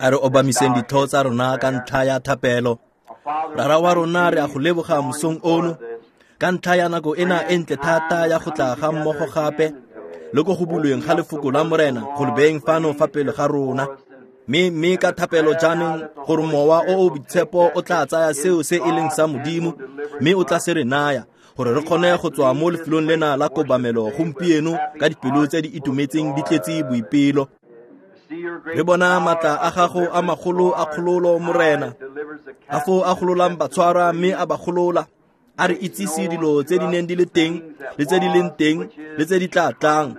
A re obamiseng ditho tsa rona ka ntlha ya thapelo. Rara wa rona, re a go leboga mosong ono ka ntlha ya nako ena e ntle thata ya go tla ga mmogo gape le ko go bulweng ga lefoko la Morena go le beeng fano fa pele ga rona. Mme ka thapelo jaanong gore Mowa o o Boitshepo o tla tsaya seo se e leng sa Modimo mme o tla se re naya gore re kgone go tswa mo lefelong lena la kobamelo gompieno ka dipelo tse di itumetseng di tletse boipelo. Re bona matla a gago a magolo a kgololo, Morena, a foo a gololang batshwarwa mme a ba golola, a re itsise dilo tse di neng di le teng le tse di leng teng le tse di tla tlang.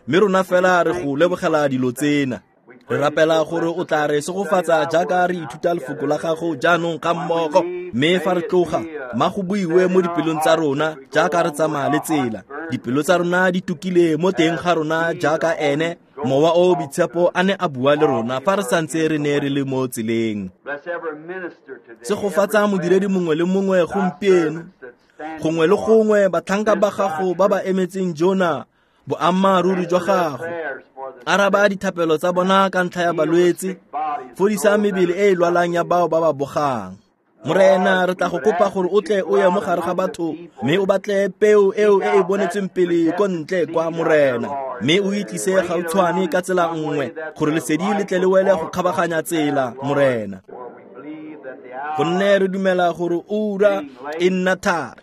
Mme rona fela re go lebogela dilo tsena. Re rapela gore o tla re segofatsa jaaka re ithuta lefoko la gago jaanong ga mmogo, mme fa re tloga ma go buiwe mo dipelong tsa rona jaaka re tsamaya le tsela. Dipelo tsa rona di tukile mo teng ga rona jaaka ene Mowa o o Boitshepo a ne a bua le rona fa re santse re ne re le mo tseleng. Segofatsa modiredi mongwe le mongwe gompieno, gongwe le gongwe batlhanka ba gago ba ba emetseng jona boammaaruri jwa gago. Araba dithapelo tsa bona ka ntlha ya balwetse, fodisa mebele e e lwalang ya bao ba ba bogang. Morena, re tla go kopa gore o tle o ye mo gare ga batho mme o batle peo eo e e bonetsweng pele ko ntle kwa, Morena, mme o itlise gautshwane ka tsela nngwe gore lesedi le tle le wele go kgabaganya tsela, Morena. Gonne re dumela gore ura e nna thari,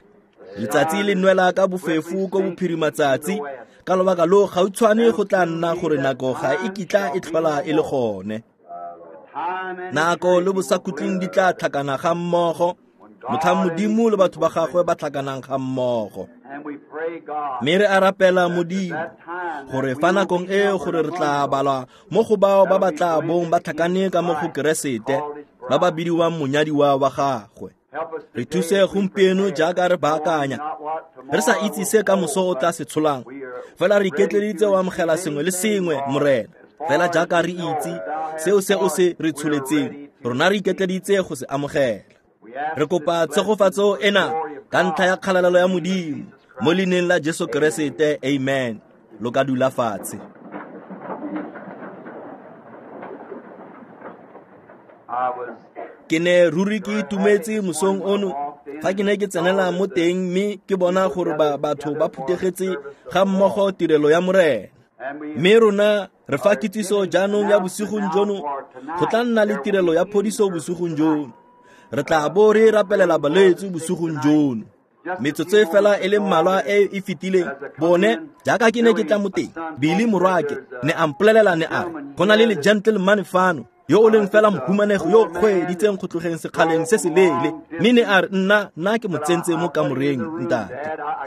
letsatsi le nwela ka bofefo ko bophirimatsatsi, ka lobaka lo gautshwane go tla nna gore nako ga e kitla e tlhola e le gone. Nako le bosakhutleng di tla tlhakana ga mmogo, motlhang Modimo le batho ba gagwe ba tlhakanang ga mmogo. Mme re a rapela, Modimo, gore fa nakong e gore re tla balwa mo go bao ba ba tla bong ba tlhakane ka mo go Keresete, ba ba bidiwang monyadiwa wa gagwe. Re thuse gompieno jaaka re baakanya, re sa itse se ka moso o tla se tsholang, fela re iketleeditse go amogela sengwe le sengwe, Morena. Fela jaaka re itse seo se o se re tsholetseng, rona re iketleeditse go se amogela. Re kopa tshegofatso ena ka ntlha ya kgalalelo ya Modimo, mo leineng la Jesu Keresete, amen. Lo ka dula fatshe. Ke ne ruri ke itumetse mosong ono fa ke ne ke tsenela mo teng mme ke bona gore batho ba phuthegetse ga mmogo tirelo ya Morena. Mme rona re fa kitsiso jaanong ya bosigong jono, go tla nna le tirelo ya phodiso bosigong jono. Re tla bo re rapelela balwetse bosigong jono. Metsotso e fela e le mmalwa e e fetileng, bone jaaka ke ne ke tla mo teng, Billy morwake ne a mpolelela, ne a re go na le le gentleman fano yo o leng fela mohumanego yo o kgweeditseng go tlogeng sekgaleng se se leele, mme ne a re nna ke mo tsentse mo kamoreng, ntate.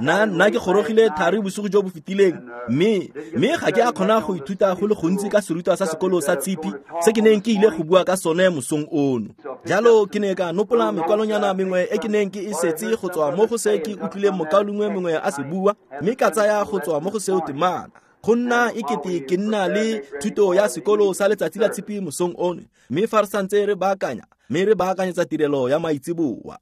Nna ke gorogile thari bosigo jo bo fetileng, mme ga ke a kgona go ithuta go le gontsi ka serutwa sa sekolo sa tshipi se ke neng ke ile go bua ka sone mosong ono. Jalo ke ne ka nopola mekwalonyana mengwe e ke neng ke e setse go tswa mo go se ke utlwileng mokaulengwe mongwe a se bua, mme ka tsaya go tswa mo go seo temana. Go nna e kete ke nna le thuto ya sekolo sa letsatsi la tshipi mosong ono, mme fa re santse re baakanya, mme re baakanyetsa tirelo ya maitseboa.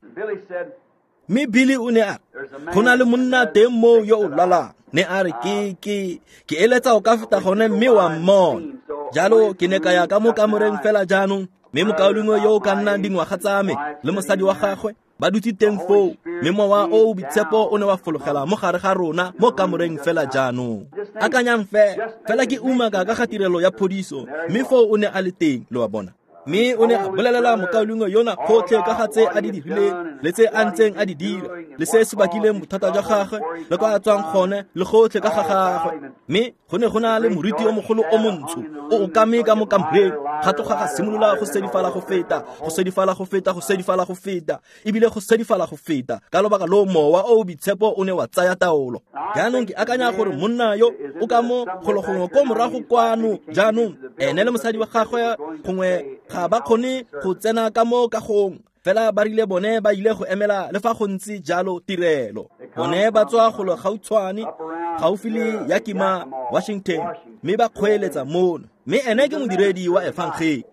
Mme Billy o ne a re go na le monna teng moo yo o lwalang, ne a re ke eletsa o ka feta gone mme wa mmona. Jalo ke ne ka ya ka mo kamoreng fela jaanong, mme mokaulengwe yo o ka nnang dingwaga tsa me le mosadi wa gagwe ba dutse teng foo, mme Mowa o o Boitshepo o ne wa fologela mo gare ga rona mo kamoreng fela jaanong. Akanyang fela ke umaka ka ga tirelo ya phodiso, mme foo o ne a le teng, lo a bona. Mme o ne a bolelela mokaulengwe yona gotlhe ka ga tse a di dirileng le tse a ntseng a di dira le se se bakileng bothata jwa gagwe le kwa a tswang gone le gotlhe ka ga gagwe. Mme go ne go na le moriti o mogolo o montsho o okame ka mo kamoreng, ga tloga ga simolola go sedifala go feta, go sedifala go feta, go sedifala go feta, ebile go sedifala go feta, ka lobaka lo Mowa o o Boitshepo o ne wa tsaya taolo. Jaanong ke akanya gore monna yo o ka mo golo gongwe ko morago kwano jaanong, ene le mosadi wa gagwe gongwe ga ba kgone go tsena ka mo kagong, fela ba rile bone ba ile go emela le fa go ntse jalo tirelo. Bone ba tswa golo gautshwane gaufi le Yakima, Washington, mme ba kgweeletsa mono, mme ene ke modiredi wa efangedi.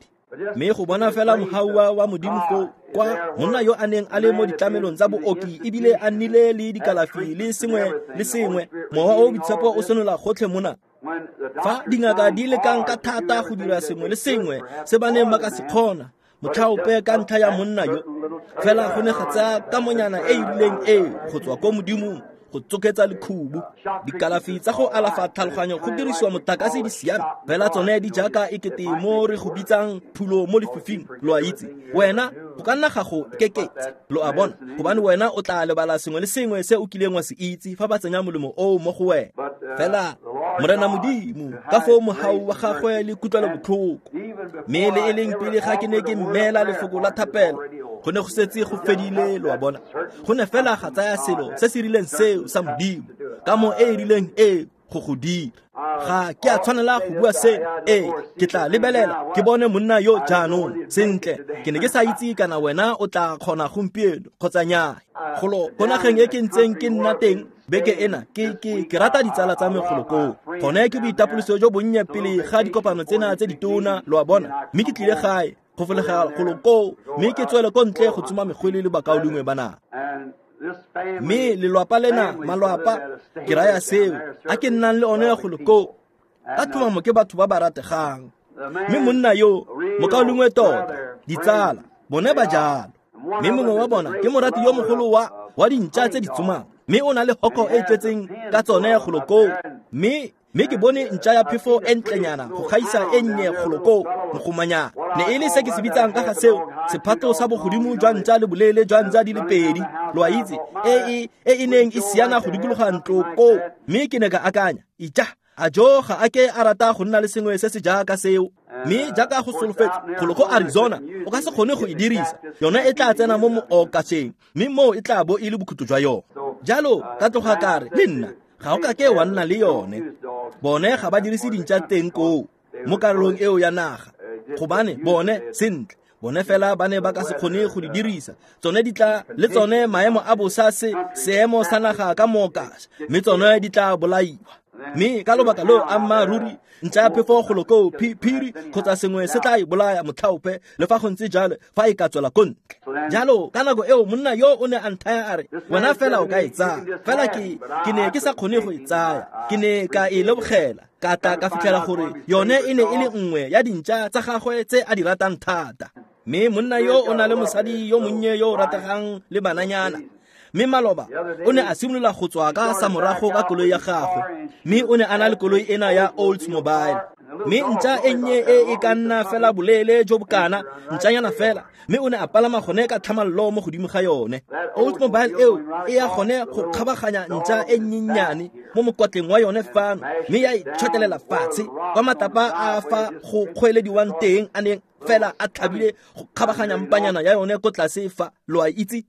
Mme go bona fela mohau wa Modimo foo kwa monna yo a neng a le mo ditlamelong tsa booki ebile a nnile le dikalafi le sengwe le sengwe, Mowa o o Boitshepo o senola gotlhe mona. Fa dingaka di lekang ka thata go dira sengwe le sengwe se ba neng ba ka se kgona, motlhaope ka ntlha ya monna yo, fela go ne ga tsaya kamonyana e e rileng e go tswa ko Modimong go tsoketsa lekhubu. Dikalafi tsa go alafa tlhaloganyo go dirisiwa motlakase di siame, fela tsone di jaaka ekete mo re go bitsang phulo mo lefifing, lo a itse. Wena go ka nna ga go keketsa, lo a bona, gobane wena o tla lebala sengwe le sengwe se o kileng wa se itse fa ba tsenya molemo oo mo go wena. Fela Morena Modimo ka foo mogau wa gagwe le kutlwelobotlhoko, mme le e leng pele ga ke ne ke mmeela lefoko la thapelo, go ne go setse go fedile, lo a bona. Go ne fela ga tsaya selo se se rileng seo sa Modimo ka mo e e rileng e go go dira. Ga ke a tshwanela go bua se, ee, ke tla lebelela ke bone monna yo jaanong. Sentle, ke ne ke sa itse kana wena o tla kgona gompieno kgotsa nnyaa. Golo ko nageng e ke ntseng ke nna teng beke ena, ke rata ditsala tsa me golo koo. Gone ke boitapoloso jo bonnye pele ga dikopano tsena tse ditona, lo a bona. Mme ke tlile gae go folega golo koo, mme ke tswele ko ntle go tsoma megwele le bakaulengwe ba naga. Mme lelwapa lena, malwapa, ke raya seo, a ke nnang le one golo koo, ka tlhomamo ke batho ba ba rategang. Mme monna yo, mokaulengwe tota, ditsala, bone ba jalo. Mme mongwe wa bona ke morati yo mogolo wa dintša tse di tsomang, mme o na le hoko e e tletseng ka tsone golo koo. Mme ke bone ntša ya phefo e ntlenyana go gaisa e nnye golo koo, mogomanyana. Ne e le se ke se bitsang ka ga seo, sephato sa bogodimo jwa ntša le boleele jwa ntša di le pedi, lo a itse, e e neng e siana go dikologa ntlo koo. Mme ke ne ka akanya, ija, a jo ga a ke a rata go nna le sengwe se se jaaka seo. Mme jaaka go solofetse golo ko Arizona, o ka se kgone go e dirisa, yone e tla tsena mo mookaseng, mme moo e tla bo e le bokhutlo jwa yone. Jalo ka tloga ka re, le nna ga o ka ke wa nna le yone. Bone ga ba dirise dintša teng koo mo karolong eo ya naga, gobane bone sentle, bone fela ba ne ba ka se kgone go di dirisa. Tsone di tla le tsone maemo a bosa se seemo sa naga ka mookasa, mme tsone di tla bolaiwa. Mme ka lobaka leo ammaaruri ntša ya phefo golo koo phiri kgotsa sengwe se tla e bolaya motlhaope, le fa go ntse jalo fa e ka tswela ko ntle. Jalo ka nako eo monna yo o ne a nthaya a re, wena fela o ka e tsaya. Fela ke ne ke sa kgone go e tsaya, ke ne ka e lebogela, ka tla ka fitlhela gore yone e ne e le nngwe ya dintša tsa gagwe tse a di ratang thata. Mme monna yo o na le mosadi yo monnye yo o rategang le bananyana. Mme maloba o ne a simolola go tswa ka samorago ka koloi ya gagwe, mme o ne a na le koloi ena ya Oldsmobile. Mme ntša e nnye e e ka nna fela boleele jo bokana, ntšanyana fela, mme o ne a palama gone ka tlhamallo mo godimo ga yone. Oldsmobile eo e ya gone go kgabaganya ntša e nnyennyane mo mokwatleng wa yone fano, mme ya e tšhwatelela fatshe kwa matlapa a fa go kgweelediwang teng a neng fela a tlhabile go kgabaganya mpanyana ya yone ko tlase fa, lo a itse.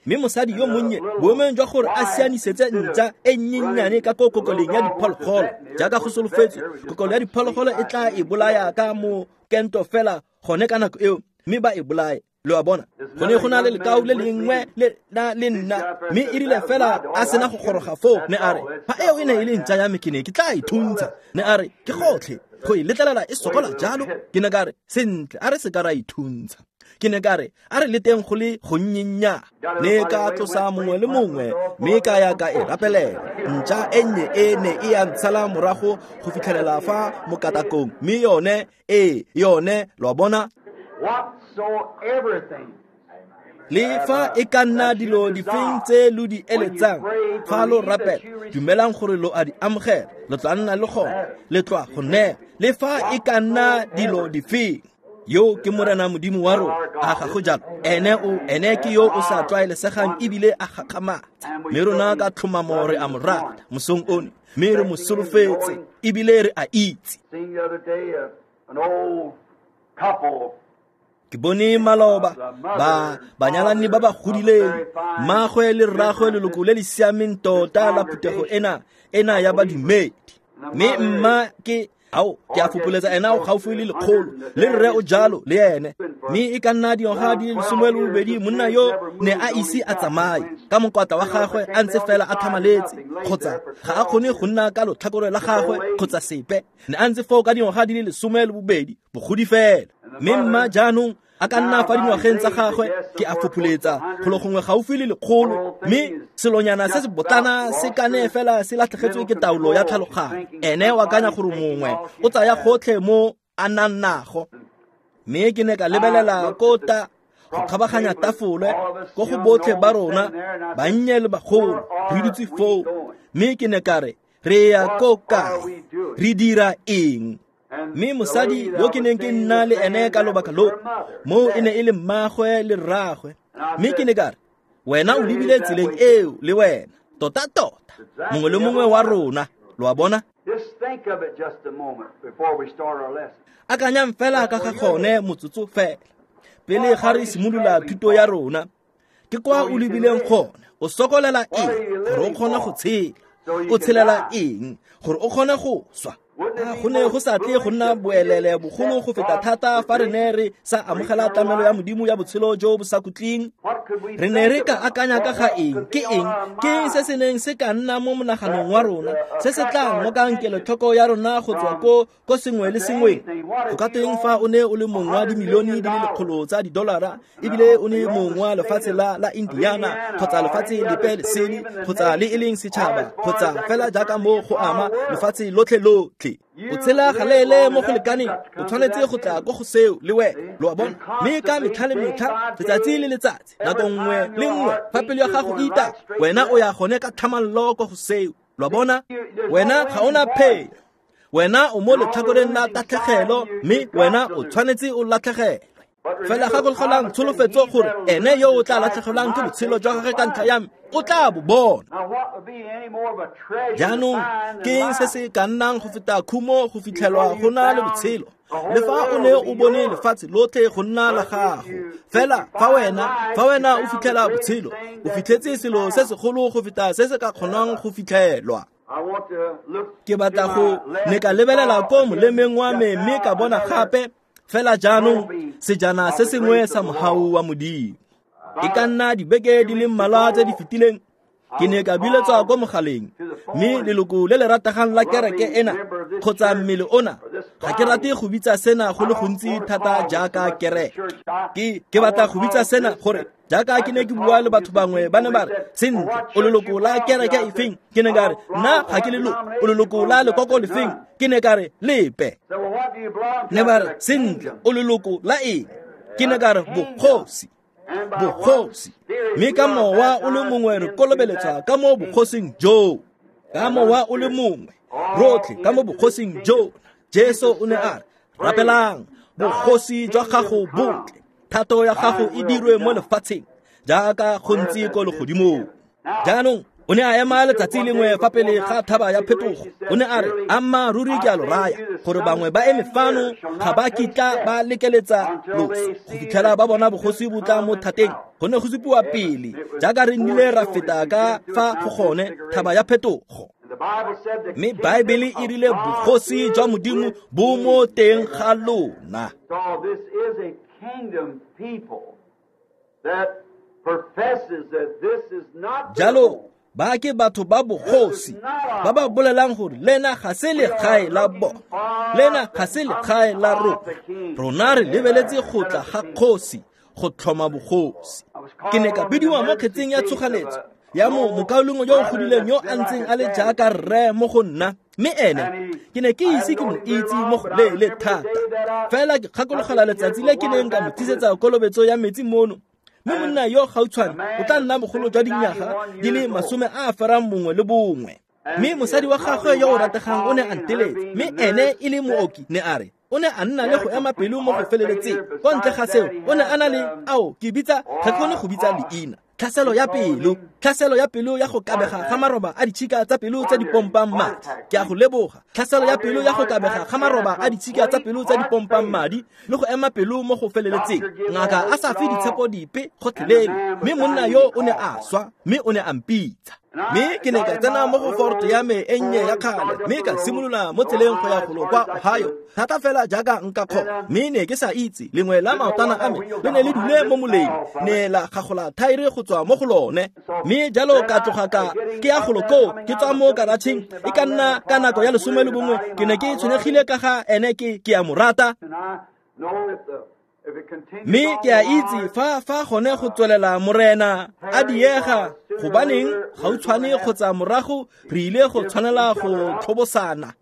Mme mosadi yo monnye, boemong jwa gore a sianisetse ntša e nnyennyane ka ko kokoleng ya diphologolo, jaaka go solofetswe, kokolo ya diphologolo e tla e bolaya ka mokento fela gone ka nako eo, mme ba e bolaye. Lo a bona, go ne go na le lekau le lengwe le na le nna, mme e rile fela a sena go goroga foo, ne a re, fa eo e ne e le ntša ya me ke ne ke tla e thuntsha. Ne a re, ke gotlhe go e letlelela e sokola jalo. Ke ne ka re, sentle, a re se ka ra e thuntsha. Ke ne ka re, a re leteng go le gonnyennya. Ne ka tlosa mongwe le mongwe, mme ka ya ka e rapelela. Ntša e nnye e ne e ya ntshala morago go fitlhelela fa mokatakong, mme yone e yone, lo a bona. Le fa e ka nna dilo difeng tse lo di eletsang fa lo rapela, dumelang gore lo a di amogela, lo tla nna le gone, le tla go nea. Le fa e ka nna dilo difeng, yo ke Morena Modimo wa rona, a ga go jalo? Ene ke yo o sa tlwaelesegang ebile a gakgamatsa. Mme rona ka tlhomamo re a mo rata mosong ono, mme re mo solofetse ebile re a itse. Ke bone maloba ba banyalani ba ba godileng, mmagwe le rragwe, leloko le le siameng tota la phuthego ena ya badumedi. Mme mma ke ao ke a fopoletsa ena o gaufi le lekgolo, le rre o jalo le ene. Mme e ka nna dingwaga di le 12, monna yo ne a ise a tsamaye ka mokwatla wa gagwe a ntse fela a tlhamaletse, kgotsa ga a kgone go nna ka lotlhakore la gagwe kgotsa sepe. Ne a ntse foo ka dingwaga di le 12, bogodi fela. Mme mma jaanong A ka nna fa dingwageng tsa gagwe, ke a fopholetsa golo gongwe gaufi le 100, mme selonyana se se botlana se kane fela se latlhegetswe ke taolo ya tlhaloganyo. Ene o akanya gore mongwe o tsaya gotlhe mo a nang nago. Mme ke ne ka lebelela ko ta go kgabaganya tafole ko go botlhe ba rona, bannye le bagolo, re dutse foo. Mme ke ne ka re, re ya ko kae? Re dira eng? Mme mosadi yo ke neng ke nna le ene ka lobaka lo, mo e ne e le mmagwe le rragwe. Mme ke ne ka re, wena o lebile tseleng eo le wena, tota-tota, mongwe le mongwe wa rona, lo a bona? Akanyang fela ka ga gone motsotso fela, pele ga re simolola thuto ya rona. Ke kwa o lebileng gone, o sokolela eng gore o kgone go tshela? O tshelela eng gore o kgone go swa? Go ne go sa tle go nna boelele bogolo go feta thata fa re ne re sa amogela tlamelo ya Modimo ya botshelo jo bo sa khutleng. Re ne re ka akanya ka ga eng? Ke eng? Ke eng se se neng se ka nna mo monaganong wa rona, se se tla ngokang kelotlhoko ya rona go tswa ko sengwe le sengweng? Go ka tweng fa o ne o le mong wa dimilione di le 100 tsa didolara, ebile o ne mong wa lefatshe la Indiana, kgotsa lefatshe lepe lesele, kgotsa le e leng setšhaba, kgotsa fela jaaka mo go ama lefatshe lotlhe lotlhe. O tshela galeele mo go lekaneng, o tshwanetse go tla ko go seo le wena, lo a bona? Mme ka metlha le metlha, letsatsi le letsatsi, nako nngwe le nngwe, fa pelo ya gago e ita, wena o ya gone ka tlhamallo ko go seo, lo a bona? Wena ga ona phelo, wena o mo letlhakoreng la tatlhegelo, mme wena o tshwanetse o latlhegelwe. Fela gakologelang tsholofetso gore ene yo o tla latlhegelwang ke botshelo jwa gagwe ka ntlha ya me, o tla bo bona. Jaanong ke eng se se ka nnang go feta khumo go fitlhelwa go na le botshelo? Le fa o ne o bone lefatshe lotlhe go nna la gago, fela fa wena o fitlhela botshelo, o fitlhetse selo se segolo go feta se se ka kgonang go fitlhelwa. Ke batla go ne ka lebelela ko molemeng wa me mme ka bona gape fela jaanong sejana se sengwe sa mohau wa Modimo. E ka nna dibeke di le mmalwa tse di fetileng, ke ne ka biletswa ko mogaleng, mme leloko le le rategang la kereke ena, kgotsa mmele ona, ga ke rate go bitsa sena go le gontsi thata jaaka kereke. Ke batla go bitsa sena gore jaaka ke ne ke bua le batho bangwe, ba ne ba re, sentle, o leloko la kereke efeng? Ke ne ka re, nna ga ke leloko. O leloko la lekoko lefeng? Ke ne ka re, lepe. Ne ba re, sentle, o leloko la eng? Ke ne ka re, bogosi. Bogosi. Mme ka mowa o le mongwe re kolobeletswa ka mo bogosing joo. Ka mowa o le mongwe, rotlhe ka mo bogosing joo. Jesu o ne a re, rapelang, bogosi jwa gago botle, thato ya gago e dirwe mo lefatsheng jaaka go ntse ko legodimong. Jaanong o ne a ema letsatsi lengwe fa pele ga thaba ya phetogo. O ne a re, amma ruri ke a lo raya gore bangwe ba eme fano ga ba kitla ba lekeletsa loso go fitlhela ba bona bogosi bo tla mo thateng. Go ne go supiwa pele jaaka re nnile ra feta ka fa go gone thaba ya phetogo. Mme Baebele e rile bogosi jwa Modimo bo mo teng ga lona. Jalo ba ke batho ba bogosi ba ba bolelang gore lena ga se legae la bona, lena ga se legae la rona. Rona re lebeletse go tla ga kgosi go tlhoma bogosi. Ke ne ka bidiwa mo kgetseng ya tshoganetso ya mo mokaulengwe yo o godileng yo a ntseng a le jaaka rre mo go nna, mme ene ke ne ke ise ke mo itse mo go leele thata. Fela ke gakologela letsatsi le ke neng ka mo tlisetsa kolobetso ya metsi mono. Mme monna yo gautshwane o tla nna bogolo jwa dinyaga di le 91. Mme mosadi wa gagwe yo o rategang o ne a nteletse, mme ene e le mooki, ne a re o ne a nna le go ema pelo mo go feleletseng. Kwa ntle ga seo, o ne a na le ao ke bitsa, ga ke kgone go bitsa leina, tlhaselo ya pelo, tlhaselo ya pelo ya go kabega ga maroba a ditšhika tsa pelo tse di pompang madi. Ke a go leboga. Tlhaselo ya pelo ya go kabega ga maroba a ditšhika tsa pelo tse di pompang madi le go ema pelo mo go feleletseng. Ngaka a sa fe ditshepo dipe gotlhelele, mme monna yo o ne a swa, mme o ne a mpitsa. Mme ke ne ka tsena mo go Ford ya me e nnye ya kgale, mme ka simolola mo tseleng go ya golo kwa Ohio, thata fela jaaka nka kgona. Mme ne ke sa itse, lengwe la maotana a me le ne le dule mo moleng, ne la gagola thaere go tswa mo go lone. Mme jalo ka tloga ka ke ya golo koo, ke tswa mo karatšheng, e ka nna ka nako ya 11, ke ne ke tshwenyegile ka ga ene, ke a mo rata. Mme ke a itse fa gone go tswelela Morena a diega, gobaneng gautshwane kgotsa morago re ile go tshwanela go tlhobosana.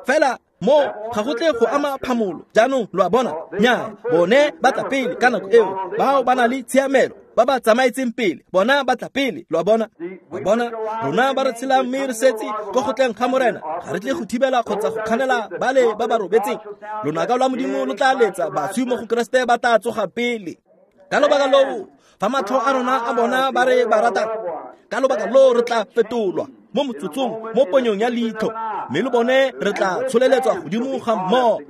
Fela mo ga go tle go ama phamolo. Jaanong lo a bona, nnyaa, bone ba tla pele ka nako eo, bao ba na le tshiamelo, ba ba tsamaetseng pele, bona ba tla pele, lo a bona. Lo bona, rona ba re tshelang mme re setse ko go tleng ga Morena, ga re tle go thibela kgotsa go kganela bale ba ba robetseng. Lonaka lwa Modimo lo tla letsa, baswi mo go Keresete ba tla tsoga pele. Ka lobaka loo, fa matlho a rona a bona ba re ba ratang, ka lobaka loo re tla fetolwa mo motsotsong, mo ponyong ya leitlho, mme le bone re tla tsholeletswa godimo ga mmogo.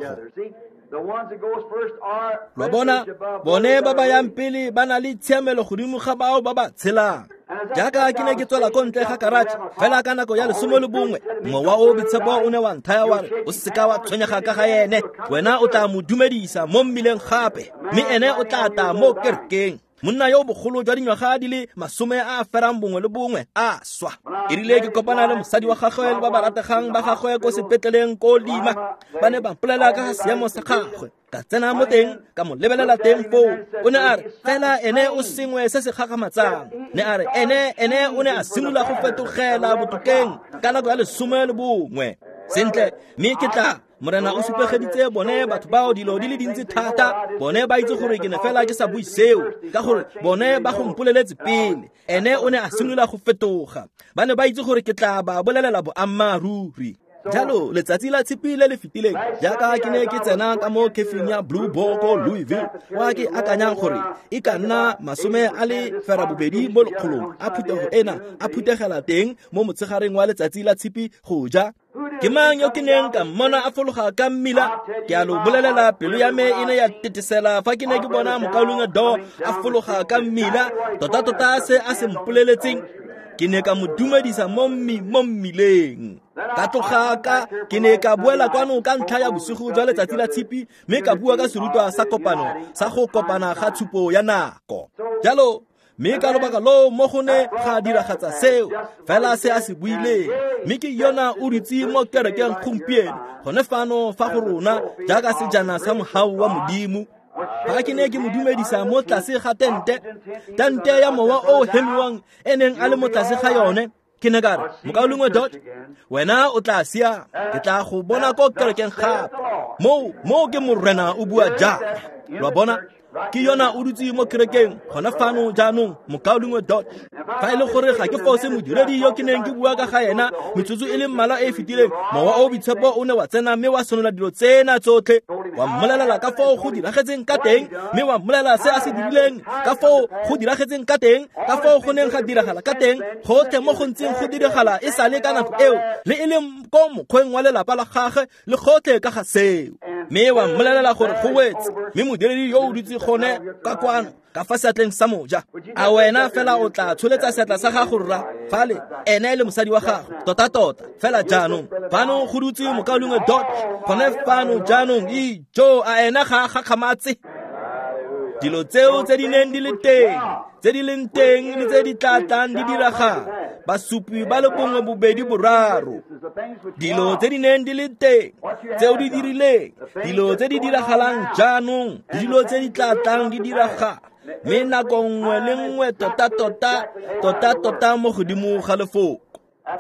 Lo bona, bone ba ba yang pele ba na le tshiamelo godimo ga bao ba ba tshelang. Jaaka ke ne ke tswela ko ntle ga karatšhe fela ka nako ya 11, mowa o boitshepo o ne wa nthaya wa re, o seka wa tshwenyega ka ga ene, wena o tla mo dumedisa mo mmileng gape, mme ene o tla tla mo kerekeng. Monna yo bogolo jwa dingwaga di le 91 a swa. E rile ke kopana le mosadi wa gagwe le ba ba rategang ba gagwe ko sepetleleng ko Lima, ba ne ba mpolela ka ga seemo sa gagwe. Ka tsena mo teng, ka mo lebelela teng foo. O ne a re, fela ene o sengwe se se gakgamatsang. Ne a re, ene o ne a simolola go fetogela botokeng ka nako ya 11. Sentle, mme ke tla Morena o supegeditse bone batho bao dilo di le dintsi thata, bone ba itse gore ke ne fela ke sa bue seo, ka gore bone ba go mpoleletse pele. Ene o ne a simolola go fetoga. Ba ne ba itse gore ke tla ba bolelela boammaaruri. Jalo letsatsi la Tshipi le le fetileng, jaaka ke ne ke tsena ka mo kefing ya Blue Boar ko Louisville, kwa ke akanyang gore e ka nna 88 mo lekgolong a phuthego ena a phuthegela teng mo motshegareng wa letsatsi la Tshipi go ja. Ke mang yo ke neng ka mmona a fologa ka mmila? Ke a lo bolelela, pelo ya me e ne ya tetesela fa ke ne ke bona mokaulengwe Do a fologa ka mmila, tota-tota se a se mpoleletseng. Ke ne ka mo dumedisa mo mmileng. Ka tloga ka ke ne ka boela kwano ka ntlha ya bosigo jwa letsatsi la Tshipi, mme ka bua ka serutwa sa kopano sa go kopana ga tshupo ya nako. Jalo mme ka lobaka loo mo go ne ga diragatsa seo fela se a se buileng, mme ke yona o dutse mo kerekeng gompieno gone fano fa go rona jaaka sejana sa mogau wa Modimo. Fa ke ne ke mo dumedisa mo tlase ga tente ya mowa o hemiwang e neng a le mo tlase ga yone, ke ne ka re, mokaulengwe Dot, wena o tla siama, ke tla go bona ko kerekeng gape. Moo ke Morena o bua jaana. Lo a bona, ke yona o dutse mo kerekeng gona fano jaanong, mokaulengwe Dot. Fa e le gore ga ke fose modiredi yo ke neng ke bua ka ga ena metsotso e le mmalwa e e fetileng, mowa o boitshepo o ne wa tsena mme wa senola dilo tsena tsotlhe, wa mmolelela ka foo go diragetseng ka teng, mme wa mmolelela se a se dirileng, ka foo go diragetseng ka teng, ka foo go neng ga diragala ka teng, gotlhe mo go ntseng go diragala e sale ka nako eo, le e leng ko mokgweng wa lelapa la gagwe le gotlhe ka ga seo. Mme wa mmolelela gore go wetse, mme modiredi yo o dutse gone ka kwano ka fa seatleng sa moja. A wena fela o tla tsholetsa seatla sa gago rra fale, ene le mosadi wa gago, tota-tota fela jaanong. Fano go dutse mokaulengwe Dot gone fano jaanong. Ijo, a ena ga a gakgamatse? Dilo tseo tse di neng di le teng, tse di leng teng le tse di tla tlang di diragala, basupi ba le 1, 2, 3. Dilo tse di neng di le teng, tseo di dirileng, dilo tse di diragalang jaanong, le dilo tse di tla tlang di diragala, mme nako nngwe le nngwe tota-tota mo godimo ga lefoko.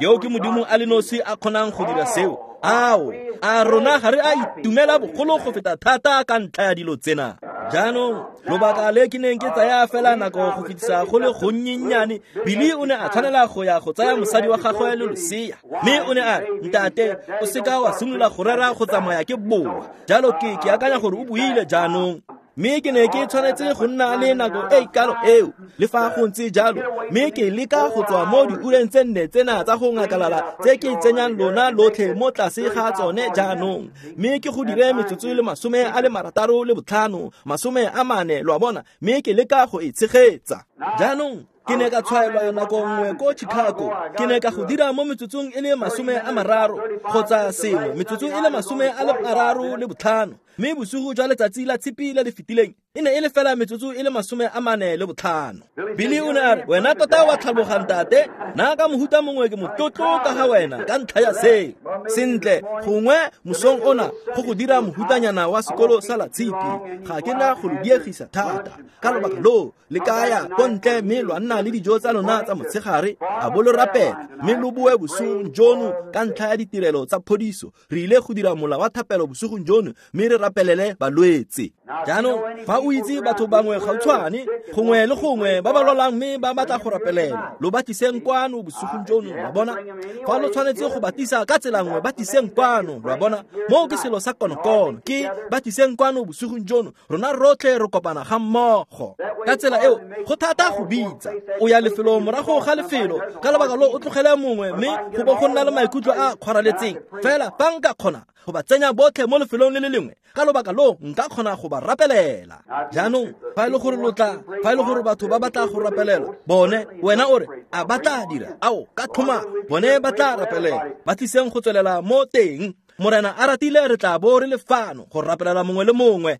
Yo ke Modimo a le nosi a kgonang go dira seo. Ao, a rona ga re a itumela bogolo go feta thata ka ntlha ya dilo tsena. Jaanong, lobaka le ke neng ke tsaya fela nako go fetisa go le gonnyennyane, Billy o ne a tshwanela go ya go tsaya mosadi wa gagwe le losea, mme o ne a re, ntate, o seka wa simolola go rera go tsamaya ke boa. Jalo ke akanya gore o buile jaanong. Mme ke ne ke tshwanetse go nna le nako e kalo eo, le fa go ntse jalo, mme ke leka go tswa mo diureng tse nne tsena tsa go ngakalala tse ke tsenyang lona lotlhe mo tlase ga tsone jaanong, mme ke go dire metsotso e le 65, 40, lo a bona, mme ke leka go e tshegetsa. Jaanong ke ne ka tshwaelwa nako nngwe ko Chicago, ke ne ka go dira mo metsotsong e le 30 kgotsa sengwe, metsotso e le 35, mme bosigo jwa letsatsi la Tshipi le le fetileng E ne e le fela metsotso e le 45. Billy o ne a re, wena tota wa tlhaloga ntate, nna ka mohuta mongwe ke motlotlo ka ga wena ka ntlha ya seo. Sentle, gongwe mosong ona go go dira mohutanyana wa sekolo sa Latshipi, ga ke na go lo diegisa thata. Ka lobaka loo le ka ya ko ntle mme lwa nna le dijo tsa lona tsa motshegare, a bo lo rapela mme lo boe bosigong jono ka ntlha ya ditirelo tsa phodiso. Re ile go dira mola wa thapelo bosigong jono mme re rapelele balwetse. Jaanong fa o itse batho bangwe gautshwane gongwe le gongwe ba ba lwalang mme ba batla go rapelela, lo ba tliseng kwano bosigong jono, lwa bona. Fa lo tshwanetse go ba tlisa ka tsela nngwe, ba tliseng kwano, lwa bona. Moo ke selo sa konokono, ke ba tliseng kwano bosigong jono, rona rotlhe re kopana ga mmogo. Ka tsela eo go thata go bitsa, o ya lefelong morago ga lefelo, ka lebaka lo o tlogele mongwe mme go bo go nna le maikutlo a kgwaraletseng. Fela fa nka kgona go ba tsenya botlhe mo lefelong le le lengwe, ka lobaka lo nka kgona go ba rapelela. Jaanong fa e le gore lo tla, fa e le gore batho ba batla go rapelela bone, wena o re a ba tla dira, ao ka tlhoma bone ba tla rapelela, ba tliseng go tswelela mo teng. Morena a ratile re tla bo re le fano go rapelela mongwe le mongwe,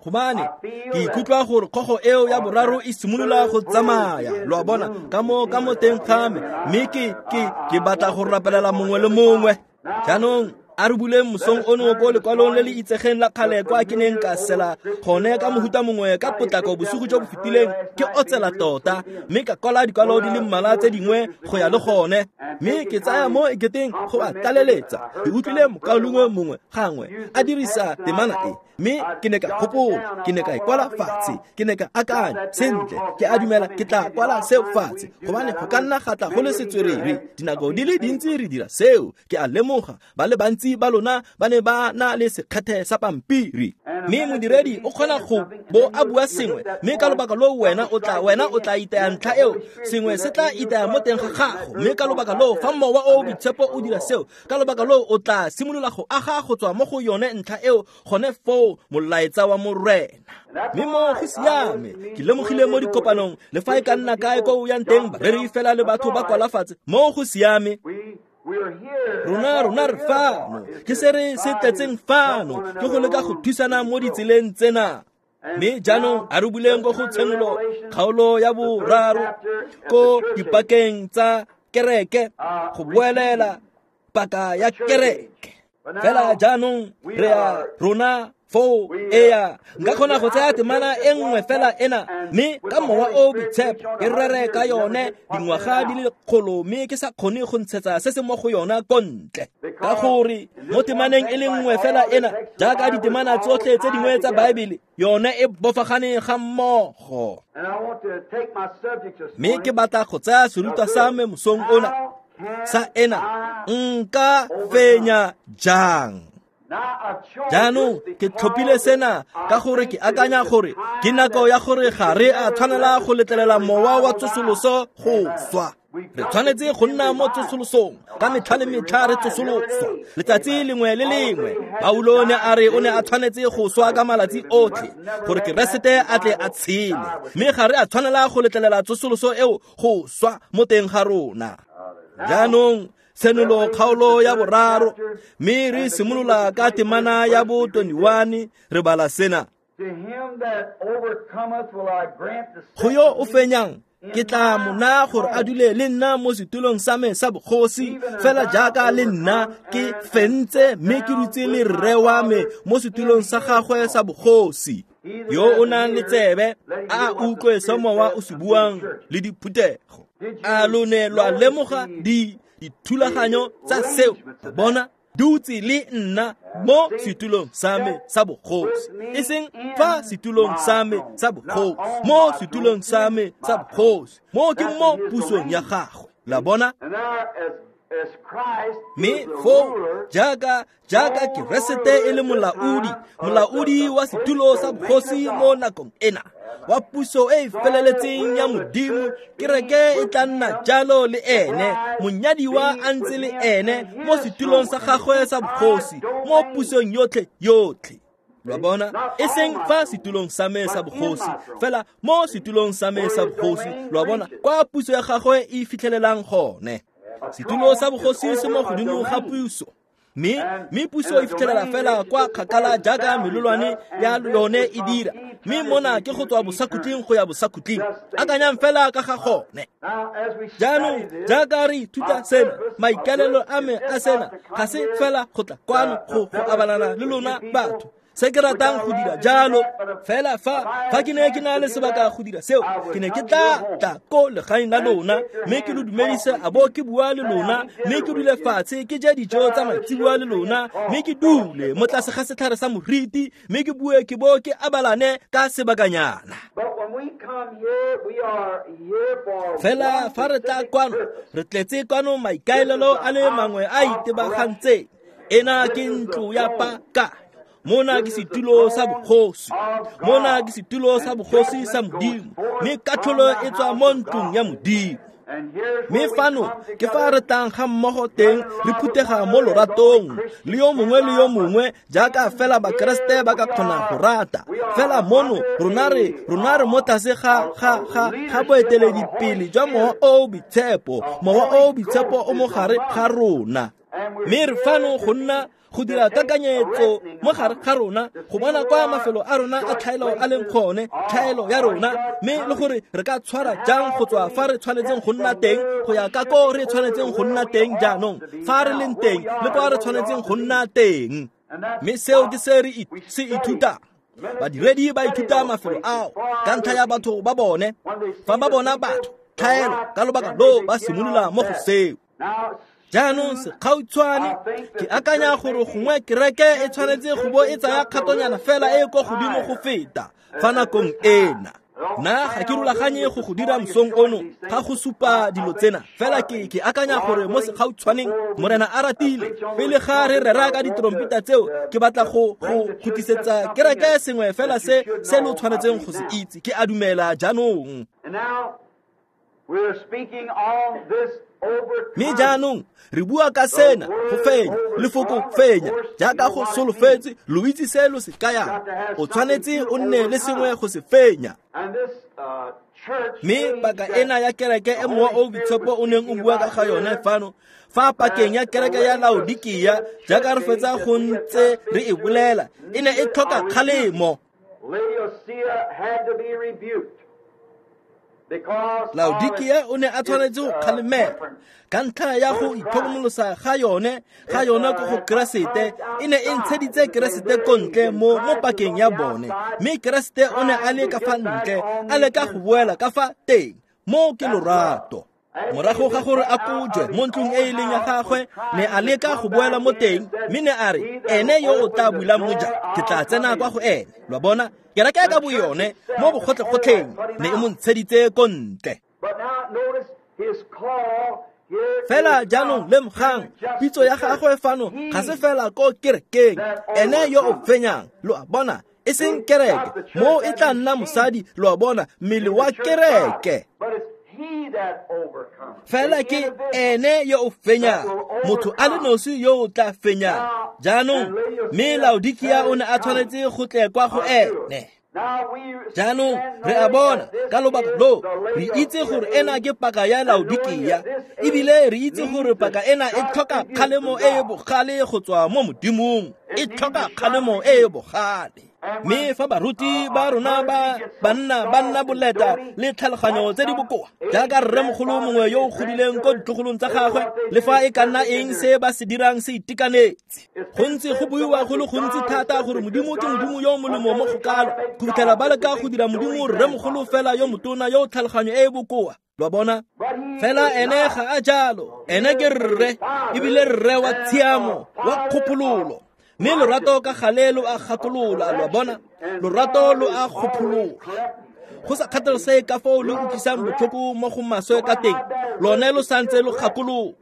gobane ke ikutlwa gore kgogo eo ya boraro e simolola go tsamaya, lo a bona, ka mo teng ga me, mme ke batla go rapelela mongwe le mongwe. Jaanong a re buleng mosong ono ko lekwalong le le itsegeng la kgale kwa ke neng ka sela gone ka mohuta mongwe ka potlako bosigo jo bo fetileng, ke otsela tota mme ka kwala dikwalo di le mmalwa tse dingwe go ya le gone, mme ke tsaya mo eketeng go a tlaleletsa. Ke utlwile mokaulengwe mongwe gangwe a dirisa temana e, mme ke ne ka gopola, ke ne ka e kwala fatshe, ke ne ka akanya sentle, ke a dumela ke tla kwala seo fatshe, gobane go ka nna ga tla go le setswerere. Dinako di le dintsi re dira seo, ke a lemoga ba le bantsi ba lona ba ne ba na le sekgethe sa pampiri, mme modiredi o kgona go bo a bua sengwe, mme ka lobaka loo wena o tla itaya ntlha eo, sengwe se tla itaya mo teng ga gago, mme ka lobaka loo fa mowa o boitshepo o dira seo, ka lobaka loo o tla simolola go aga go tswa mo go yone ntlha eo gone foo molaetsa wa Morena. Mme mo go siame, ke lemogile mo dikopanong le fa e ka nna kae ko o yang teng, bareri fela le batho ba kwala fatshe, mo go siame. Rona re fano, ke se re se tletseng fano, ke go leka go thusana mo ditseleng tsena. Mme jaanong a re buleng ko go Tshenolo kgaolo ya 3 ko dipakeng tsa kereke, go boelela paka ya kereke. Fela jaanong re a rona foo ea, nka kgona go tsaya temana e nngwe fela ena, mme ka mowa o boitshepo ke rere ka yone dingwaga di le 100, mme ke sa kgone go ntshetsa se se mo go yona ko ntle, ka gore mo temaneng e le nngwe fela ena, jaaka ditemana tsotlhe tse dingwe tsa Baebele, yone e bofagane ga mmogo. Mme ke batla go tsaya serutwa sa me mosong ona sa ena, nka fenya jang? Jaanong ke tlhophile sena ka gore ke akanya gore ke nako ya gore ga re a tshwanela go letlelela mowa wa tsosoloso go swa. Re tshwanetse go nna mo tsosolosong ka metlha le metlha, re tsosoloswa letsatsi lengwe le lengwe. Paulo ne a re o ne a tshwanetse go swa ka malatsi otlhe gore Keresete a tle a tshele, mme ga re a tshwanela go letlelela tsosoloso eo go swa mo teng ga rona. Jaanong Tshenolo kgaolo ya 3, mme re simolola ka temana ya bo 21, re bala sena. Go yo o fenyang ke tla mo naya gore a dule le nna mo setulong sa me sa bogosi, fela jaaka le nna ke fentse mme ke dutse le rre wa me mo setulong sa gagwe sa bogosi. Yo o nang le tsebe a utlwe se mowa o se buang le diphuthego. A lo ne lwa lemoga dithulaganyo tsa seo? Bona, dutse le nna mo setulong sa me sa bogosi, e seng fa setulong sa me sa bogosi, mo setulong sa me sa bogosi, mo ke mo pusong ya gagwe. La bona? Mme foo jaaka Keresete e le molaodi wa setulo sa bogosi mo nakong ena wa puso e e feleletseng ya Modimo, kereke e tla nna jalo le ene, monyadiwa a ntse le ene mo setulong sa gagwe sa bogosi mo pusong yotlhe yotlhe. Lwa bona? E seng fa setulong sa me sa bogosi, fela mo setulong sa me sa bogosi, lwa bona, kwa puso ya gagwe e fitlhelelang gone. Setulo sa bogosi se mo godimo ga puso, Mme puso e fitlhelela fela kwa kgakala jaaka melelwane ya yone e dira. Mme mona ke go tswa bosakhutleng go ya bosakhutleng. Akanyang fela ka ga gone. Jaanong jaaka re ithuta sena, maikaelelo a me a sena ga se fela go tla kwano go abalana le lona batho. Se ke ratang go dira jalo, fela fa ke ne ke na le sebaka go dira seo, ke ne ke tla ko legaeng la lona, mme ke lo dumedise a bo ke bua le lona, mme ke dule fatshe ke je dijo tsa maitseboa le lona, mme ke dule mo tlase ga setlhare sa moriti, mme ke bue ke bo ke abalane ka sebakanyana. Fela fa re tla kwano, re tletse kwano maikaelelo a le mangwe a itebagantseng. Ena ke ntlo ya paka. Mona ke setulo sa bogosi. Mona ke setulo sa bogosi sa Modimo. Mme katlholo e tswa mo ntlong ya Modimo. Mme fano ke fa re tlang ga mmogo teng re phuthega mo loratong le yo mongwe le yo mongwe jaaka fela Bakeresete ba ka kgona go rata. Fela mono rona re mo tlase ga boeteledipele jwa Mowa o o Boitshepo. Mowa o o Boitshepo o mo gare ga rona. Mme re fano go nna go dira kakanyetso mo gare ga rona, go bona kwa mafelo a rona a tlhaelo a leng gone, tlhaelo ya rona, mme le gore re ka tshwara jang go tswa fa re tshwanetseng go nna teng go ya ka ko re tshwanetseng go nna teng jaanong, fa re leng teng le kwa re tshwanetseng go nna teng. Mme seo ke se re se ithutang. Badiredi ba ithuta mafelo ao ka ntlha ya batho ba bone. Fa ba bona batho tlhaelo ka lobaka lo ba simolola mo go seo. Jaanong sekgautshwane ke akanya gore gongwe kereke e tshwanetse go bo e tsaya kgatonyana fela e ko godimo go feta fa nakong ena. Nna ga ke rulaganye go dira mosong ono ga go supa dilo tsena, fela ke akanya gore mo sekgautshwaneng Morena a ratile pele ga re rera ka ditrompeta tseo, ke batla go khutlisetsa kereke sengwe fela se lo tshwanetseng go se itse. Ke a dumela jaanong. Mme jaanong re bua ka sena go fenya, lefoko fenya, jaaka go solofetse, lo itse se lo se kayang. O tshwanetse o nne le sengwe go se fenya. Mme paka ena ya kereke e Mowa o Boitshepo o neng o bua ka ga yone fano, fa pakeng ya kereke ya Laodikia, jaaka re fetsa go ntse re e bolela, e ne e tlhoka kgalemo. Laodikia o ne a tshwanetse go kgalemela ka ntlha ya go itlhokomolosa ga yone ko go Keresete. E ne e ntsheditse Keresete ko ntle mo pakeng ya bone, mme Keresete o ne a le ka fa ntle, a leka go boela ka fa teng. Mo ke lorato. Morago ga gore a kojwe mo ntlong e e leng ya gagwe, ne a leka go boela mo teng, mme ne a re, ene yo o tla bulang mojako, ke tla tsena kwa go ene. Lo bona, kereke ka boyone mo bogotlhegotlheng ne e mo ntsheditse ko ntle. Fela jaanong lemogang pitso ya gagwe fano ga se fela ko kerekeng, ene yo o fenyang, lo a bona, e seng kereke, mo e tla nna mosadi, lo a bona, mmele wa kereke. Fela ke ene yo o fenyang, motho a le nosi yo o tla fenyang. Jaanong mme Laodikia o ne a tshwanetse go tle kwa go ene. Jaanong re a bona ka lobaka lo re itse gore ena ke paka ya Laodikia, ebile re itse gore paka ena e tlhoka kgalemo e e bogale go tswa mo Modimong, e tlhoka kgalemo e e bogale. Mme fa baruti ba rona ba banna ba nna boleta le tlhaloganyo tse di bokoa jaaka rremogolo mongwe yo o godileng ko ditlogolong tsa gagwe, le fa e ka nna eng se ba se dirang se itekanetse. Go ntse go buiwa go le gontsi thata gore Modimo ke Modimo yo o molemo mo go kalo, go fitlhela ba leka go dira Modimo rremogolo fela yo motona yo o tlhaloganyo e e bokoa. Lo bona, fela ene ga a jalo. Ene ke rre, ebile rre wa tshiamo, wa kgopololo. Mme lorato ka gale lo a gakolola, lo bona, lorato lo a kgopholola. Go sa kgathalesege ka foo lo utlwisang botlhoko mo go maswe ka teng, lone lo santse lo gakolola.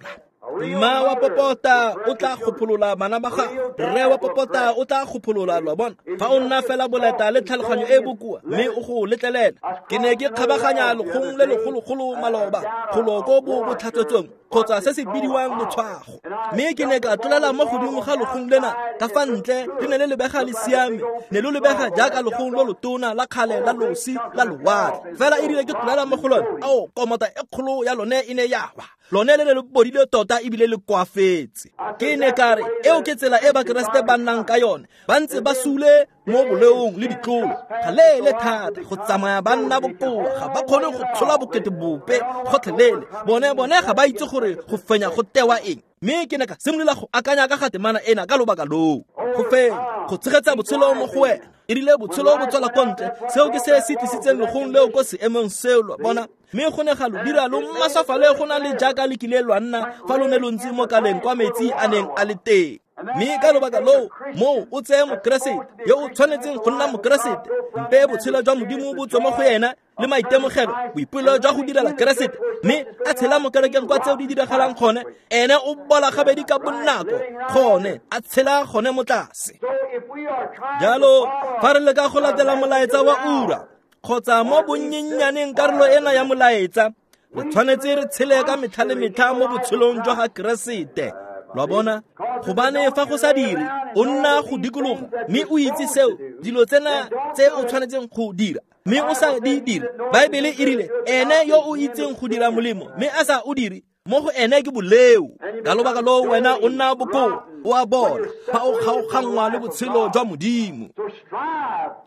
Mma wa popota o tla kgopholola bana ba gagwe, rre wa popota o tla kgopholola, lo bona. Fa o nna fela boleta le tlhaloganyo e bokoa, mme o go letlelela. Ke ne ke kgabaganya lekgong le legologolo maloba, golo ko bo botlhatswetsong kgotsa se se bidiwang letshwago. Mme ke ne ka tlolela mo godimo ga legong lena ka fa ntle, le ne le lebega le siame, ne lo lebega jaaka legong lo lotona la kgale la losi la lewatle. Fela e rile ke tlolela mo go lone, ao, komota e kgolo ya lone e ne ya wa. Lone le ne le bodile tota ebile le koafetse. Ke ne ka re eo ke tsela e Bakeresete ba nnang ka yone, ba ntse ba sule mo boleong le ditlolo ga leele thata go tsamaya ba nna bokoa, ga ba kgone go tshola bokete bope gotlhelele. Bone ga ba itse gore go fenya go tewa eng. Mme ke ne ka simolola go akanya ka ga temana ena ka lobaka loo. Go fenya, go tshegetsa botshelo mo go wena. E rile botshelo bo tswela ko ntle, seo ke se se tlisitseng legong leo ko seemong seo, lo bona. Mme go ne ga lo dira lo maswafale go na le jaaka le kile lwa nna fa lo ne lo ntse mo kaleng kwa metsi a neng a le teng. Mme ka lobaka loo moo o tseye Mokeresete yo o tshwanetseng go nna Mokeresete, mpe botshelo jwa Modimo bo tswe mo go ena le maitemogelo, boipelo jwa go direla Keresete, mme a tshela mo kerekeng kwa tseo di diragalang gone, ene o bola gabedi ka bonako gone, a tshela gone mo tlase. Jalo fa re leka go latela molaetsa wa ura kgotsa mo bonnyenyaneng karolo ena ya molaetsa, re tshwanetse re tshele ka metlha le metlha mo botshelong jwa ga Keresete. Lo bona, gobane fa go sa dire, o nna go dikologa mme o itse seo dilo tsena tse o tshwanetseng go dira, mme o sa di dire. Baebele e rile ene yo o itseng go dira molemo mme a sa o dire, mo go ene ke boleo. Ka lobaka loo wena o nna bokoa, o a bona, fa o kgaoganngwa le botshelo jwa Modimo.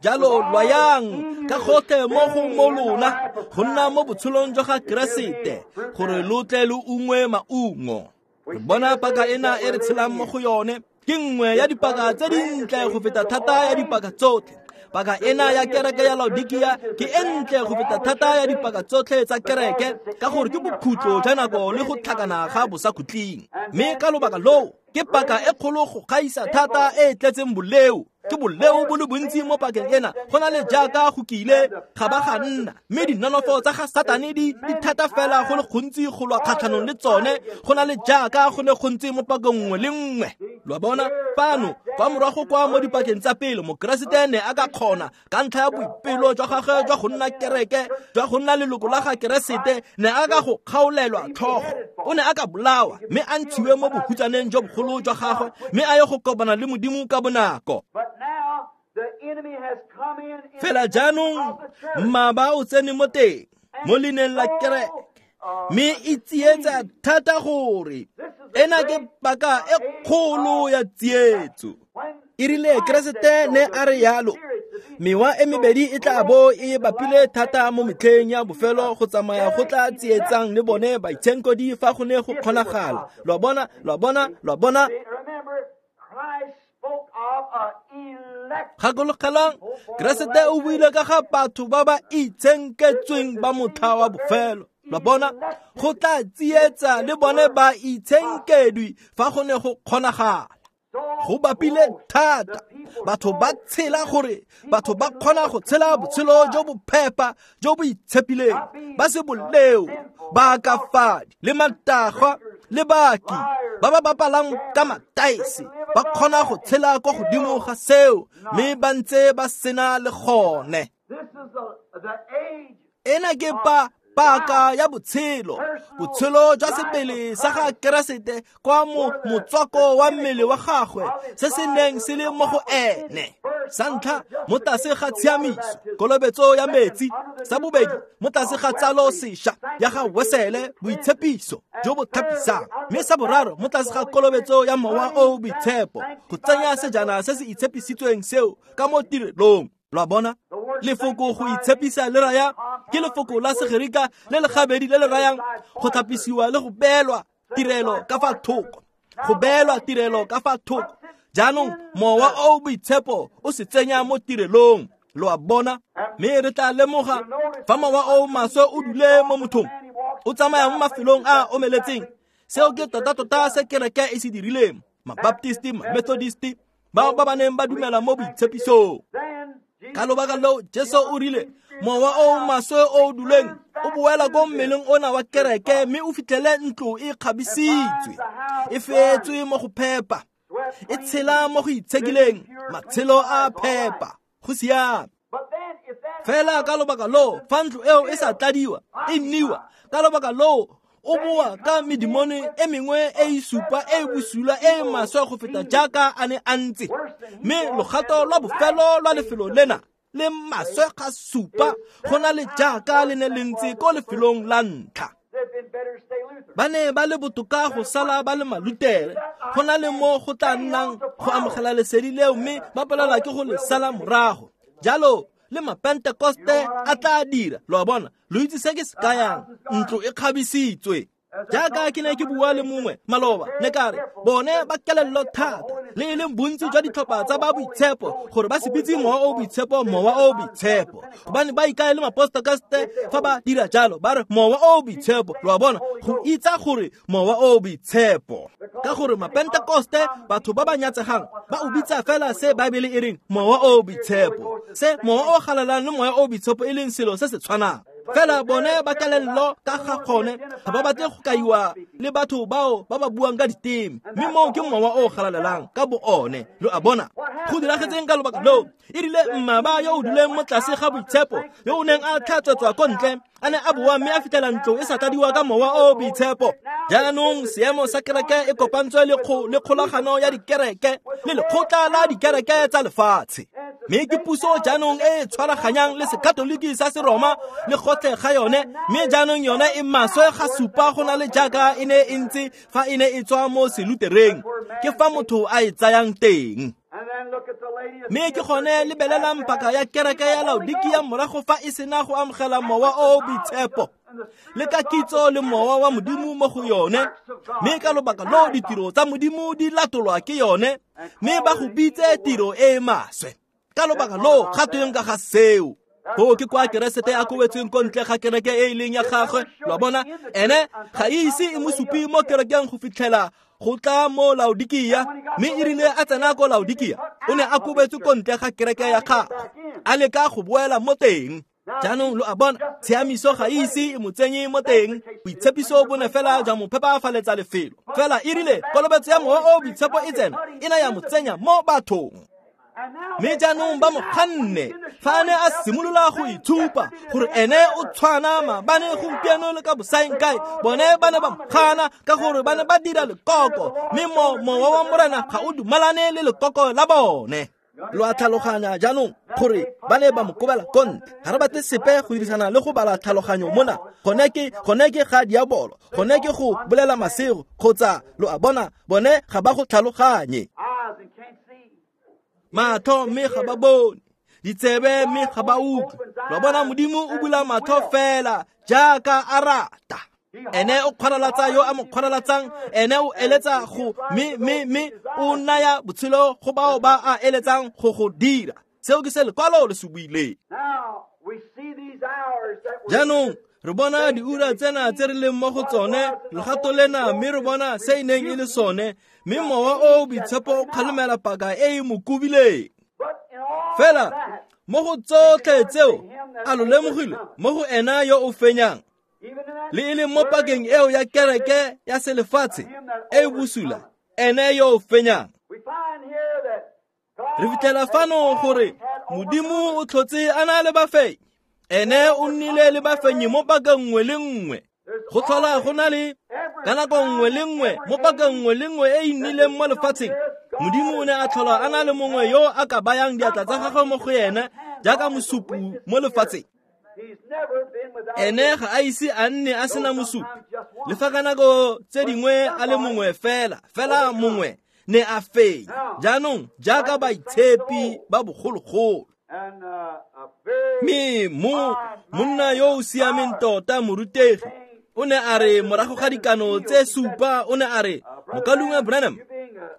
Jalo lwayang ka gotlhe mo go mo lona go nna mo botshelong jwa ga Keresete, gore lo tle lo ungwe maungo. Re bona paka ena e re tshelang mo go yone ke nngwe ya dipaka tse dintle go feta thata ya dipaka tsotlhe. Paka ena ya kereke ya Laodikia ke e ntle go feta thata ya dipaka tsotlhe tsa kereke, ka gore ke bokhutlo jwa nako le go tlhakana ga bosakhutleng. Mme ka lobaka loo ke paka e kgolo go gaisa thata e e tletseng boleo. Ke boleo bo le bontsi mo pakeng ena go na le jaaka go kile ga ba ga nna, mme dinonofo tsa ga Satane di thata fela go le gontsi go lwa kgatlhanong le tsone go na le jaaka go ne gontsi mo pakeng nngwe le nngwe. Lo bona fano kwa morago kwa mo dipakeng tsa pele, Mokeresete ne a ka kgona ka ntlha ya boipelo jwa gagwe jwa go nna kereke, jwa go nna leloko la ga Keresete, ne a ka go kgaolelwa tlhogo. O ne a ka bolawa mme a ntshiwe mo bohutsaneng jo bogolo jwa gagwe, mme a ye go kopana le Modimo ka bonako. Fela jaanong mmaba o tsene mo teng mo leineng la kereke, mme e tsietsa thata gore ena ke paka e kgolo ya tsietso. E rile Keresete ne a re yalo, mewa e mebedi e tla bo e bapile thata mo metlheng ya bofelo go tsamaya go tla tsietsang le bone baitshenkodi fa go ne go kgonagala. Lo bona, lo bona, lo bona. Gakologelang, Keresete o buile ka ga batho ba ba itshenketsweng ba motlha wa bofelo. Lo bona, go tla tsietsa le bone ba itshenkedwi fa go ne go kgonagala. Go bapile thata, batho ba tshela gore batho ba kgona go tshela botshelo jo bo phepa jo bo itshepileng, ba se boleo, ba akafadi le matagwa le baki ba ba bapalang ka mataese, ba kgona go tshela kwa godimo ga seo mme ba ntse ba sena le gone. Ena ke paka ya botshelo, botshelo jwa sebele sa ga Keresete kwa motswako wa mmele wa gagwe, se se neng se le mo go ene. Sa ntlha, mo tlase ga tshiamiso, kolobetso ya metsi. Sa bobedi, mo tlase ga tsalo sešwa ya ga Wesele, boitshepiso jo bo thapisang. Mme sa boraro, mo tlase ga kolobetso ya Mowa o o Boitshepo, go tsenya sejana se se itshepisitsweng seo ka mo tirelong. Lo bona, lefoko go itshepisa le raya ke lefoko la Segerika le le gabedi le le rayang go tlhapisiwa le go beelwa tirelo ka fa thoko, go beelwa tirelo ka fa thoko. Jaanong Mowa o o Boitshepo o se tsenya mo tirelong. Lo a bona, mme re tla lemoga fa mowa o maswe o dule mo mothong, o tsamaya mo mafelong a omeletseng. Seo ke tota-tota se kereke e se dirileng. Mabaptisti, Mamethodisti, bao ba ba neng ba dumela mo boitshepisong. Ka lobaka loo Jesu o rile mowa o maswe o duleng o boela ko mmeleng ona wa kereke, mme o fitlhele ntlo e kgabisitswe, e feetswe mo go phepa, e tshela mo go itshekileng, matshelo a phepa, go siame. Fela ka lobaka loo fa ntlo eo e sa tladiwa, e nniwa, ka lobaka loo o boa ka medimone e mengwe e e supa e e bosula e e maswe go feta jaaka a ne a ntse. Mme logato lwa bofelo lwa lefelo lena le maswe ga supa go na le jaaka le ne le ntse ko lefelong la ntlha. Ba ne ba le botoka go sala ba le Malutere go na le mo go tla nnang go amogela lesedi leo mme ba palelwa ke go le sala morago. Jalo le Mapentekoste a tla dira. Lo a bona, lo itse se ke se kayang, ntlo e kgabisitswe. Jaaka ke ne ke bua le mongwe maloba, ne ka re bone ba kelello thata le e leng bontsi jwa ditlhopha tsa ba boitshepo gore ba se bitse mowa o boitshepo mowa o boitshepo, gobane ba ikae le Mapentekoste fa ba dira jalo ba re mowa o boitshepo. Lo a bona, go itsa gore mowa o boitshepo, ka gore Mapentekoste batho ba ba nyatsegang ba o bitsa fela se Baebele e reng mowa o boitshepo, se mowa o galelang le moya o boitshepo e leng selo se se tshwanang. Fela bone ba kelello ka ga gone, ga ba batle go kaiwa le batho bao ba ba buang ka diteme, mme moo ke mowa o galalelang ka bo one. Lo a bona, go diragetseng ka lobaka loo? E rile mmaba yo o duleng mo tlase ga boitshepo, yo o neng a tlhatswetswa ko ntle, a ne a boa mme a fitlhela ntlo e sa tladiwa ka mowa o boitshepo. Jaanong seemo sa kereke e kopantswe le kgolagano ya dikereke le lekgotla la dikereke tsa lefatshe, mme ke puso jaanong e e tshwaraganyang le Sekatoliki sa Seroma le gotlhe ga yone, mme jaanong yone e maswe ga supa go na le jaaka e ne e ntse fa e ne e tswa mo Selutereng. Ke fa motho a e tsayang teng. Mme ke gone lebelelang paka ya kereke ya Laodikia morago fa e sena go amogela mowa o boitshepo le ka kitso le mowa wa Modimo mo go yone, mme ka lobaka loo ditiro tsa Modimo di latolwa ke yone, mme ba go bitse tiro e e maswe. Ka lobaka loo ga tweng ka ga seo? Go ke kwa Keresete a kobetsweng ko ntle ga kereke e e leng ya gagwe. Lo a bona, ene ga e ise e mo supe mo kerekeng go fitlhela go tla mo Laodikia, mme e rile a tsena ko Laodikia o ne a kobetswe ko ntle ga kereke ya gagwe, a leka go boela mo teng. Jaanong lo a bona, tshiamiso ga e ise e mo tsenye mo teng, boitshepiso bo ne fela jwa mo phepafaletsa lefelo. Fela e rile kolobetso ya mowa o boitshepo e tsena, e ne ya mo tsenya mo bathong. Mme jaanong ba mo kganne fa a ne a simolola go itshupa gore ene o tshwana maabane, gompieno le ka bosaengkae. Bone ba ne ba mo kgana ka gore ba ne ba dira lekoko, mme mowa wa Morena ga o dumalane le lekoko la bone. Lo a tlhaloganya jaanong gore ba ne ba mo kobela ko ntle. Ga re batle sepe go dirisana le go bala tlhaloganyo mona. Gone ke ga diabolo, gone ke go bolela masego, kgotsa lo a bona, bone ga ba go tlhaloganye. Matlho mme ga ba bone, ditsebe mme ga ba utlwe. Lo a bona, Modimo o bula matlho fela jaaka a rata. Ene o kgwaralatsa yo a mo kgwaralatsang, ene o eletsa go mme o naya botshelo go bao ba a eletsang go go dira. Seo ke se lekwalo le se buileng. Jaanong re bona diura tsena tse re leng mo go tsone, legato lena, mme re bona se e neng e le sone, mme mowa o boitshepo o kgalemela paka e e mo kobileng. Fela mo go tsotlhe tseo a lo lemogile mo go ena yo o fenyang, le e leng mo pakeng eo ya kereke ya selefatshe e e bosula, ene yo o fenyang. Re fitlhela fano gore Modimo o tlhotse a na le bafenyi, ene o nnile le bafenyi mo pakeng nngwe le nngwe. Go tlhola go na le ka nako nngwe le nngwe mo pakeng nngwe le nngwe e e nnileng mo lefatsheng, Modimo o ne a tlhola a na le mongwe yo a ka bayang diatla tsa gagwe mo go ene jaaka mosupi mo lefatsheng. Ene ga a ise a nne a sena mosupi, le fa ka nako tse dingwe a le mongwe fela mongwe ne a fenya. Jaanong jaaka baitshepi ba bogologolo, mme monna yo o siameng tota morutegi o ne a re morago ga dikano tse supa, o ne a re, Mokaulengwe Branham,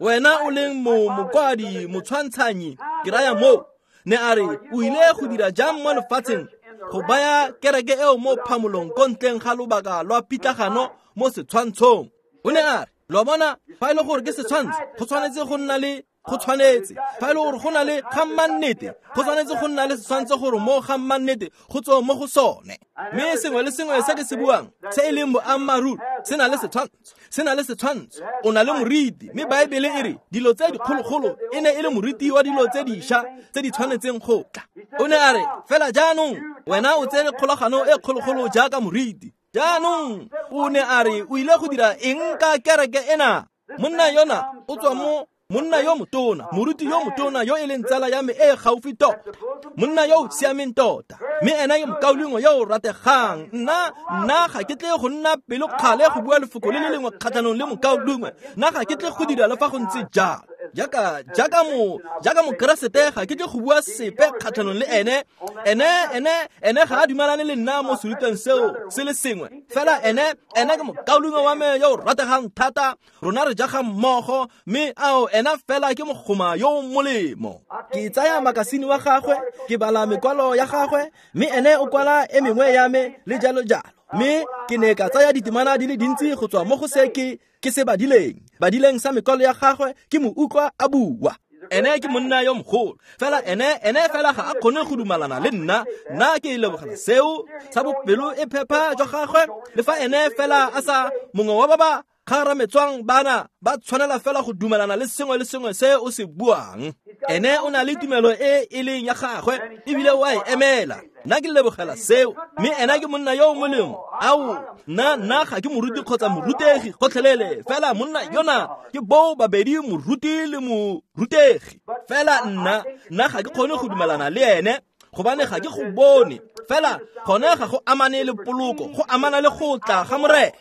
wena o leng mokwadi motshwantshanyi, ke raya moo, ne a re o ile go dira jang mo lefatsheng go baya kereke eo mo phamolong ko ntleng ga lobaka lwa pitlagano mo setshwantshong? O ne a re, lo bona, fa e le gore ke setshwantsho, go tshwanetse go nna le go tshwanetse fa e le gore go na le ga mmannete, go tshwanetse go nna le setshwantsho gore mo ga mmannete go tswe mo go sone. Mme sengwe le sengwe se ke se buang se e leng boammaaruri se na le setshwantsho, se na le setshwantsho. O na le moriti, mme Baebele e re dilo tse dikgologolo e ne e le moriti wa dilo tse dišwa tse di tshwanetseng go tla. O ne a re, fela jaanong wena o tsere kgolagano e kgologolo jaaka moriti. Jaanong o ne a re o ile go dira eng ka kereke ena? Monna yona o tswa mo Monna yo motona, moruti yo motona yo e leng tsala ya me e gaufi tota, monna yo o siameng tota, mme ena ke mokaulengwe yo o rategang. Nna ga ke tle go nna pelokgale go bua lefoko le le lengwe kgatlhanong le mokaulengwe. Nna ga ke tle go dira le fa go ntse jalo. Jaaka mokeresete ga ke tle go bua sepe kgatlhanong le ene. Ene ga a dumalane le nna mo serutweng seo se le sengwe. Fela ene ke mokaulengwe wa me yo o rategang thata. Rona re jaga mmogo, mme ao ena fela ke mogoma yo o molemo. Ke tsaya makasine wa gagwe, ke bala mekwalo ya gagwe, mme ene o kwala e mengwe ya me le jalo jalo. Mme ke ne ka tsaya ditemana di le dintsi go tswa mo go se ke se badileng sa mekwalo ya gagwe, ke mo utlwa a bua. Ene ke monna yo mogolo, fela ene fela ga a kgone go dumalana le nna. Nna ke lebogela seo sa bopelo e phepa jwa gagwe, le fa ene fela a sa mongwe wa ba ba kgarametswang bana ba tshwanela fela go dumelana le sengwe le sengwe se o se buang. Ene o na le tumelo e e leng ya gagwe, ebile o a e emela. Nna ke lebogela seo, mme ena ke monna yo o molemo. Ao, nna ga ke moruti kgotsa morutegi gotlhelele, fela monna yona ke boo babedi, moruti le morutegi. Fela nna ga ke kgone go dumelana le ene, gobane ga ke go bone. Fela gone ga go amane le poloko, go amana le go tla ga Morena.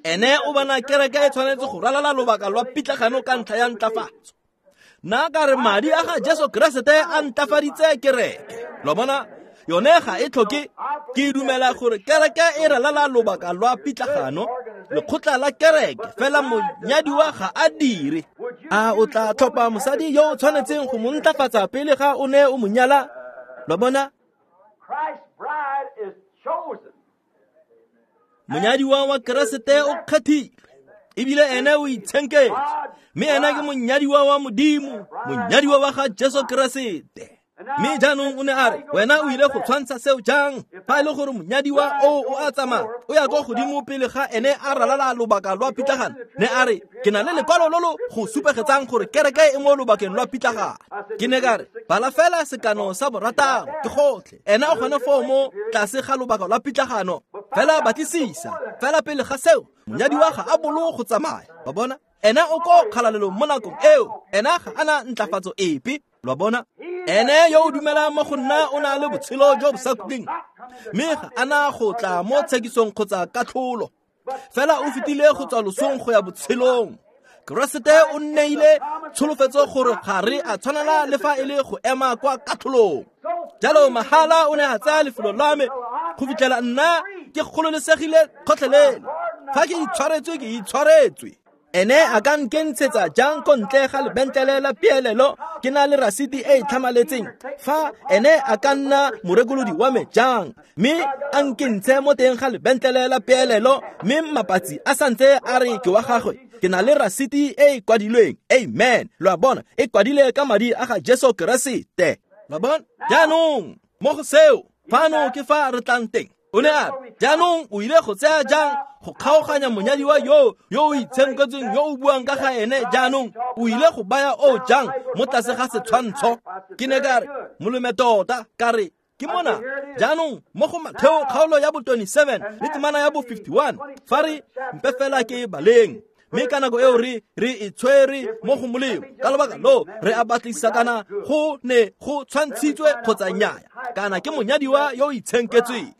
Ene o bona kereke e tshwanetse go ralala lobaka lwa pitlagano ka ntlha ya ntlafatso. Nna ka re madi a ga Jesu Keresete a ntlafaditse kereke. Lo bona, yone ga e tlhoke. Ke dumela gore kereke e ralala lobaka lwa pitlagano, lekgotla la kereke, fela monyadiwa ga a dire. A o tla tlhopha mosadi yo o tshwanetseng go mo ntlafatsa pele ga o ne o mo nyala? Lo bona, monyadiwa wa Keresete o kgethilwe, ebile ene o itshenketswe, mme ena ke monyadiwa wa Modimo, monyadiwa wa ga Jesu Keresete. Mme jaanong o ne a re, wena o ile go tshwantsha seo jang? Fa e le gore monyadiwa o a tsamaya, o ya kwa godimo pele ga ene a ralala lobaka lwa pitlagano. Ne a re, ke na le lekwalo lo lo go supegetsang gore kereke e mo lobakeng lwa pitlagano. Ke ne ka re, bala fela sekano sa borataro, ke gotlhe. Ena o gone foo mo tlase ga lobaka lwa pitlagano. Fela batlisisa, fela pele ga seo, monyadiwa ga a bolo go tsamaya. Wa bona? Ena o ko kgalalelong mo nakong eo. Ena ga ana ntlafatso epe. Lo bona? Ene yo o dumelang mo go nna o na le botshelo jo bo sa khutleng, mme ga ana go tla mo tshekisong kgotsa katlholo. Fela o fetile go tswa losong go ya botshelong. Keresete o nneile tsholofetso gore ga re a tshwanela le fa e le go ema kwa katlholong. Jalo mahala o ne a tsaya lefelo la me go fitlhela nna ke gololesegile kgotlhelele. Fa ke itshwaretswe, ke itshwaretswe. Ene a ka nkentshetsa jang ko ntle ga lebentlele la peelelo ke na le rasiti e e tlhamaletseng? Fa ene a ka nna morekolodi wa me jang, mme a nkentshe mo teng ga lebentlele la peelelo, mme mapatsi a santse a re ke wa gagwe, ke na le rasiti e e kwadilweng. Amen. Lo a bona, e kwadile ka madi a ga Jesu Keresete. Lo a bona? Jaanong mo go seo, fano ke fa re tlang teng. O ne a re, jaanong o ile go tsaya jang go kgaoganya monyadiwa yo o itshenketsweng yo o buang ka ga ene? Jaanong o ile go baya o jang mo tlase ga setshwantsho? Ke ne ka re, molome tota, ka re, ke mona. Jaanong mo go Matheo kgaolo ya bo 27 le temana ya bo 51, fa re mpe fela ke baleng. Mme ka nako eo re e tshwere mo go molemo. Ka lobaka lo re a batlisisa kana go ne go tshwantshitswe kgotsa nnyaya, kana ke monyadiwa yo o itshenketsweng.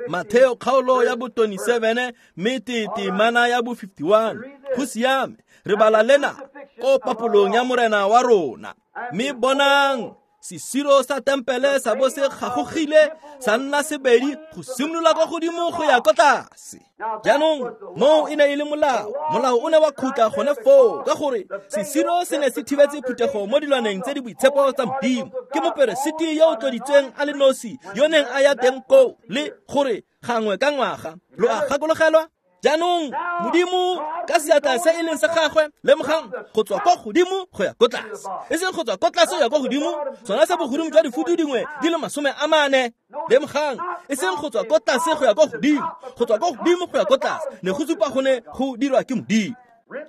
Matheo kgaolo ya bo 27 mme temana ya bo 51. Go siame, re bala lena ko papolong ya Morena wa rona. Mme bonang, sesiro sa tempele sa bo se gagogile sa nna sebedi go simolola kwa godimo go ya kwa tlase. Jaanong moo e ne e le molao. Molao o ne wa khutla gone foo, ka gore sesiro se ne se thibetse phuthego mo dilwaneng tse di boitshepo tsa Modimo. Ke moperesiti yo o tloditsweng a le nosi yo neng a ya teng koo, le gore gangwe ka ngwaga. Lo a gakologelwa? Jaanong Modimo ka seatla se e leng sa gagwe, lemogang, go tswa kwa godimo go ya ko tlase, e seng go tswa ko tlase go ya kwa godimo, sona sa bogodimo jwa difutu dingwe di le 40. Lemogang, e seng go tswa ko tlase go ya kwa godimo, go tswa kwa godimo go ya ko tlase, ne go supa go ne go dirwa ke Modimo.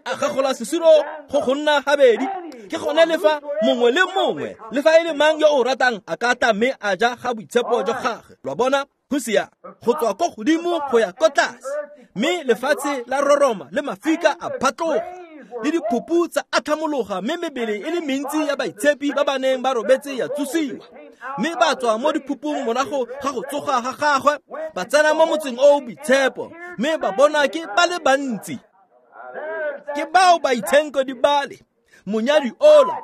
A gagola sesiro go nna gabedi. Ke gone le fa mongwe le mongwe, le fa e le mang yo o ratang, a ka tla mme a ja ga boitshepo jwa gagwe. Lo bona? Go sia, go tswa ko godimo go ya ko tlase. Mme lefatshe la roroma le mafika a phatloga le diphupu tsa atlhamologa, mme mebele e le mentsi ya baitshepi ba ba neng ba robetse ya tsosiwa. Mme ba tswa mo diphupung morago ga go tsoga ga gagwe, ba tsena mo motseng o o boitshepo, mme ba bona ke ba le bantsi. Ke bao baitshenko di bale monyadi ola.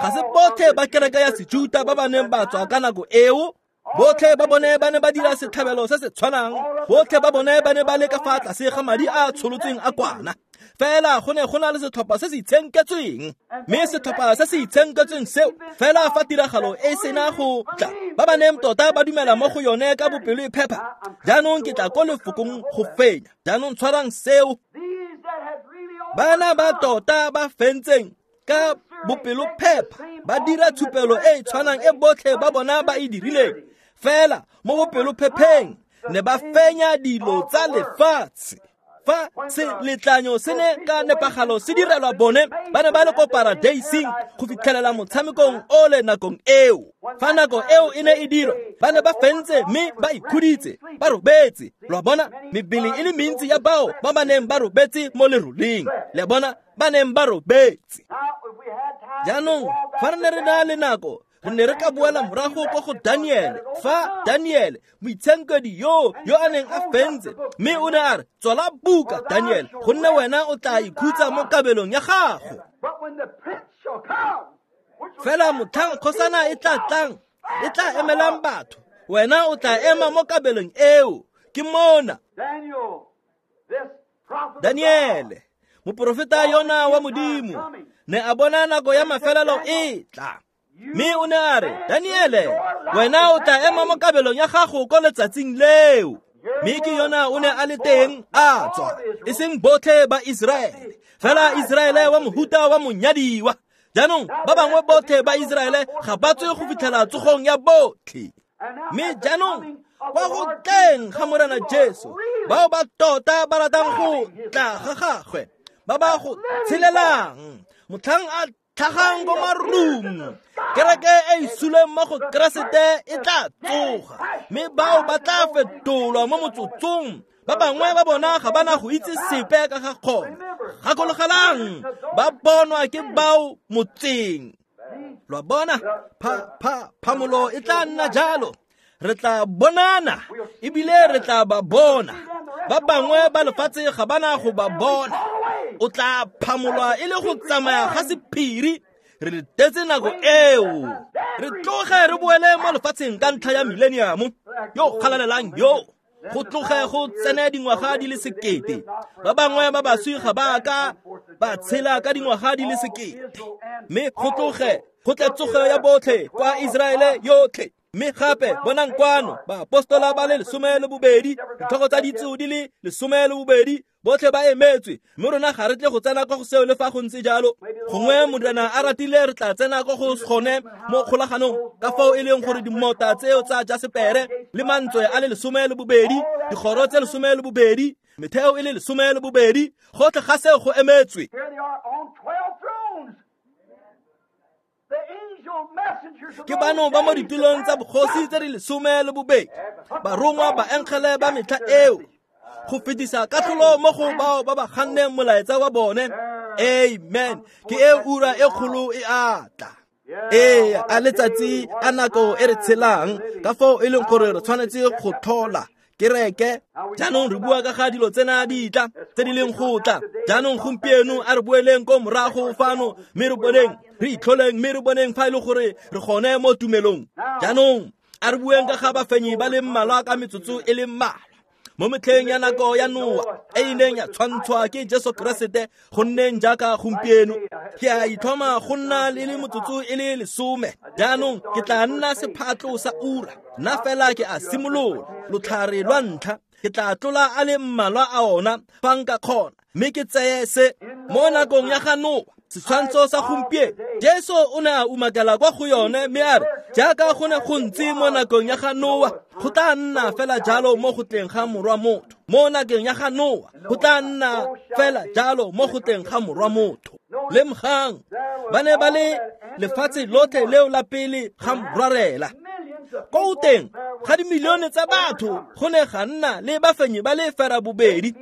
Ga se botlhe ba kereke ya Sejuta ba ba neng ba tswa ka nako eo. Botlhe ba bone ba ne ba dira setlhabelo se se tshwanang, botlhe ba bone ba ne ba le ka fa tlase ga madi a a tsholotsweng a kwana. Fela go ne go na le setlhopha se se itshenketsweng, mme setlhopha se se itshenketsweng seo fela fa tiragalo e sena go tla, ba ba neng tota ba dumela mo go yone ka bopelo e phepa. Jaanong ke tla ko lefokong go fenya. Jaanong tshwarang seo. Bana ba tota ba fentseng ka bopelophepa ba dira tshupelo e e tshwanang e botlhe ba bona ba e dirileng, fela mo bopelophepheng ne ba fenya dilo tsa lefatshe. Fa seletlanyo se ne ka nepagalo se direlwa bone, ba ne ba le ko paradeising go fitlhelela motshamekong ole nakong eo. Fa nako eo e ne e dirwa, ba ne ba fentse mme ba ikhuditse, ba robetse. Lwa bona mebele e le mentsi ya bao ba ba neng ba robetse mo leroleng, le bona ba neng ba robetse. Jaanong fa re ne re na le nako, re ne re ka boela morago ko go Daniele. Fa Daniele moitshenkedi yo a neng a fentse, mme o ne a re, tswala buka Daniele, gonne wena o tla ikhutsa mo kabelong ya gago. Fela motlhang kgosana e tla tlang, e tla emelang batho, wena o tla ema mo kabelong eo. Ke mona Daniele moprofeta yona wa Modimo ne a bona nako ya mafelelo e tla, mme o ne a re, Daniele, wena o tla ema mo kabelong ya gago ko letsatsing leo. Mme ke yona o ne a le teng a tswa, e seng botlhe ba Iseraele, fela Iseraele wa mohuta wa monyadiwa. Jaanong ba bangwe botlhe ba Iseraele ga ba tswe go fitlhela tsogong ya botlhe. Mme jaanong kwa go tleng ga Morena Jesu, bao ba tota ba ratang go tla ga gagwe, ba ba go tshelelang motlhang a tlhagang ko marung, kereke e e suleng mo go Keresete e tla tsoga, mme bao ba tla fetolwa mo motsotsong. Ba bangwe ba bona ga ba na go itse sepe ka ga kgona. Gakologelang, ba bonwa ke bao motseng. Lwa bona, phamolo e tla nna jalo. Re tla bonana ebile re tla ba bona. Ba bangwe ba lefatshe ga ba na go ba bona. O tla phamolwa e le go tsamaya ga sephiri. Re letetse nako eo. Re tloge re boele mo lefatsheng ka ntlha ya millennium yo galalelang yo. Go tloge go tsene dingwaga di le 1000. Ba bangwe ba baswi ga ba ka ba tshela ka dingwaga di le 1000. Mme go tloge go tle tsogo ya botlhe kwa Iseraele yotlhe. Mme gape bonang kwano baapostola ba le 12, ditlhogo tsa ditso di le 12, botlhe ba emetswe. Mme rona ga re tle go tsena kwa go seo le fa go ntse jalo. Gongwe Morena a ratile re tla tsena kwa go gone mo kgolaganong, ka fao e leng gore dimota tseo tsa jasepere le mantswe a le 12, dikgoro tse 12, metheo e le 12, gotlhe ga seo go emetswe. Ke bano ba mo ditulong tsa bogosi tse di 12, barongwa ba engele ba metlha eo, go fetisa katlholo mo go bao ba ba ganneng molaetsa wa bone. Amen. Ke e ura e kgolo e a tla. Ee, a letsatsi a nako e re tshelang, ka fao e leng gore re tshwanetse go tlhola kereke. Jaanong re bua ka ga dilo tsena di tla, tse di leng go tla. Jaanong gompieno a re boeleng ko morago fano, mme re boneng, re itlholeng, mme re boneng fa e le gore re gone mo tumelong. Jaanong a re bueng ka ga bafenyi ba le mmalwa ka metsotso e le mmalwa. Mo metlheng ya nako ya Noa e ileng ya tshwantshwa ke Jesu Keresete go nneng jaaka gompieno, ke a itlhoma go nna le le motsotso e le 10. Jaanong ke tla nna sephatlo sa ura, nna fela ke a simolola lotlhare lwa ntlha. Ke tla tlola a le mmalwa a ona fa nka kgona, mme ke tseye se mo nakong ya ga Noa. Setshwantsho sa gompieno, Jesu o ne a umakela kwa go yone mme a re, jaaka go ne go ntse mo nakong ya ga Noa, go tla nna fela jalo mo go tleng ga morwa motho. Mo nakong ya ga Noa, go tla nna fela jalo mo go tleng ga morwa motho. Lemogang, ba ne ba le lefatshe lotlhe leo la pele ga morwarela. Ko teng ga dimilione tsa batho go ne ga nna le bafenyi ba le 2.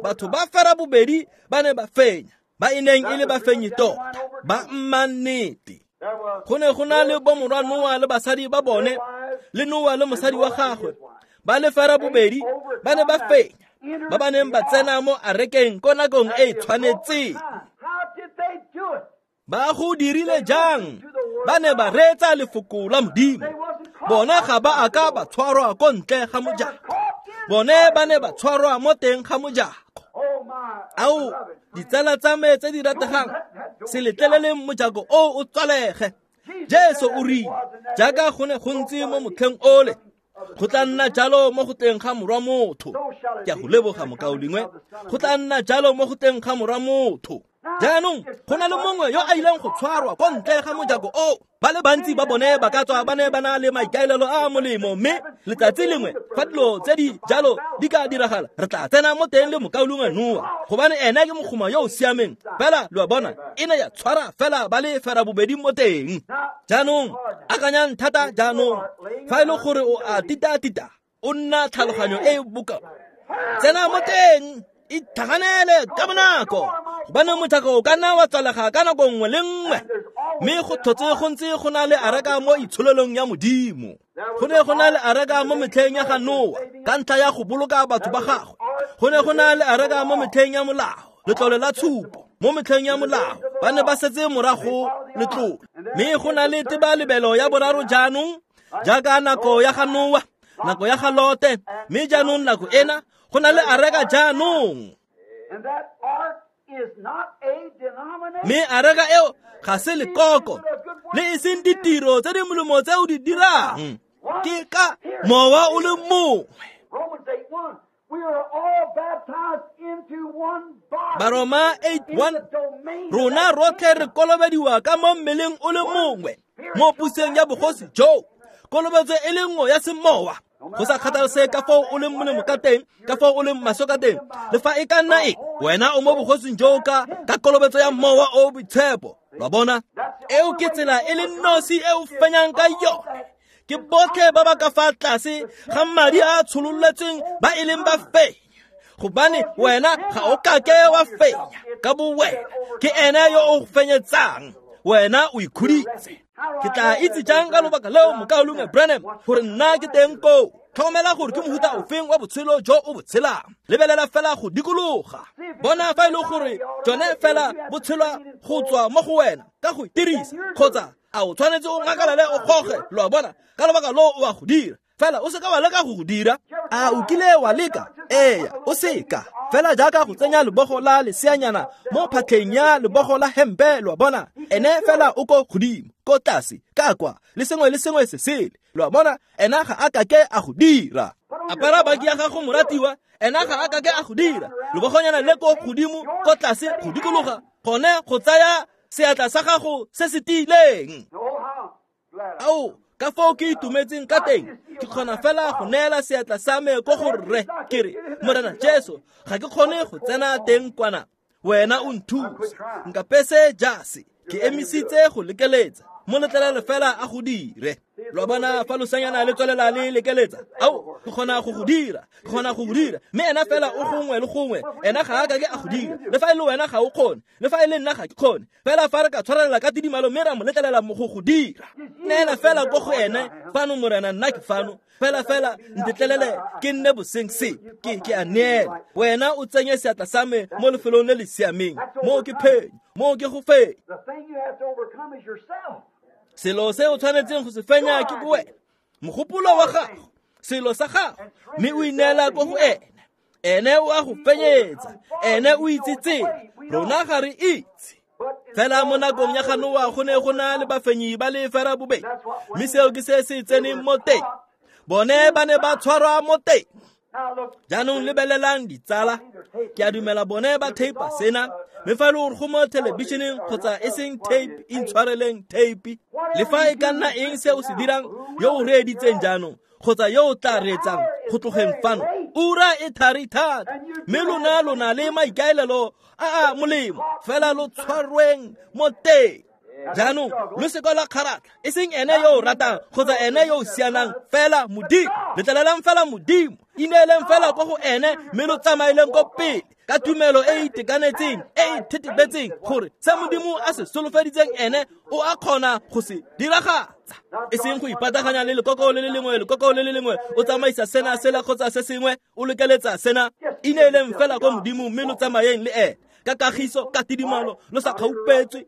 Batho ba ferabobedi ba ne ba fenya, ba e neng e le bafenyi tota, ba mmannete. Go ne go na le bomorwa Noa le basadi ba bone, le Noa le mosadi wa gagwe, ba le ferabobedi ba ne ba fenya, ba ba neng ba tsena mo arekeng ko nakong e e tshwanetseng. Ba go dirile jang? Ba ne ba reetsa lefoko la Modimo. Bona ga ba a ka ba tshwarwa ko ntle ga mojako. Bone ba ne ba tshwarwa mo teng ga mojako. Ao, ditsala tsa me tse di rategang, se letleleleng mojako o o tswalege. Jesu o rile, jaaka go ne go ntse mo motlheng ole, go tla nna jalo mo go teng ga morwa motho. Ke a go leboga mokaulengwe. Go tla nna jalo mo go teng ga morwa motho. Jaanong go na le mongwe yo a ileng go tshwarwa ko ntle ga mojako o. Ba le bantsi ba bone ba ka tswa ba ne ba na le maikaelelo a a molemo, mme letsatsi lengwe fa dilo tse di jalo di ka diragala, re tla tsena mo teng le mokaulengwe Noa, gobane ene ke mogoma yo o siameng. Fela lo a bona, e ne ya tshwara fela ba le ferabobedi mo teng. Jaanong akanyang thata jaanong, fa e le gore o a tita-tita, o nna tlhaloganyo e e bokao, tsena mo teng, itlhaganele ka bonako, gobane mojako o ka nna wa tswalega ka nako nngwe le nngwe. Mme go tlhotse go ntse go na le areka mo itsholelong ya Modimo. Go ne go na le areka mo metlheng ya ga Noa ka ntlha ya go boloka batho ba gagwe. Go ne go na le areka mo metlheng ya molao, letlole la tshupo. Mo metlheng ya molao ba ne ba setse morago letlole. Mme go na le tebalebelo ya boraro jaanong, jaaka nako ya ga Noa, nako ya ga Lote, mme jaanong nako ena go na le areka jaanong. Mme areka eo ga se lekoko, le e seng ditiro tse di molemo tse o di dirang, ke ka mowa o le mongwe. Baroma 8:1, rona rotlhe re kolobediwa ka mo mmeleng o le mongwe mo puseng ya bogosi jo, kolobetso e le nngwe ya semowa. Go sa kgathalesege ka foo o leng molemo ka teng, ka foo o leng maswe ka teng, le fa e ka nna eng, wena o mo bogosing jo ka kolobetso ya mowa o boitshepo. Lo bona, eo ke tsela e le nosi e o fenyang ka yone. Ke botlhe ba ba ka fa tlase ga madi a a tshololetsweng ba e leng ba fenya, gobane wena ga o kake wa fenya ka bo wena, ke ene yo o fenyetsang, wena o ikhuditse. Ke tla itse jang ka lobaka leo, mokaulengwe Branham, gore nna ke teng koo? Tlhokomela gore ke mohuta ofeng wa botshelo jo o bo tshelang. Lebelela fela go dikologa, bona fa e le gore jone fela bo tshelwa go tswa mo go wena ka go itirisa, kgotsa a o tshwanetse o ngakalale o goge. Lo a bona, ka lobaka loo o a go dira, fela o seka wa leka go go dira. A o kile wa leka? Eya, o seka. Fela jaaka go tsenya lebogo la leseanyana mo phatlheng ya lebogo la hempe, lo a bona, ene fela o ko godimo, ko tlase, ka kwa, le sengwe le sengwe se sele. Lo a bona, ena ga a kake a go dira. Apara baki ya gago moratiwa, ena ga a kake a go dira. Lebogonyana le ko godimo, ko tlase, go dikologa, gone go tsaya seatla sa gago se se tiileng. Ao, ka foo ke itumetseng ka teng, ke kgona fela go neela seatla sa me ko go rre, ke re, Morena Jesu, ga ke kgone go tsena teng kwana, wena o nthuse, nkapese jase, ke emisitse go lekeletsa, mo letlelele fela a go dire. Lo bona fa losanyana le tswelela le lekeletsa, ao, ke kgona go go dira, ke kgona go go dira, mme ena fela o gongwe le gongwe, ena ga a kake a go dira. Le fa e le wena ga o kgone, le fa e le nna ga ke kgone, fela fa re ka tshwarelela ka tidimalo mme ra mo letlelela mo go go dira. Neela fela ko go ene, fano Morena, nna ke fano, fela fela ntetlelele ke nne boseng se, ke a neela. Wena o tsenye seatla sa me mo lefelong le le siameng, moo ke phenyo, moo ke go fenya. Selo se o tshwanetseng go se fenya ke bowena, mogopolo wa gago, selo sa gago, mme o ineela ko go ene. Ene o a go fenyetsa, ene o itse tsela, rona ga re itse. Fela mo nakong ya ga Noa go ne go na le bafenyi ba le ferabobedi, mme seo ke se se tseneng mo teng. Bone ba ne ba tshwarwa mo teng. Jaanong lebelelang ditsala, ke a dumela bone ba tape sena, mme fa e le gore go mo thelebišeneng kgotsa e seng tape, intshwareleng tape. Le fa e ka nna eng se o se dirang, yo o reeditseng jaanong kgotsa yo o tla reetsang go tlogeng fano, ura e thari thata, mme lona lo na le maikaelelo a a molemo, fela lo tshwarweng mo teng. Jaanong lo seka la kgaratlha, e seng ene yo o ratang kgotsa ene yo o sianang, fela Modimo. Letlelelang fela Modimo, ineeleng fela ko go ene, mme lo tsamaeleng ko pele. Ka tumelo e e itekanetseng, e e thetebetseng gore se Modimo a se solofeditseng ene o a kgona go se diragatsa. E seng go ipataganya le lekoko le le lengwe, lekoko le le lengwe, o tsamaisa sena sela kgotsa se sengwe, o lekeletsa sena. Ineeleng fela ko Modimo mme lo tsamayeng le ene ka kagiso, ka tidimalo, lo sa kgaupetswe.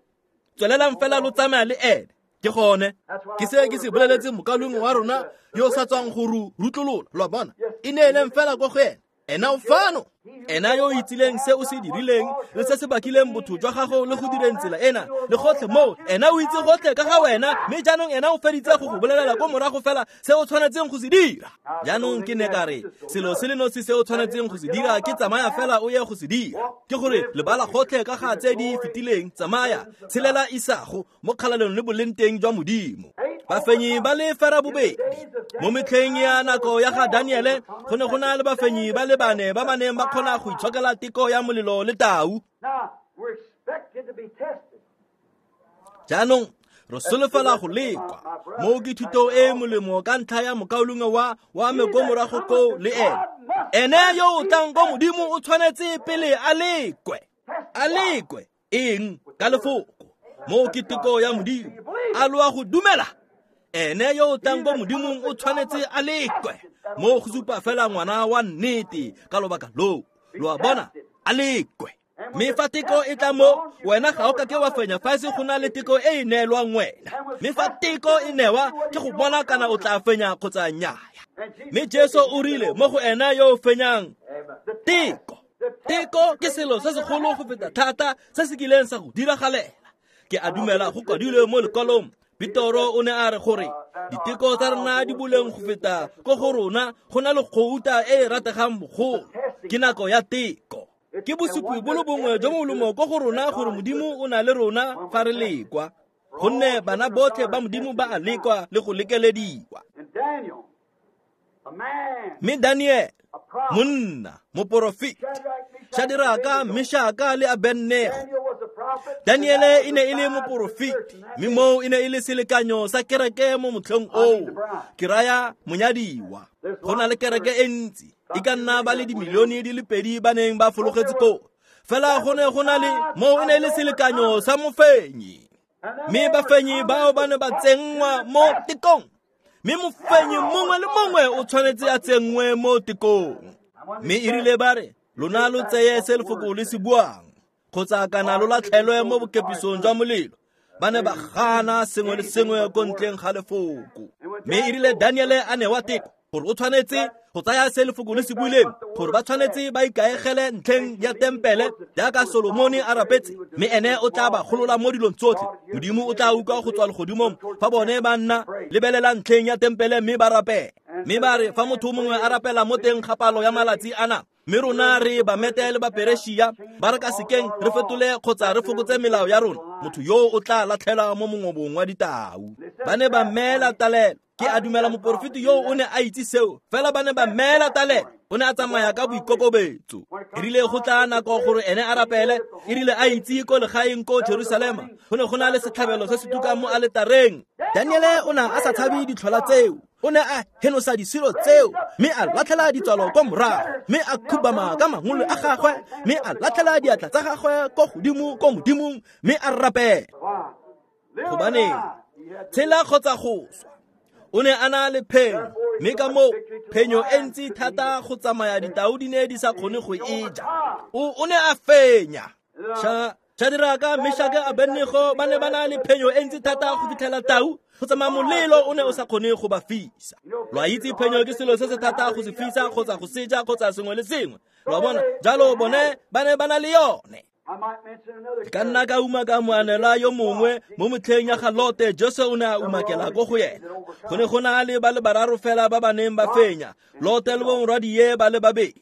Tswelelang fela lo tsamaya le ene. Ke gone ke se ke se boleletse mokalengwe wa rona yo o sa tswang go rutlolola, lo a bona. Ineeleng fela ko go ene. Ena o fano, ena yo o itsileng se o se dirileng le se se bakileng botho jwa gago le go direng tsela ena le gotlhe moo, ena o itse gotlhe ka ga wena, mme jaanong ena o feditse go go bolelela ko morago fela se o tshwanetseng go se dira. Jaanong ke ne ka re selo se le nosi se o tshwanetseng go se dira ke tsamaya fela o ye go se dira, ke gore lebala gotlhe ka ga tse di fetileng, tsamaya tshelela isago mo kgalalelong le boleng teng jwa Modimo. Bafenyi ba le ferabobedi mo metlheng ya nako ya ga Daniele go ne go na le bafenyi ba le bane ba ba neng ba kgona go itshokela teko ya molelo le tau. Jaanong re solofela go lekwa mo ke thuto e molemo ka ntlha ya mokaulengwe wa me ko morago ko le ene. Ene yo o tlang ko Modimo o tshwanetse pele a lekwe. A lekwe eng? Ka lefoko. Mo ke teko ya Modimo. A lo a go dumela? Ene yo o tlang ko Modimong o tshwanetse a lekwe. Mo go supa fela ngwana wa nnete ka lobaka loo. Lo a bona? A lekwe. Mme fa teko e tla mo wena ga o ka ke wa fenya fa se go na le teko e e neelwang wena. Mme fa teko e newa ke go bona kana o tla fenya kgotsa nnyaya. Mme Jesu o rile mo go ena yo o fenyang teko. Teko ke selo se segolo go feta thata se se kileng sa go diragalela. Ke a dumela go kwadilwe mo lekwalong. Petoro o ne a re gore diteko tsa rona di boleng go feta ko go rona go na le gouta e e rategang bogolo. Ke nako ya teko. Ke bosupi bo le bongwe jo molomo ko go rona gore Modimo o na le rona fa re lekwa, gonne bana botlhe ba Modimo ba a lekwa le go lekelediwa. Mme Daniel, monna, moporofeti, Shadraka, Meshaka le Abednego. Daniele e ne e le moporofeti, mme moo e ne e le selekanyo sa kereke mo motlheng oo. Ke raya monyadiwa. Go na le kereke e ntsi, e ka nna ba le dimilione di le 2 ba neng ba fologetse koo. Fela go ne go na le moo e ne e le selekanyo sa mofenyi. Mme bafenyi bao ba ne ba tsenngwa mo tekong. Mme mofenyi mongwe le mongwe o tshwanetse a tsenngwe mo tekong. Mme e rile ba re lona lo tseye se lefoko le se buang, kgotsa kana lo latlhelwe mo bokepisong jwa molelo. Ba ne ba gana sengwe le sengwe ko ntleng ga lefoko. Mme e rile Daniele a newa teko gore o tshwanetse go tsaya se lefoko le se buileng, gore ba tshwanetse ba ikaegele ntlheng ya tempele jaaka Solomone a rapetse, mme ene o tla ba golola mo dilong tsotlhe. Modimo o tla utlwa go tswa legodimong fa bone ba nna lebelela ntlheng ya tempele mme ba rapela. Mme ba re fa motho mongwe a rapela mo teng ga palo ya malatsi ana, mme rona re Bamete le Baperešia ba re ka sekeng re fetole kgotsa re fokotse melao ya rona, motho yo o tla latlhelwa mo mongobong wa ditau. Ba ne ba mmeela talelo. Ke a dumela moporofeti yo o ne a itse seo, fela ba ne ba mmeela talelo. O ne a tsamaya ka boikokobetso. E rile go tla nako gore ene a rapele, e rile a itse ko legaeng ko Jerusalema, go ne go na le setlhabelo se se tukang mo aletareng. Daniele o ne a sa tshabe ditlhola tseo. O ne a henosa disilo tseo, mme a latlhela ditswalo ko morago, mme a khubama ka mangolo a gagwe, mme a latlhela diatla tsa gagwe ko godimo ko Modimong, mme a rapela. Gobaneng? Tshela kgotsa go swa. O ne a na le phenyo, mme ka moo phenyo e ntsi thata go tsamaya ditau di ne di sa kgone go e ja. O ne a fenya. Shadraka, Meshaka, Abednego ba ne ba na le phenyo e ntsi thata go fitlhela tau go tsamaya molelo o ne o sa kgone go ba fisa. Lo a itse phenyo ke selo se se thata go se fisa kgotsa go seja kgotsa sengwe le sengwe. Lo a bona? Jalo bone ba ne ba na le yone. Ka nna ka umaka moanelwa yo mongwe mo motlheng ya ga Lote, Jesu o ne a umakela ko go yena. Go ne go na le ba le bararo fela ba ba neng ba fenya, Lote le bomorwadie ba le babedi.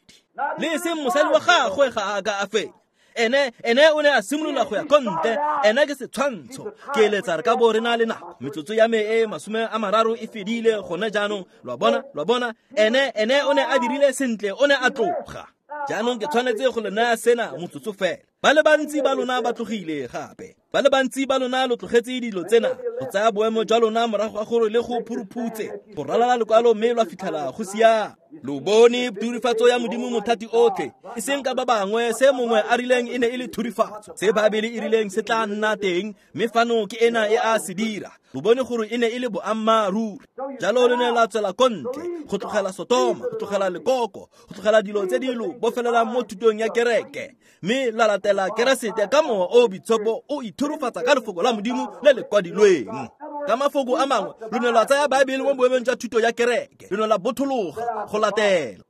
Le e seng mosadi wa gagwe ga a ka a fenya. Ene o ne a simolola go ya ko ntle. Ene ke setshwantsho. Ke eletsa re ka bo re na le nako. Metsotso ya me e 30 e fedile gone jaanong. Lo a bona? Lo a bona? Ene o ne a dirile sentle, o ne a tloga. Jaanong ke tshwanetse go le naya sena motsotso fela. Ba le bantsi ba lona ba tlogile gape. Ba le bantsi ba lona lo tlogetse dilo tsena go tsaya boemo jwa lona morago ga gore le go phuruphutse go ralala lekwalo mme lwa fitlhela go siame. Lo bone thurifatso ya Modimo mothati otlhe, e seng ka ba bangwe se mongwe a rileng e ne e le thurifatso, se Baebele e rileng se tla nna teng, mme fano ke ena e a se dira. Lo bone gore e ne e le boammaaruri. Jalo le ne la tswela ko ntle go tlogela Sotoma, go tlogela lekoko, go tlogela dilo tse di lo bofelelang mo thutong ya kereke, mme la latela Keresete ka Mowa o o Boitshepo o ithurufatsa ka lefoko la Modimo le le kwadilweng. Ka mafoko a mangwe, lo ne lwa tsaya Baebele mo boemong jwa thuto ya kereke, lo ne la bothologa go latela.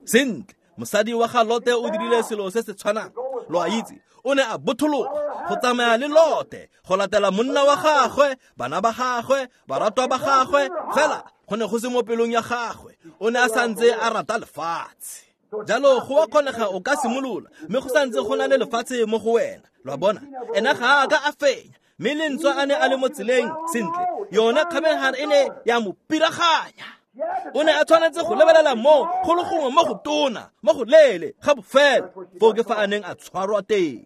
Sentle, mosadi wa ga Lote o dirile selo se se tshwanang. Lo a itse, o ne a bothologa go tsamaya le Lote, go latela monna wa gagwe, bana ba gagwe, baratwa ba gagwe, fela go ne go se mo pelong ya gagwe. O ne a santse a rata lefatshe. Jalo go a kgonega o ka simolola, mme go santse go na le lefatshe mo go wena. Lo a bona, ena ga a ka a fenya, mme lentswe a ne a le mo tseleng sentle, yone kgabegare e ne ya mo piraganya. O ne a tshwanetse go lebelela mo go le gongwe mo go tona, mo go leele ga bofelo, foo ke fa a neng a tshwarwa teng.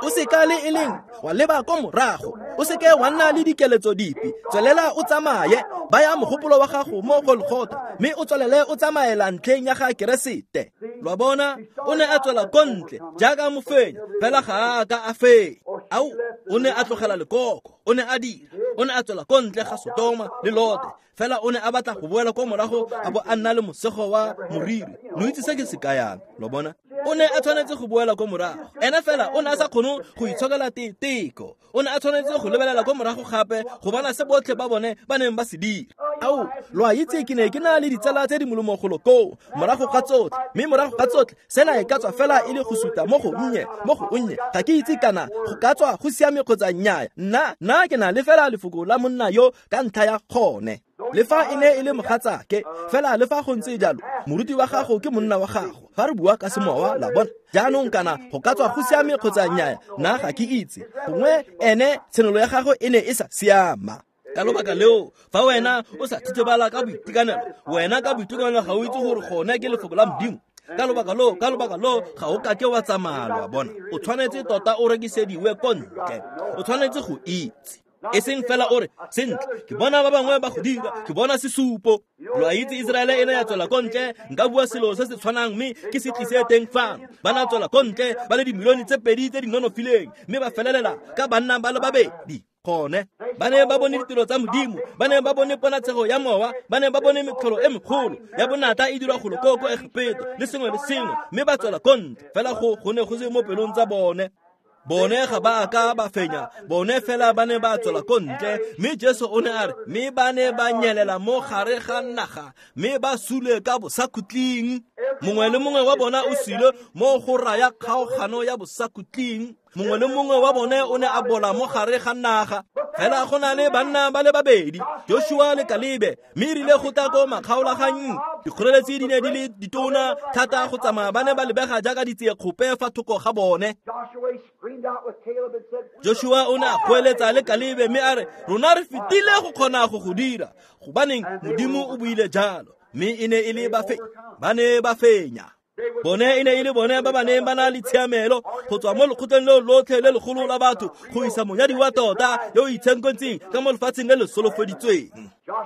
O seka le e leng wa leba ko morago, o seke wa nna le dikeletso dipe, tswelela o tsamaye, baya mogopolo wa gago mo Golgotha, mme o tswelele o tsamaela ntlheng ya ga Keresete. Lo a bona, o ne a tswela ko ntle jaaka mofenyi, fela ga a ka a fenya. Ao, o ne a tlogela lekoko, o ne a dira, o ne a tswela ko ntle ga Sotoma le Lote, fela o ne a batla go boela ko morago a bo a nna le mosego wa moriri. Lo itse se ke se kayang, lo bona? O ne a tshwanetse go boela ko morago. Ena fela o ne a sa kgone go itshokela teko. O ne a tshwanetse go lebelela ko morago gape go bona se botlhe ba bone ba neng ba se dira. Ao, lo a itse ke ne ke na le ditsala tse di molemo golo koo morago ga tsotlhe, mme morago ga tsotlhe sena e ka tswa fela e le go suta mo go nnye, mo go nnye. Ga ke itse kana go ka tswa go siame kgotsa nnyaa. Nna ke na le fela lefoko la monna yo ka ntlha ya gone. Le fa e ne e le mogatsake, fela le fa go ntse jalo, moruti wa gago ke monna wa gago. Fa re bua ka semowa, la bona. Jaanong kana go ka tswa go siame kgotsa nnyaa, nna ga ke itse. Gongwe ene tshenolo ya gagwe e ne e sa siama. Ka lobaka leo, fa wena o sa thitebala ka boitekanelo, wena ka boitekanelo ga o itse gore gone ke lefoko la Modimo. Ka lobaka loo ga o kake wa tsamaya, lo a bona. O tshwanetse tota o rekisediwe ko ntle. O tshwanetse go itse. E seng fela o re, sentle, ke bona ba bangwe ba go dira, ke bona sesupo. Lo a itse Iseraele e ne ya tswela ko ntle, nka bua selo se se tshwanang mme ke se tlise teng fano. Ba na tswela ko ntle ba le dimilione tse pedi tse di nonofileng, mme ba felelela ka banna ba le babedi. Gone ba ne ba bone ditiro tsa Modimo, ba ne ba bone ponatshego ya mowa, ba ne ba bone metlholo e megolo ya bonatla e dirwa golo ko ko Egepeto le sengwe le sengwe, mme ba tswela ko ntle. Fela go ne go se mo pelong tsa bone. Bone ga ba ka ba fenya, bone fela ba ne ba tswela ko ntle. Mme Jesu o ne a re, mme ba ne ba nyelela mo gare ga naga, mme ba sule ka bosakhutleng. Mongwe le mongwe wa bona o sule mo go raya kgaogano ya bosakhutleng. Mongwe le mongwe wa bone o ne a bola mo gare ga naga. Fela go na le banna ba le babedi, Joshua le Kalebe, mme erile go tla ko makgaolaganyong, dikgoreletsi di ne di le ditona thata go tsamaya, ba ne ba lebega jaaka ditseekgope fa thoko ga bone. Joshua o ne a goeletsa le Kalebe mme a re, rona re fetile go kgona go go dira, gobaneng Modimo o buile jalo. Mme e ne e le ba ne ba fenya. Bone e ne e le bone ba ba neng ba na le tshiamelo go tswa mo lekgotleng leo lotlhe le legolo la batho go isa monyadi wa tota yo o itshenkontseng ka mo lefatsheng le le solofeditsweng.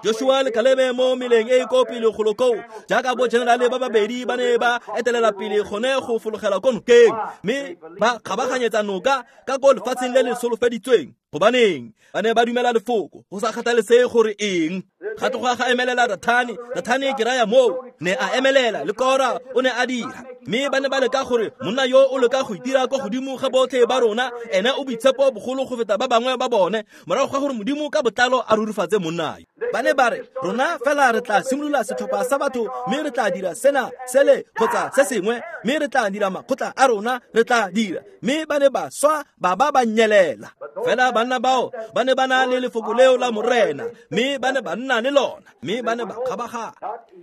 Joshua le Kalebe mo meleng e e ko pele golo koo, jaaka bo generale ba babedi ba ne ba etelela pele gone go fologela ko nokeng, mme ba kgabaganyetsa noka ka ko lefatsheng le le solofeditsweng. Gobaneng ba ne ba dumela lefoko go sa kgathalesege gore eng. Ga tloga ga emelela Dathane, Dathane ke raya moo, ne a emelela le Kora o ne a dira. Mme ba ne ba leka gore monna yo o leka go itira kwa godimo ga botlhe ba rona, ene o boitshepo bogolo go feta ba bangwe ba bone, morago ga gore Modimo ka botlalo a rurifatse monna yo. Ba ne ba re, rona fela re tla simolola setlhopha sa batho, mme re tla dira sena, sele kgotsa se sengwe, mme re tla dira makgotla a rona, re tla dira. Mme ba ne ba swa ba ba ba nyelela. Fela banna bao ba ne ba na le lefoko leo la Morena, mme ba ne ba nna le lona, mme ba ne ba kgabagana.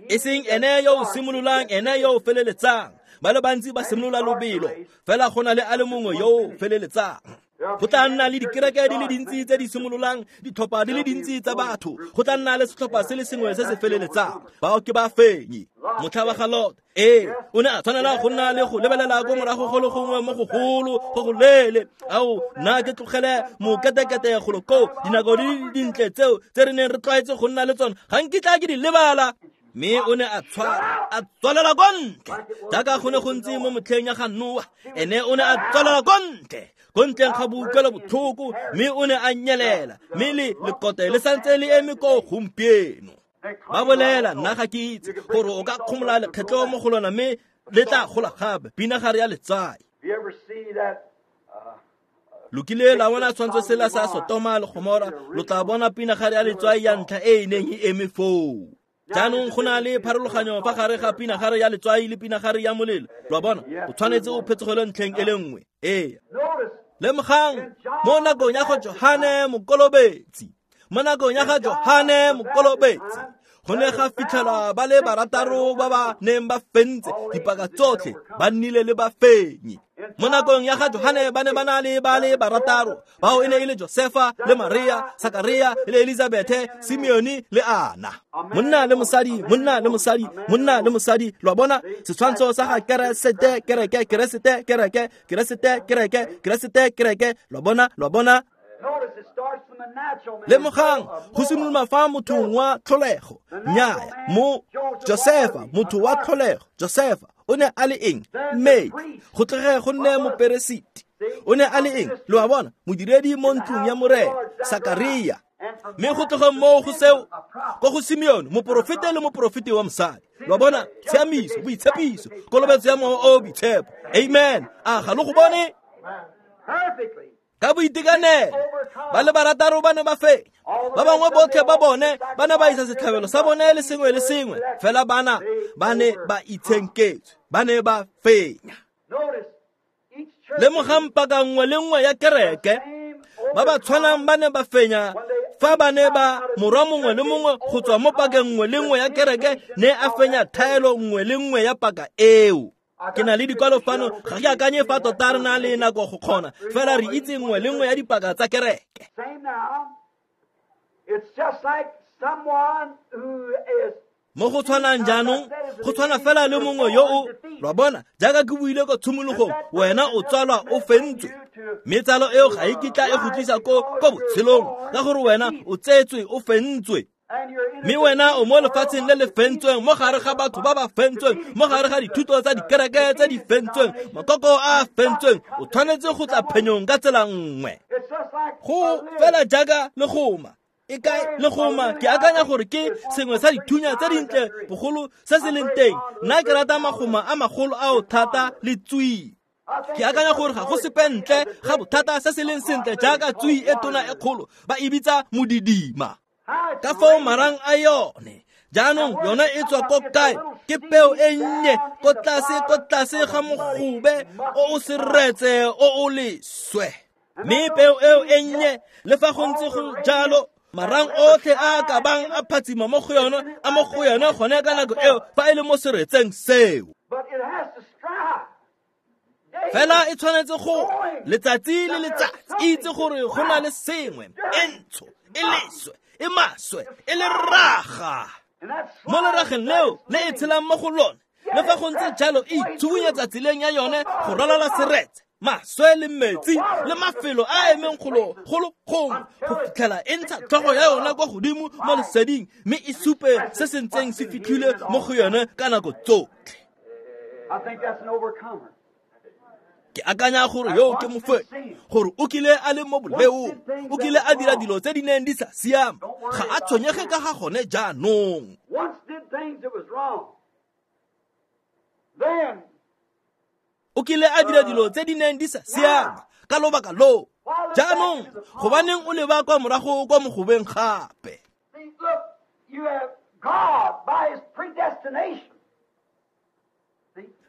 E seng ene yo o simololang, ene yo o feleletsang. Ba le bantsi ba simolola lobelo, fela go na le a le mongwe yo o feleletsang. Go tla nna le dikereke di le dintsi tse di simololang, ditlhopha di le dintsi tsa batho. Go tla nna le setlhopha se le sengwe se se feleletsang. Bao ke ba fenyi. Motlha wa ga Lot, ee, o ne a tshwanela go nna le go lebelela ko morago go le gongwe mo gogolo go go leele. Ao, nna ke tlogele moketekete golo koo, dinako di le dintle tseo tse re neng re tlwaetse go nna le tsone, ga nkitla ke di lebala. Mme o ne a tshwara, a tswalela ko ntle, jaaka go ne go ntse mo motlheng ya ga Noa. Ene o ne a tswalela ko ntle, ko ntleng ga boutlwelo botlhoko, mme o ne a nyelela, mme le lekote le santse le eme ko gompieno. Ba bolela, nna ga ke itse gore o ka kgomola lekgetlo mo go lona, mme le tla gola gape, pinagare ya letswai. Lo kile la bona tshwantsho sela sa Sotoma le Gomora, lo tla bona pinagare ya letswai ya ntlha e e neng e eme foo. Jaanong go na le pharologanyo fa gare ga pinagare ya letswai le pinagare ya molelo. Lo a bona, o tshwanetse o phetsogele ntlheng e le nngwe. Ee. Lemogang, mo nakong ya go Johane Mokolobetsi, mo nakong ya ga Johane Mokolobetsi, go ne ga fitlhelwa ba le barataro ba ba neng ba fentse dipaka tsotlhe, ba nnile le bafenyi. Mo nakong ya ga Johane ba ne ba na le ba le barataro, bao e ne e le Josefa le Maria, Sakaria le Elizabethe, Simeone le Ana. Monna le mosadi, monna le mosadi, monna le mosadi. Lo a bona setshwantsho sa ga Keresete, kereke, Keresete, kereke, Keresete, kereke, Keresete, kereke. Lo a bona, lo a bona. Lemogang, go simolola fa mothong wa tlholego. Nnyaya, mo Josefa, motho wa tlholego, Josefa o ne a le eng? Mmetli. Go tlege go nne moperesiti. O ne a le eng? Lo a bona, modiredi mo ntlong ya Morena, Sakaria. Mme go tloga moo go seo, ko go Simeone, moporofete le moporofeti wa mosadi. Lo a bona, tshiamiso, boitshepiso, kolobetso ya Mowa o o Boitshepo. Amen. A ga lo go bone? Ka boitekanelo, ba le barataro ba ne ba fenya. Ba bangwe botlhe ba bone ba ne ba isa setlhabelo sa bone le sengwe le sengwe, fela bana ba ne ba itshenketswe, ba ne ba fenya. Lemogang paka nngwe le nngwe ya kereke, ba ba tshwanang ba ne ba fenya fa ba ne ba morwa mongwe le mongwe go tswa mo pakeng nngwe le nngwe ya kereke ne a fenya thaelo nngwe le nngwe ya paka eo. Ke na le dikwalo fano, ga ke akanye fa tota re na le nako go kgona, fela re itse nngwe le nngwe ya dipaka tsa kereke. Mo go tshwanang jaanong, go tshwana fela le mongwe yo o, lo a bona, jaaka ke buile ko tshimologong, wena o tsalwa o fentswe. Mme tsalo eo ga e kitla e go tlisa ko botshelong, ka gore wena o tsetswe o fentswe. Mme wena o mo lefatsheng le le fentsweng, mo gare ga batho ba ba fentsweng, mo gare ga dithuto tsa dikereke tse di fentsweng, makoko a a fentsweng, o tshwanetse go tla phenyong ka tsela nngwe. Go fela jaaka legoma. E kae legoma? Ke akanya gore ke sengwe sa dithunya tse dintle bogolo se se leng teng. Nna ke rata magoma a magolo ao thata le tswii. Ke akanya gore ga go sepe ntle ga bothata se se leng sentle jaaka tswii e tona e kgolo, ba e bitsa modidima. Ka foo marang a yone. Jaanong yone e tswa ko kae? Ke peo e nnye ko tlase, ko tlase ga mogobe o o seretse o o leswe. Mme peo eo e nnye, le fa go ntse go jalo, marang otlhe a a ka bang a phatsima mo go yone, a mo go yone gone ka nako eo fa e le mo seretseng seo. Fela e tshwanetse go letsatsi le letsatsi e itse gore go na le sengwe e ntsho, e leswe, e maswe, e le raga. Mo lerageng leo le e tshelang mo go lone, le fa go ntse jalo e itshubunye tseleng ya yone go ralala seretse, maswe le metsi le mafelo a emeng golo golo gongwe go fitlhela e ntsha tlhogo ya yona kwa godimo mo leseding, mme e supe se se ntseng se fitlhile mo go yone ka nako tsotlhe. Ke akanya gore yo ke mofenyi, gore o kile a le mo boleong, o kile a dira dilo tse di neng di sa siama, ga a tshwenyege ka ga gone jaanong. O kile a dira dilo tse di neng di sa siama ka lobaka loo. Jaanong gobaneng o leba kwa morago kwa mogobeng gape?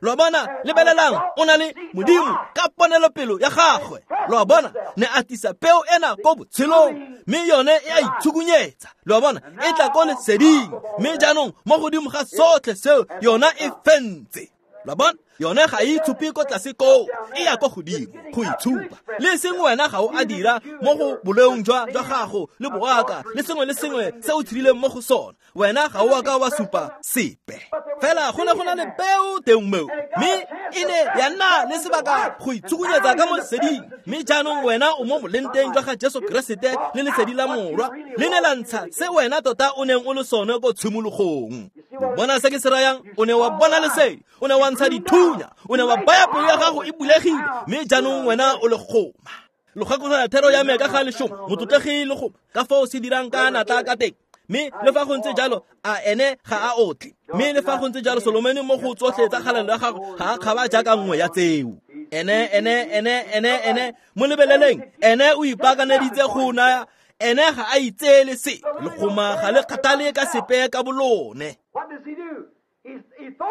Lo a bona, lebelelang, o na le Modimo ka ponelopelo ya gagwe. Lo a bona, ne a tlisa peo ena ko botshelong, mme yone e a itshukunyetsa. Lo a bona, e tla ko leseding, mme jaanong mo godimo ga sotlhe seo yona e fentse. Lo bona? Yone ga e itshupe ko tlase koo, e ya ko godimo go itshupa. Le seng wena ga o a dira mo go boleong jwa gago le boaka le sengwe le sengwe se o tshedileng mo go sone. Wena ga o a ka wa supa sepe. Fela go ne go na le peo teng moo, mme e ne ya nna le sebaka go itshukunyetsa ka mo leseding. Mme jaanong wena o mo molenteng jwa ga Jesu Keresete le lesedi la Morwa le ne la ntsha se wena tota o neng o le sone ko tshimologong. Bona se ke se rayang? O ne wa bona lesedi, o ne wa ntsha dithunya, o ne wa baya pelo ya gago e bulegile, mme jaanong wena o le goma. Lo gakologelwa thero ya me ka ga leshomo, motlotlegi le goma, ka foo se dirang ka natla ka teng. Mme le fa go ntse jalo, a ene ga a otle. Mme le fa go ntse jalo, Solomone mo go tsotlhe tsa kgalalelo ya gagwe ga a kgaba jaaka nngwe ya tseo. Ene mo lebeleleng, ene o ipaakaneditse go naya. Ene ga a itseele se, legoma ga le kgathale ka sepe ka bolone.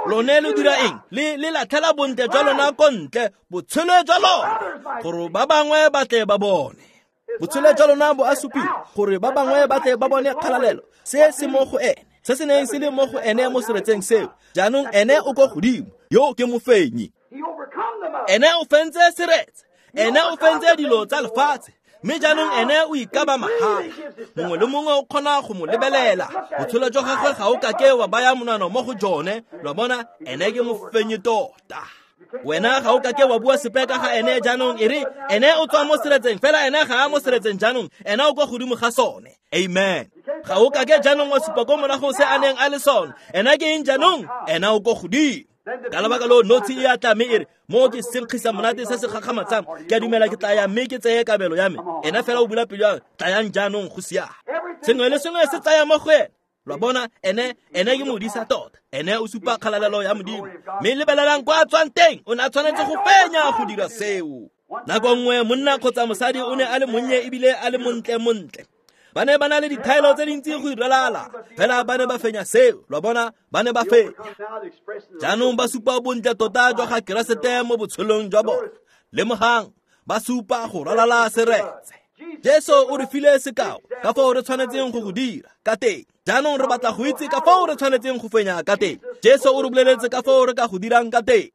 Lone lo dira eng? Le latlhela bontle jwa lona ko ntle, botshelo jwa lona, gore ba bangwe ba tle ba bone. Botshelo jwa lona bo a supiwa gore ba bangwe ba tle ba bone kgalalelo. Se se mo go ene, se se neng se le mo go ene mo seretseng seo. Jaanong ene o ko godimo, yo ke mofenyi. Ene o fentse seretse, ene o fentse dilo tsa lefatshe. Mme jaanong ene o ikaba mahala. Mongwe le mongwe o kgona go mo lebelela. Botshelo jwa gagwe ga o kake wa baya monwana mo go jone. Lo bona, ene ke mofenyi tota. Wena ga o kake wa bua sepe ka ga ene jaanong, e re ene o tswa mo seretseng, fela ene ga a mo seretseng jaanong, ene o kwa godimo ga sone. Amen. Ga o kake jaanong wa supa ko morago se a neng a le sone. Ene ke eng jaanong? Ene o ko godimo. Ka lebaka leo notshi e a tla mme e re, mo ke senkgisa monate se se gakgamatsang, ke a dumela ke tla ya mme ke tseye kabelo ya me. Ene fela o bula pelo ya, tlayang jaanong go siame. Sengwe le sengwe se tsaya mo go ene. Lo bona, ene ke modisa tota. Ene o supa kgalalelo ya Modimo. Mme lebelelang kwa a tswang teng, o ne a tshwanetse go fenya go dira seo. Nako nngwe monna kgotsa mosadi o ne a le monnye ebile a le montle. Ba ne ba na le dithaelo tse dintsi go iralala, fela ba ne ba fenya seo. Lo bona, ba ne ba fenya. Jaanong ba supa bontle tota jwa ga Keresete mo botshelong jwa bone. Lemogang, ba supa go ralala seretse. Jesu o re file sekao ka foo re tshwanetseng go go dira ka teng. Jaanong re batla go itse ka foo re tshwanetseng go fenya ka teng. Jesu o re boleletse ka foo re ka go dirang ka teng.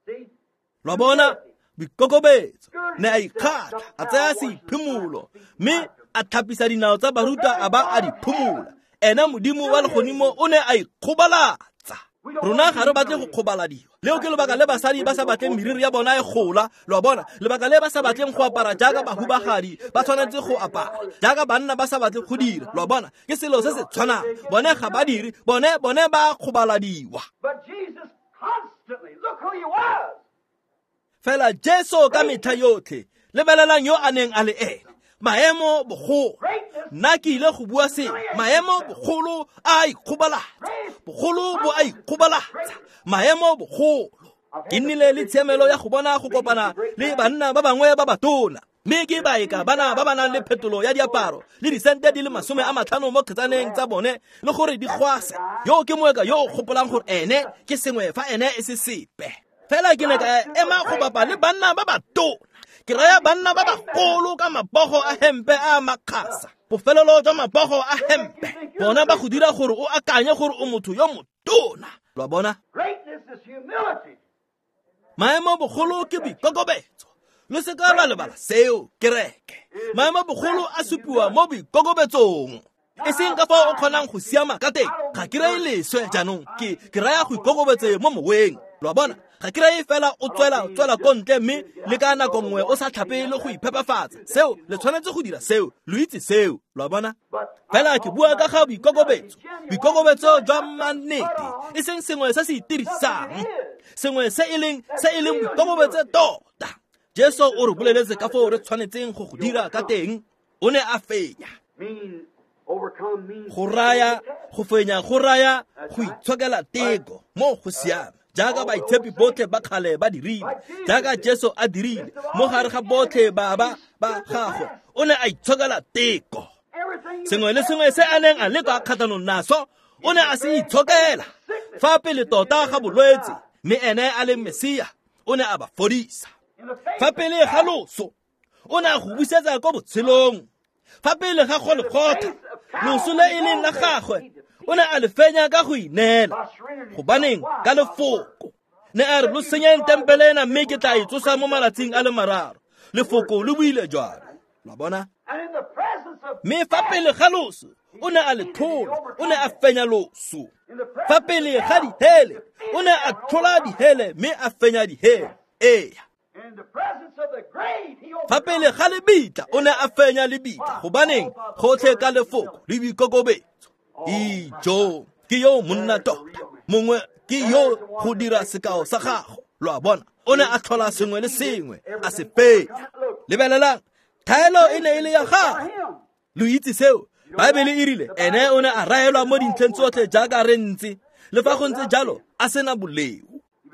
Lo bona, boikokobetso, ne a ikgatlha, a tsaya seiphimolo, mme a tlhapisa dinao tsa barutwa a ba a di phumola. Ene Modimo wa legodimo o ne a ikgobalatsa. Rona ga re batle go kgobaladiwa. Leo ke lebaka le basadi ba sa batleng meriri ya bona e gola. Lo bona, lebaka le ba sa batleng go apara jaaka bahubagadi ba tshwanetse go apara, jaaka banna ba sa batle go dira. Lo bona, ke selo se se tshwanang. Bone ga ba dire, bone ba kgobaladiwa. Fela Jesu ka metlha yotlhe, lebelelang yo a neng a le ene. Maemo bogolo, nna ke ile go bua se, maemo bogolo a ikgobalatsa, bogolo bo a ikgobalatsa, maemo bogolo. Ke nnile le tshiamelo ya go bona go kopana le banna ba bangwe ba batona, mme ke baeka bana ba ba nang le phetolo ya diaparo le disente di le 50 mo kgetsaneng tsa bone le gore di gwase. Yo ke moeka yo o gopolang gore ene ke sengwe fa ene e se sepe. Fela ke ne ka ema go bapa le banna ba batona. Ke raya banna ba bagolo ka mabogo a hempe a makgasa, bofelelo jwa mabogo a hempe. Bona ba go dira gore o akanye gore o motho yo motona. Lo bona? Maemo bogolo ke boikokobetso. Lo se ka lwa lebala seo, kereke. Maemo bogolo a supiwa mo boikokobetsong. E seng ka fao o kgonang go siama ka teng. Ga ke raye leswe jaanong, ke raya go ikokobetse mo moweng. Lo bona? Ga ke raye fela o tswela ko ntle mme le ka nako nngwe o sa tlhape le go iphepafatsa. Seo, le tshwanetse go dira seo, lo itse seo. Lo bona? Fela ke bua ka ga boikokobetso. Boikokobetso jwa mannete, e seng sengwe se se itirisang, sengwe se e leng boikokobetso tota. Jesu o re boleletse ka foo re tshwanetseng go go dira ka teng. O ne a fenya. Go raya go fenya, go raya go itshokela teko mo go siame, jaaka baitshepi botlhe ba kgale ba dirile, jaaka Jesu a dirile mo gare ga botlhe ba ba gagwe. O ne a itshokela teko. Sengwe le sengwe se a neng a leka kgatlhanong naso, o ne a se itshokela. Fa pele tota ga bolwetse, mme ene a leng Mesia, o ne a ba fodisa. Fa pele ga loso, o ne a go busetsa ko botshelong. Fa pele ga Golgotha, loso le e leng la gagwe, o ne a le fenya ka go ineela. Gobaneng? Ka lefoko. Ne a re lo senyeng tempele ena mme ke tla e tsosa mo malatsing a le mararo. Lefoko le buile jalo. Lo a bona? Mme fa pele ga loso o ne a le tlhola, o ne a fenya loso. Fa pele ga dihele o ne a tlhola dihele mme a fenya dihele. Ee. Fa pele ga lebitla o ne a fenya lebitla. Gobaneng? Gotlhe ka lefoko le boikokobetso. Ijo ke yo monna tota mongwe ke yo go dira sekao sa gago. Lo a bona? O ne a tlhola sengwe le sengwe a se fenya. Lebelelang, thaelo e ne e le ya gagwe. Lo itse seo? Baebele e rile ene o ne a raelwa mo dintlheng tsotlhe jaaka re ntse, le fa go ntse jalo a sena boleo.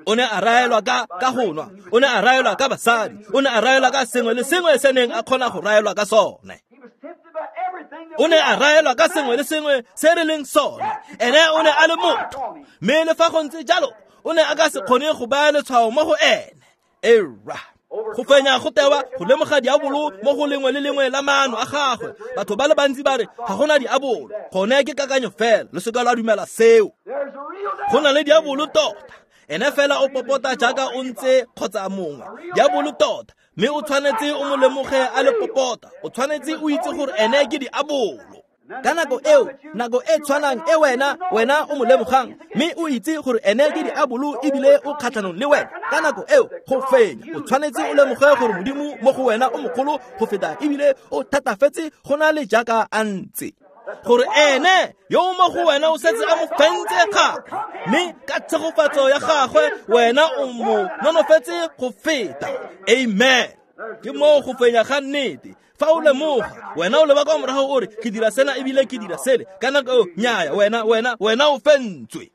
O ne a raelwa ka go nwa, o ne a raelwa ka basadi, o ne a raelwa ka sengwe le sengwe se neng a kgona go raelwa ka sone. O ne a raelwa ka sengwe le sengwe se re leng sone. Ene o ne a le motho, mme le fa go ntse jalo o ne a ka se kgone go baya letshwao mo go ene. Era go fenya go tewa go lemoga diabolo mo go lengwe le lengwe la maano a gagwe. Batho ba le bantsi ba re ga gona diabolo. Gone ke kakanyo fela, le seka la dumela seo. Go na le diabolo tota. Ene fela o popota jaaka o ntse kgotsa mongwe. Diabolo tota, mme o tshwanetse o mo lemoge a le popota. O tshwanetse o itse gore ene ke diabolo. Ka nako eo, nako e tshwanang e wena o mo lemogang mme o itse gore ene ke diabolo ebile o kgatlhanong le wena. Ka nako eo go fenya, o tshwanetse o lemoge gore Modimo mo go wena o mogolo go feta ebile o thatafetse go na le jaaka a ntse. Gore ene yo mo go wena o setse a mo fentse gape, mme ka tshegofatso ya gagwe wena o mo nonofetse go feta. Amen. Ke moo go fenya ga nnete. Fa o lemoga, wena o leba kwa morago o re ke dira sena ebile ke dira sele. Ka nako eo nnyaya, wena o fentswe.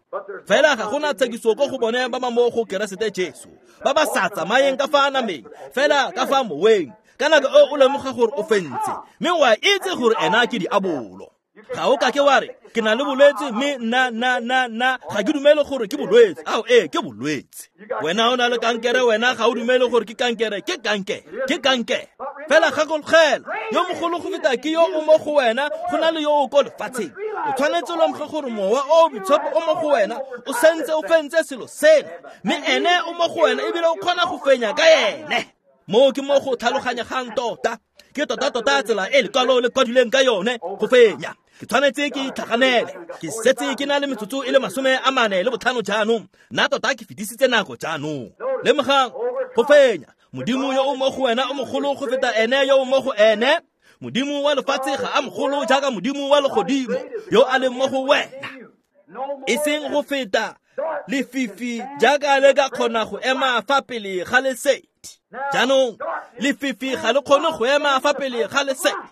Fela ga gona tshekiso ko go bone ba ba mo go Keresete Jesu, ba ba sa tsamayeng ka fa nameng, fela ka fa moweng. Ka nako eo o lemoga gore o fentse, mme wa itse gore ena ke diabolo. Ga o ka ke wa re ke na le bolwetse mme nna ga ke dumele gore ke bolwetse. Ao ee, ke bolwetse. Wena o na le kankere, wena ga o dumele gore ke kankere, ke kankere, ke kankere. Fela gakologela, yo mogolo go feta ke yo o mo go wena go na le yo o ko lefatsheng. O tshwanetse o lemoge gore mowa o boitshepo o mo go wena o sentse o fentse selo seno, mme ene o mo go wena ebile o kgona go fenya ka ene. Moo ke mo go tlhaloganyegang tota. Ke tota-tota tsela e lekwalo le kwadilweng ka yone go fenya. Ke tshwanetse ke itlhaganele. Ke setse ke na le metsotso e le 45 jaanong. Nna tota ke fetisitse nako jaanong. Lemogang go fenya. Modimo yo o mo go wena o mogolo go feta ene yo o mo go ene. Modimo wa lefatshe ga a mogolo jaaka Modimo wa legodimo yo a leng mo go wena. E seng go feta lefifi jaaka le ka kgona go ema fa pele ga lesedi. Jaanong lefifi ga le kgone go ema fa pele ga lesedi.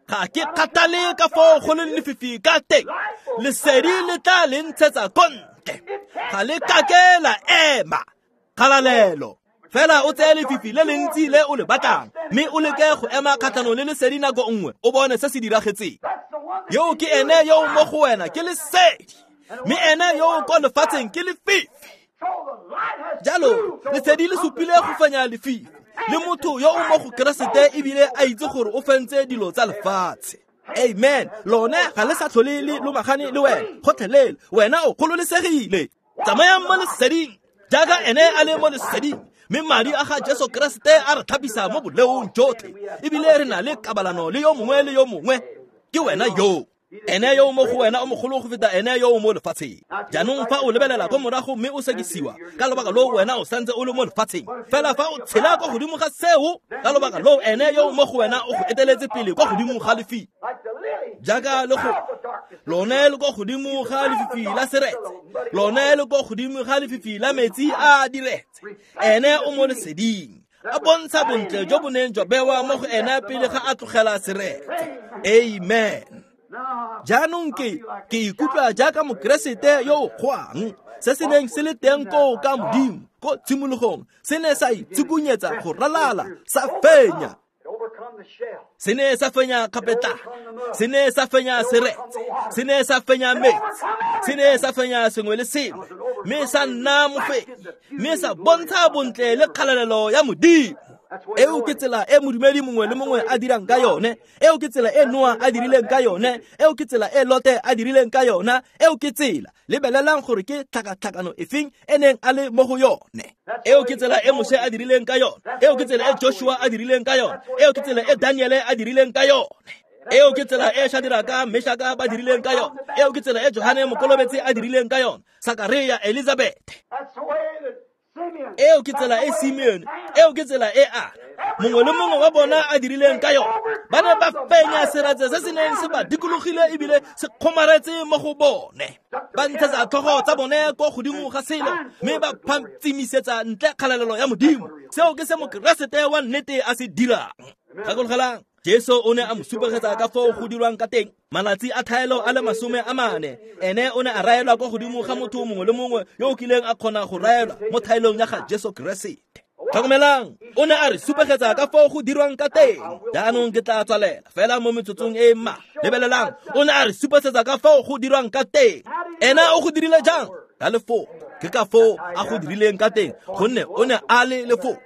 Ga ke kgathale ka foo go leng lefifi ka teng, lesedi le tla le ntshetsa ko ntle. Ga le kake la ema. Kgalalelo. Fela o tseye lefifi le lentsi le o le batlang, mme o leke go ema kgatlhanong le lesedi nako nngwe, o bone se se diragetseng. Yo ke ene yo o mo go wena ke lesedi, mme ene yo o ko lefatsheng ke lefifi. Jalo lesedi le supile go fenya lefifi, le motho yo o mo go Keresete ebile a itse gore o fentse dilo tsa lefatshe. Amen. Lone ga le sa tlhole le lomagane le wena gotlhelele. Wena o kgololesegile. Tsamayang mo leseding jaaka ene a le mo leseding, mme madi a ga Jesu Keresete a re tlhapisa mo boleong jotlhe, ebile re na le kabalano le yo mongwe le yo mongwe. Ke wena yo. Ene yo o mo go wena o mogolo go feta ene yo o mo lefatsheng. Jaanong fa o lebelela ko morago mme o sekisiwa ka lobaka loo wena o santse o le mo lefatsheng. Fela fa o tshela ko godimo ga seo, ka lobaka loo ene yo o mo go wena o go eteletse pele kwa godimo ga lefifi. Jaaka le go lone le ko godimo ga lefifi la seretse, lone le ko godimo ga lefifi la metsi a diretse. Ene o mo leseding, a bontsha bontle jo bo neng jwa bewa mo go ene pele ga a tlogela seretse. Amen. Jaanong ke ikutlwa jaaka Mokeresete yo o kgwang. Se se neng se le teng koo ka Modimo ko tshimologong se ne sa itshukunyetsa go ralala, sa fenya. Se ne sa fenya kgapetla, se ne sa fenya seretse, se ne sa fenya metsi, se ne sa fenya sengwe le sengwe, mme sa nna mofenyi, mme sa bontsha bontle le kgalalelo ya Modimo. Eo ke tsela e modumedi mongwe le mongwe a dirang ka yone. Eo ke tsela e Noa a dirileng ka yone. Eo ke tsela e Lote a dirileng ka yona. Eo ke tsela. Lebelelang gore ke tlhakatlhakano efeng e neng a le mo go yone. Eo ke tsela e Moshe a dirileng ka yone. Eo ke tsela e Joshua a dirileng ka yone. Eo ke tsela e Daniele a dirileng ka yone. Eo ke tsela e Shadraka Meshaka ba dirileng ka yone. Eo ke tsela e Johane Mokolobetsi a dirileng ka yone. Sakaria, Elizabeth. Eo ke tsela e Simeone. Eo ke tsela e Ana. Mongwe le mongwe wa bona a dirileng ka yone. Ba ne ba fenya seratse se se neng se ba dikologile ebile se kgomaretse mo go bone. Ba ntshetsa tlhogo tsa bone ko godimo ga selo mme ba phatsimisetsa ntle kgalalelo ya Modimo. Seo ke se Mokeresete wa nnete a se dirang. Gakologelang, Jesu o ne a mo supegetsa ka foo go dirwang ka teng. Malatsi a thaelo a le 40, ene o ne a raelwa kwa godimo ga motho mongwe le mongwe yo o kileng a kgona go raelwa mo thaelong ya ga Jesu Keresete. Tlhokomelang, o ne a re supegetsa ka foo go dirwang ka teng. Jaanong ke tla tswalela fela mo metsotsong e mmalwa. Lebelelang, o ne a re supegetsa ka foo go dirwang ka teng. Ena o go dirile jang? Ka lefoko. Ke ka foo a go dirileng ka teng, gonne o ne a le lefoko.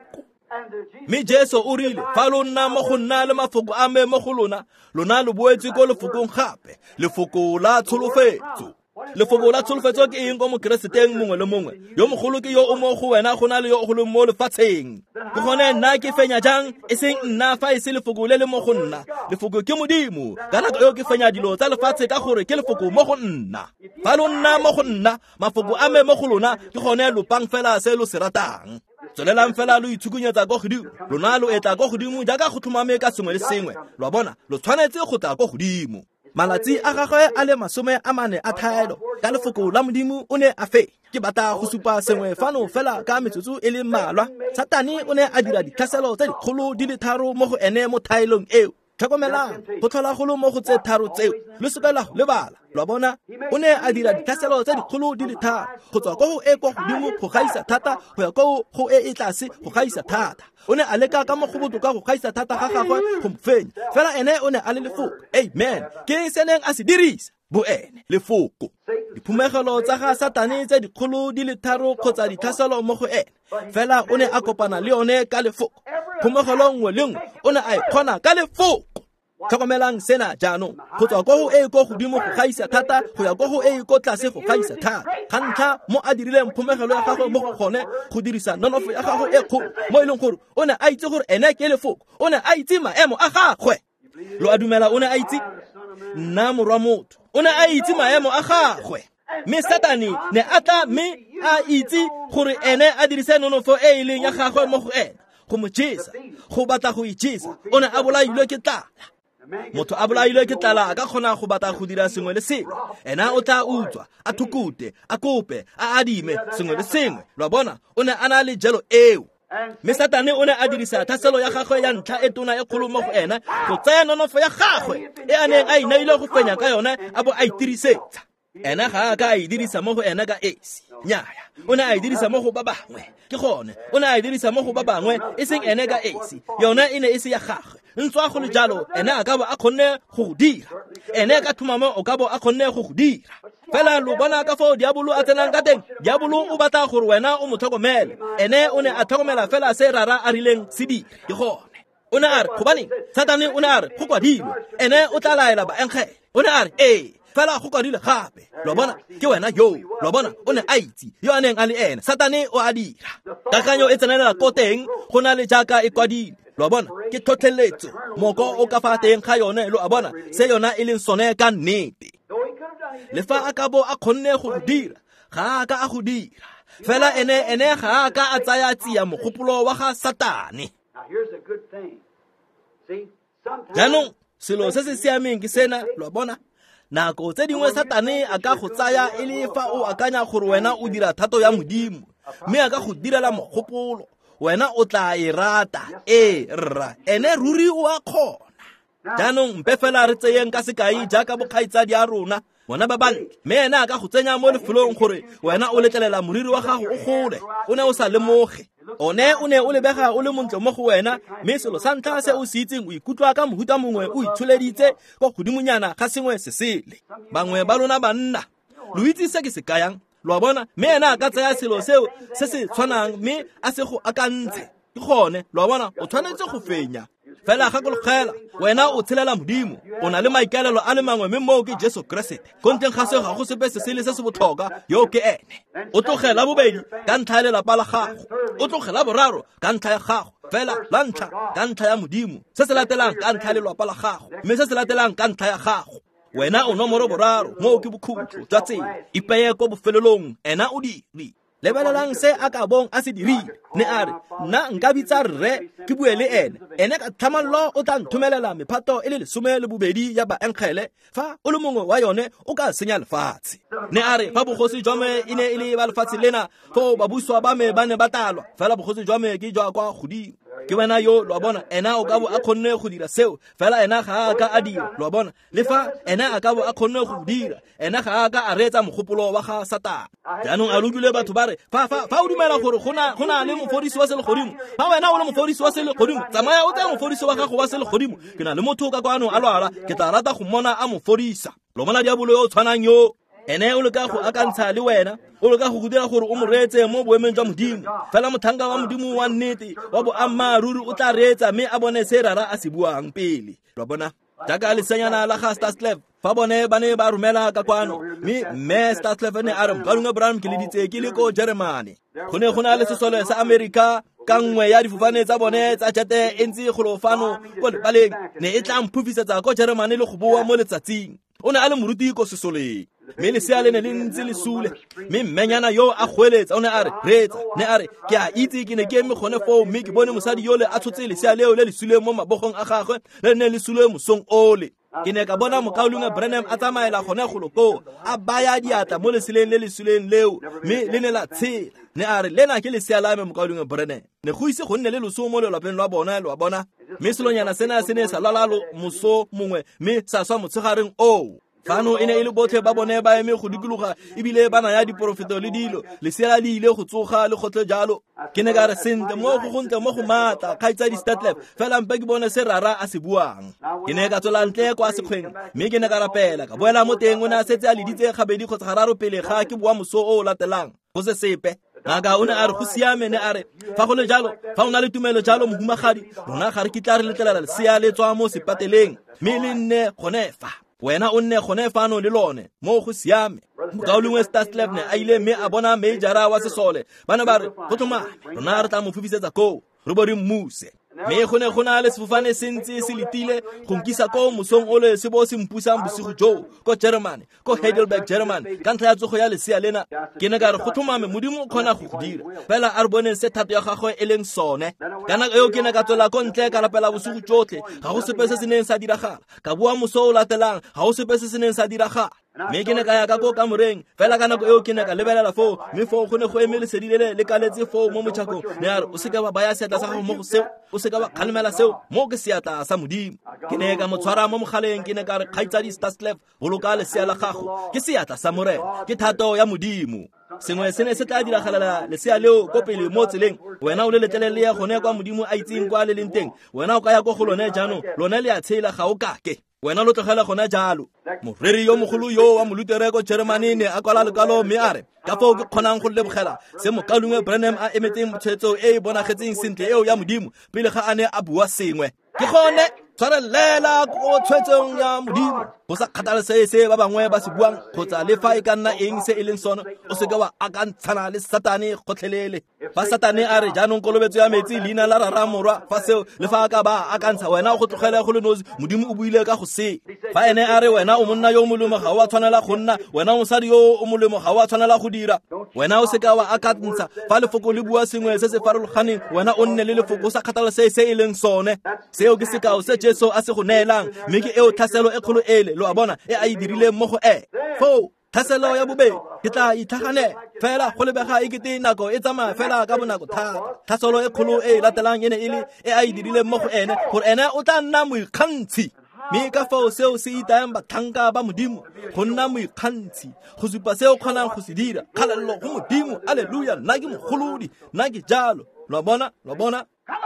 Mme Jesu o rile, fa lo nna mo go nna le mafoko a me mo go lona, lona lo boetse ko lefokong gape, lefoko la tsholofetso. Lefoko la tsholofetso ke eng ko Mokereseteng mongwe le mongwe? Yo mogolo ke yo o mo go wena go na le yo o leng mo lefatsheng. Ke gone nna ke fenya jang? E seng nna fa e se lefoko le le mo go nna. Lefoko ke Modimo. Ka nako eo ke fenya dilo tsa lefatshe ka gore ke lefoko mo go nna. Fa lo nna mo go nna, mafoko a me mo go lona, ke gone lopang fela se lo se ratang. Tswelelang fela lo itshukunyetsa ko godimo. Lona lo etla ko godimo jaaka go tlhomame ka sengwe le sengwe. Lo a bona, lo tshwanetse go tla ko godimo. Malatsi a gagwe a le 40 a thaelo ka lefoko la Modimo o ne a fenya. Ke batla go supa sengwe fano fela ka metsotso e le mmalwa. Satane o ne a dira ditlhaselo tse dikgolo di le tharo mo go ene mo thaelong eo. Tlhokomelang, go tlhola golo mo go tse tharo tseo, lo seka la go lebala. Lo a bona, o ne a dira ditlhaselo tse dikgolo di le tharo, go tswa ko go e kwa godimo go gaisa thata go ya ko go e e tlase go gaisa thata. O ne a leka ka mo go botoka go gaisa thata ga gagwe go mo fenya, fela ene o ne a le lefoko. Amen. Ke se neng a se dirisa bo ene lefoko. Diphumegelo tsa ga Satane tse dikgolo di le tharo kgotsa ditlhaselo mo go ene, fela o ne a kopana le yone ka lefoko. Phumegelo nngwe le nngwe o ne a e kgona ka lefoko. Tlhokomelang sena jaanong, go tswa ko go e ko godimo go gaisa thata go ya ko go e ko tlase go gaisa thata. Ga ntlha mo a dirileng phumegelo ya gagwe mo go gone go dirisa nonofo ya gagwe e kgolo, mo e leng gore o ne a itse gore ene ke lefoko, o ne a itse maemo a gagwe. Lo a dumela o ne a itse? Nna morwa motho, o ne a itse maemo a gagwe. Mme Satane ne a tla mme a itse gore ene a dirise nonofo e e leng ya gagwe mo go ene go mo jesa, go batla go ijesa. O ne a bolailwe ke tlala. Motho a bolailwe ke tlala a ka kgona go batla go dira sengwe le sengwe. Ena o tla utswa, a thukute, a kope, a adime sengwe le sengwe. Lo a bona, o ne a na le jelo eo. Mme Satane o ne a dirisa tlhaselo ya gagwe ya ntlha e tona e kgolo mo go ena go tsaya nonofo ya gagwe e a neng a inaile go fenya ka yone a bo a itirisetsa. Ena ga a ka a e dirisa mo go ena ka esi. Nnyaya, o ne a e dirisa mo go ba bangwe. Ke gone, o ne a e dirisa mo go ba bangwe, e seng ene ka esi. Yone e ne e se ya gagwe. Ntswa go le jalo, ene a ka bo a kgonne go go dira. Ene ka tlhomamo o ka bo a kgonne go go dira. Fela lo bona ka foo diabolo a tsenang ka teng. Diabolo o batla gore wena o mo tlhokomele. Ene o ne a tlhokomela fela se Rara a rileng se dire. Ke gone. O ne a re, gobaneng? Satane o ne a re, go kwadilwe. Ene o tla laela baengele. O ne a re, ee, fela go kwadilwe gape. Lo bona, ke wena yo. Lo bona, o ne a itse yo a neng a le ene. Satane o a dira. Kakanyo e tsenelela ko teng go na le jaaka e kwadilwe. Lo bona, ke tlhotlheletso, moko o ka fa teng ga yone. Lo a bona se yona e leng sone ka nnete. Le fa a ka bo a kgonne go dira, ga a ka a go dira. Fela ene ga a ka a tsaya tsia mogopolo wa ga Satane. Jaanong selo se se siameng ke sena, lo a bona. Nako tse dingwe Satane a ka go tsaya e le fa o akanya gore wena o dira thato ya Modimo, mme a ka go direla mogopolo, wena o tla e rata. Ee, rra, ene ruri o a kgona. Jaanong mpe fela re tseyeng ka sekai jaaka bokgaitsadi a rona, bona ba bantle, mme ene a ka go tsenya mo lefelong gore wena o letlelela moriri wa gago o gole, o ne o sa lemoge. One o ne o lebega o le montle mo go wena, mme selo sa ntlha se o se itseng o ikutlwa ka mohuta mongwe o itsholeditse kwa godimonyana ga sengwe se sele. Bangwe ba lona banna, lo itse se ke se kayang, lo a bona, mme ene a ka tsaya selo seo se se tshwanang mme a se go akantshe. Ke gone, lo a bona, o tshwanetse go fenya. Fela gakologela, wena o tshelela Modimo, o na le maikaelelo a le mangwe, mme moo ke Jesu Keresete. Ko ntleng ga seo ga go sepe se sele se se botlhokwa, yo ke ene. O tlogela bobedi ka ntlha ya lelapa la gago, o tlogela boraro ka ntlha ya gago, fela la ntlha ka ntlha ya Modimo, se se latelang ka ntlha ya lelapa la gago, mme se se latelang ka ntlha ya gago. Wena o nomoro boraro, moo ke bokhutlo jwa tsela. Ipeye ko bofelelong, ena o dire. Lebelelang se a ka bong a se dirile. Ne a re, nna nka bitsa rre ke bue le ene, ene ka tlhamallo o tla nthomelela mephato e le 12 ya baengele, fa o le mongwe wa yone o ka senya lefatshe. Ne a re, fa bogosi jwa me e ne e le ba lefatshe lena, foo babuswa ba me ba ne ba talwa, fela bogosi jwa me ke jwa kwa godimo. Ke wena yo, lo a bona, ena o ka bo a kgonne go dira seo, fela ena ga a ka a dira, lo a bona. Le fa ena a ka bo a kgonne go dira, ena ga a ka a reetsa mogopolo wa ga Satane. Jaanong a utlwile batho ba re, fa o dumela gore go na le mofodisi wa selegodimo, fa wena o le mofodisi wa selegodimo, tsamaya o tseye mofodisi wa gago wa selegodimo. Ke na le motho ka kwano a lwala, ke tla rata go mmona a mo fodisa. Lo bona diabolo yo o tshwanang yo, ene o leka go akantsha le wena, o leka go go dira gore o mo reetse mo boemeng jwa Modimo. Fela motlhanka wa Modimo wa nnete wa boammaaruri o tla reetsa mme a bone se rara a se buang pele. Lo bona? Jaaka lesenyana la ga Starsclef, fa bone ba ne ba romela ka kwano, mme Starsclef ne a re, Mokaulengwe Branham, ke leditse ke le ko Jeremane. Go ne go na le sesole sa Amerika ka nngwe ya difofane tsa bone tsa jete e ntse golo fano ko lebaleng, ne e tla mphufisetsa ko Jeremane le go boa mo letsatsing. O ne a le moruti ko sesoleng, mme lesea le ne le ntse le sule, mme mmenyana yo a goeletsa, o ne a re, reetsa, ne a re, ke a itse ke ne ke eme gone foo, mme ke bone mosadi yole a tshotse lesea leo le le suleng mo mabogong a gagwe, le ne le sule mosong ole. Ke ne ka bona mokaulengwe Branham a tsamaela gone golo koo, a baya diatla mo leseleng le le suleng leo, mme le ne la tshela. Ne a re, lena ke lesea la me, mokaulengwe Branham. Ne go ise go nne le loso mo lelapeng lwa bona, lo a bona. Mme selonyana sena se ne sa lwala moso mongwe, mme sa swa motshegareng oo. Fano e ne e le botlhe ba bone ba eme go dikologa, ebile ba naya diporofeto le dilo, lesea le ile go tsoga le gotlhe jalo. Ke ne ka re, sentle, mo go gontle mo go maatla, kgaitsadi Statlef, fela mpe ke bone se rara a se buang. Ke ne ka tswela ntle kwa sekgweng, mme ke ne ka rapela, ka boela mo teng. O ne a setse a leditse gabedi kgotsa gararo pele ga ke boa moso o o latelang, go se sepe. Ngaka o ne a re, go siame, ne a re, fa go le jalo, fa o na le tumelo jalo, mohumagadi, rona ga re kitla re letlelela lesea le tswa mo sepateleng, mme le nne gone fa. Wena o nne gone fano le lone, mo go siame. Mokaulengwe Starsclef ne a ile mme a bona majora wa sesole. Ba ne ba re, go tlhomame, rona re tla mo fofisetsa koo, re bo re mmuse. Mme go ne go na le sefofane se ntse se letile go nkisa ko mosong ole se bo se mpusang bosigo joo ko Germany, ko Heidelberg, Germany, ka ntlha ya tsogo ya lesea lena. Ke ne ka re, go tlhomame, Modimo o kgona go go dira, fela a re boneng se thato ya gagwe e leng sone. Ka nako eo ke ne ka tswela ko ntle ka rapela bosigo jotlhe, ga go sepe se se neng sa diragala. Ka boa moso o latelang, ga go sepe se se neng sa diragala. Mme ke ne ka ya ka ko kamoreng, fela ka nako eo ke ne ka lebelela foo, mme foo go ne go eme lesedi le le kaletse foo mo motšhakong. Ne a re, o seka wa baya seatla sa gago mo go seo, o seka wa kgalemela seo, mo ke seatla sa Modimo. Ke ne ka mo tshwara mo mogaleng, ke ne ka re, kgaitsadi Starsclef, boloka lesea la gago, ke seatla sa Morena, ke thato ya Modimo. Sengwe se ne se tla diragalela lesea leo ko pele mo tseleng, wena o le letlelele ya gone kwa Modimo a itseng kwa le leng teng. Wena o ka ya ko go lone jaanong, lone le a tshela, ga o kake. Wena lo tlogela gona jalo. Moreri yo mogolo yo wa Molutere ko Germany ne a kwala lekwalo mme a re, ka foo ke kgonang go lebogela se mokaulengwe Branham a emetseng tshwetso e e bonagetseng sentle eo ya Modimo pele ga a ne a bua sengwe. Ke gone tshwarelela ko tshwetsong ya Modimo, go sa kgathalesege se ba bangwe ba se buang kgotsa le fa e ka nna eng se e leng sone, o seke wa akantshana le Satane gotlhelele. Fa Satane a re, jaanong kolobetso ya metsi, leina la rara morwa, fa seo le fa a ka ba akantsha, wena o go tlogele go le nosi, Modimo o buile ka go se. Fa ene a re, wena o monna yo o molemo, ga o a tshwanela go nna, wena o mosadi yo o molemo, ga o a tshwanela go dira, wena o seka wa akantsha. Fa lefoko le bua sengwe se se farologaneng, wena o nne le lefoko, o sa kgathalesege se e leng sone. Seo ke sekao se Jesu a se go neelang, mme ke eo tlhaselo e kgolo ele, lo a bona, e a e dirileng mo go ene. Foo tlhaselo ya bobedi, ke tla itlhaganela fela go lebega e kete nako e tsamaya fela ka bonako thata. Tlhaselo e kgolo e e latelang e ne e le e a e dirileng mo go ene, gore ene o tla nna moikgantshi. Mme ka fao seo se itayang batlhanka ba Modimo go nna moikgantshi, go supa se o kgonang go se dira. Kgalalelo go Modimo, alleluia, nna ke mogolodi, nna ke jalo. Lo a bona, lo a bona.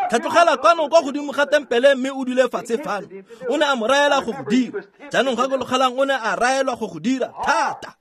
Tlhatlogela kwano kwa godimo ga tempele mme o dule fatshe fano. O ne a mo raela go go dira. Jaanong gakologelang, o ne a raelwa go go dira thata.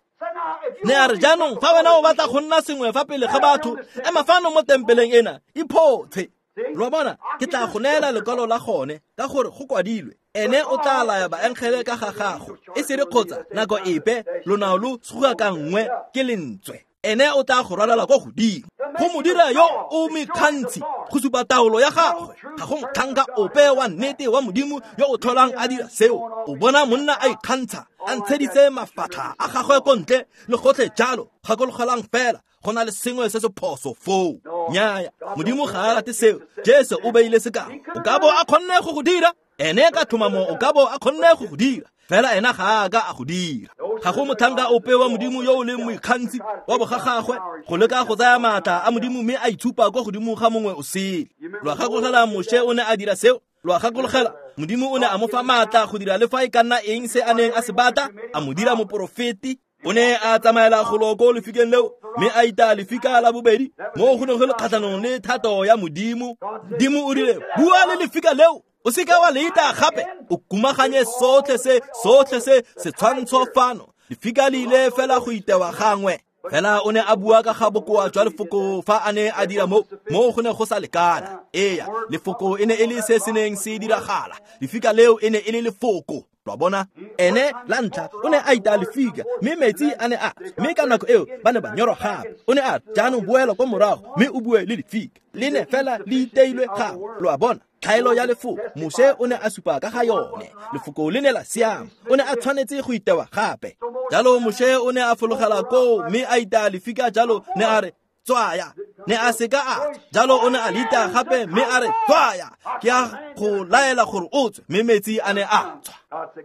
Ne a re, jaanong fa wena o batla go nna sengwe fa pele ga batho, ema fano mo tempeleng ena, iphotshe. Lo a bona, ke tla go neela lekwalo la gone ka gore go kwadilwe. Ene o tla laya baengele ka ga gago, e sere kgotsa nako epe lonao lo suga ka nngwe ke lentswe. Ene o tla go rwalela kwa godimo go mo dira yo o mekgantshi go supa taolo ya gagwe. Ga go motlhanka ope wa nnete wa Modimo yo o tlholang a dira seo. O bona monna a ikgantsha a ntsheditse mafatlha a gagwe ko ntle le gotlhe jalo. Gakologelang fela, go na le sengwe se se phoso foo. Nnyaya, Modimo ga a rate seo. Jesu o beile sekao. O ka bo a kgonne go go dira, ene ka tlhomamo o ka bo a kgonne go go dira, fela ena ga a ka a go dira. Ga go motlhanka ope wa Modimo yo o leng moikgantshi wa bogagagwe go leka go tsaya maatla a Modimo mme a itshupa kwa godimo ga mongwe o sele. Lo a gakologela Moshe o ne a dira seo. Lo a gakologela Modimo o ne a mo fa maatla go dira le fa e ka nna eng se a neng a se batla, a mo dira moporofeti. O ne a tsamaela golo ko lefikeng leo mme a ita lefika la bobedi mo go neng go le kgatlhanong le thato ya Modimo. Modimo o rile, bua le lefika leo, o seka wa le ita gape, o kumaganye sotlhe se setshwantsho fano. Lefika le ile fela go itewa gangwe. Fela o ne a bua ka ga bokoa jwa lefoko fa a ne a dira mo go ne go sa lekana. Eya, lefoko e ne e le se se neng se diragala. Lefika leo e ne e le lefoko. Lo a bona, ene la ntlha o ne a ita lefika mme metsi a ne a, mme ka nako eo ba ne ba nyorwa gape. O ne a jaanong boela kwa morago mme o bue le lefika, le ne fela le iteilwe gape. Lo a bona, tlhaelo ya lefoko Moshe o ne a supa ka ga yone. Lefoko le ne la siama, o ne a tshwanetse go itewa gape. Jalo Moshe o ne a fologela koo mme a ita lefika jalo, ne a re tswaya, ne a seka a jalo o ne a lita gape mme a re tswaya, ke a go laela gore o tswe, mme metsi a ne a tswa.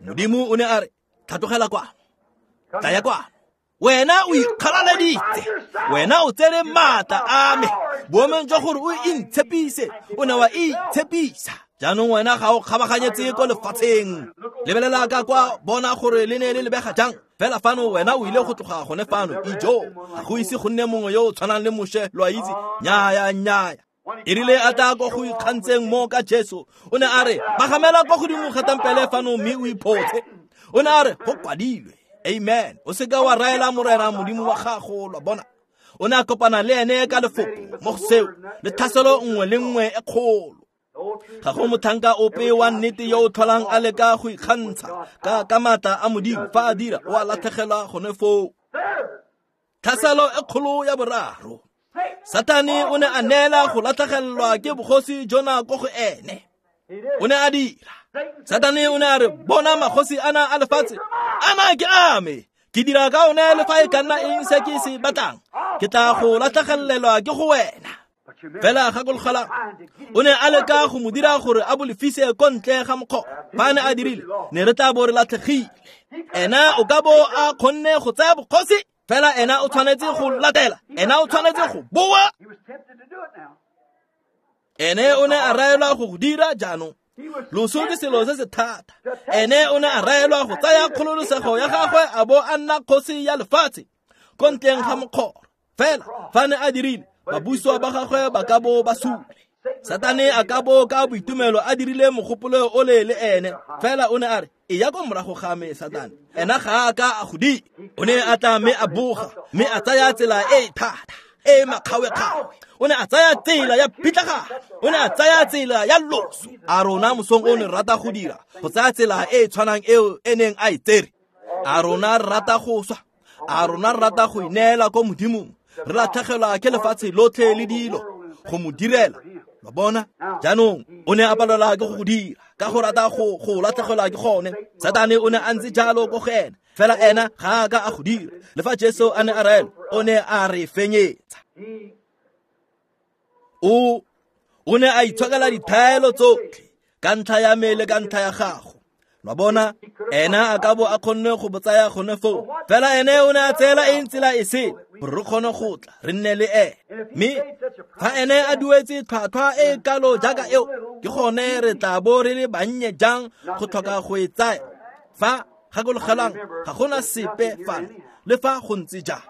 Modimo o ne a re tlhatlogela kwano, tlaya kwano, wena o ikgalaleditse, wena o tsere maatla a me, boemong jwa gore o intshepise, o ne wa itshepisa. Jaanong wena ga o kgabaganyetse ko lefatsheng. Lebelela ka kwa, bona gore le ne le lebega jang. Fela fano wena o ile go tloga gone fano, ijo, ga go ise go nne mongwe yo o tshwanang le Moshe, lo a itse. Nnyaya, nnyaya. E rile a tla ko go ikgantseng mo ka Jesu, o ne a re, pagamela kwa godimo ga tempele fano mme o iphotshe. O ne a re, go kwadilwe. Amen. O seka wa raela Morena Modimo wa gago, lo a bona. O ne a kopana le ene ka lefoko mo go seo, le tlhaselo nngwe le nngwe e kgolo. Ga go motlhanka ope wa nnete yo o tlholang a leka go ikgantsha ka maatla a Modimo. Fa a dira, o a latlhegelwa gone foo. Tlhaselo e kgolo ya boraro, Satane o ne a neela go latlhegelwa ke bogosi jona ko go ene. O ne a dira. Satane o ne a re, bona magosi ana a lefatshe, ana ke a me, ke dira ka one le fa e ka nna eng se ke se batlang, ke tla go latlhegelelwa ke go wena. Fela gakologela, o ne a leka go mo dira gore a bolefise ko ntle ga mokgwa. Fa a ne a dirile, ne re tla bo re latlhegile. Ena o ka bo a kgonne go tsaya bogosi, fela ena o tshwanetse go latela, ena o tshwanetse go boa. Ene o ne a raelwa go go dira jaanong. Loso ke selo se se thata. Ene o ne a raelwa go tsaya kgololosego ya gagwe a bo a nna kgosi ya lefatshe ko ntleng ga mokgoro. Fela fa ne a dirile, babuswa ba gagwe ba ka bo ba sule. Satane a ka bo ka boitumelo a dirile mogopolo ole le ene, fela o ne a re, e ya ko morago ga me Satane. Ena ga a ka a go dira. O ne a tla mme a boga, mme a tsaya tsela e thata, e makgawekgawe. O ne a tsaya tsela ya pitlagano, o ne a tsaya tsela ya loso. A rona mosong o ne rata go dira, go tsaya tsela e tshwanang eo e neng a e tsere. A rona re rata go swa, a rona re rata go ineela ko Modimong, re latlhegelwa ke lefatshe lotlhe le dilo go mo direla. Lo bona, jaanong o ne a palelwa ke go go dira ka go rata go latlhegelwa ke gone. Satane o ne a ntse jalo ko go ena, fela ena ga a ka a go dira. Le fa Jesu a ne a raela, o ne a re fenyetsa. O ne a itshokela dithaelo tsotlhe ka ntlha ya me le ka ntlha ya gago. Lo bona, ena a ka bo a kgonne go botsaya gone foo, fela ene o ne a tseela eng tsela e sele gore re kgone go tla re nne le ene. Mme fa ene a duetse tlhwatlhwa e kalo jaaka eo, ke gone re tla bo re le bannye jang go tlhoka go e tsaya. Fa gakologelang, ga gona sepe fano le fa go ntse jang.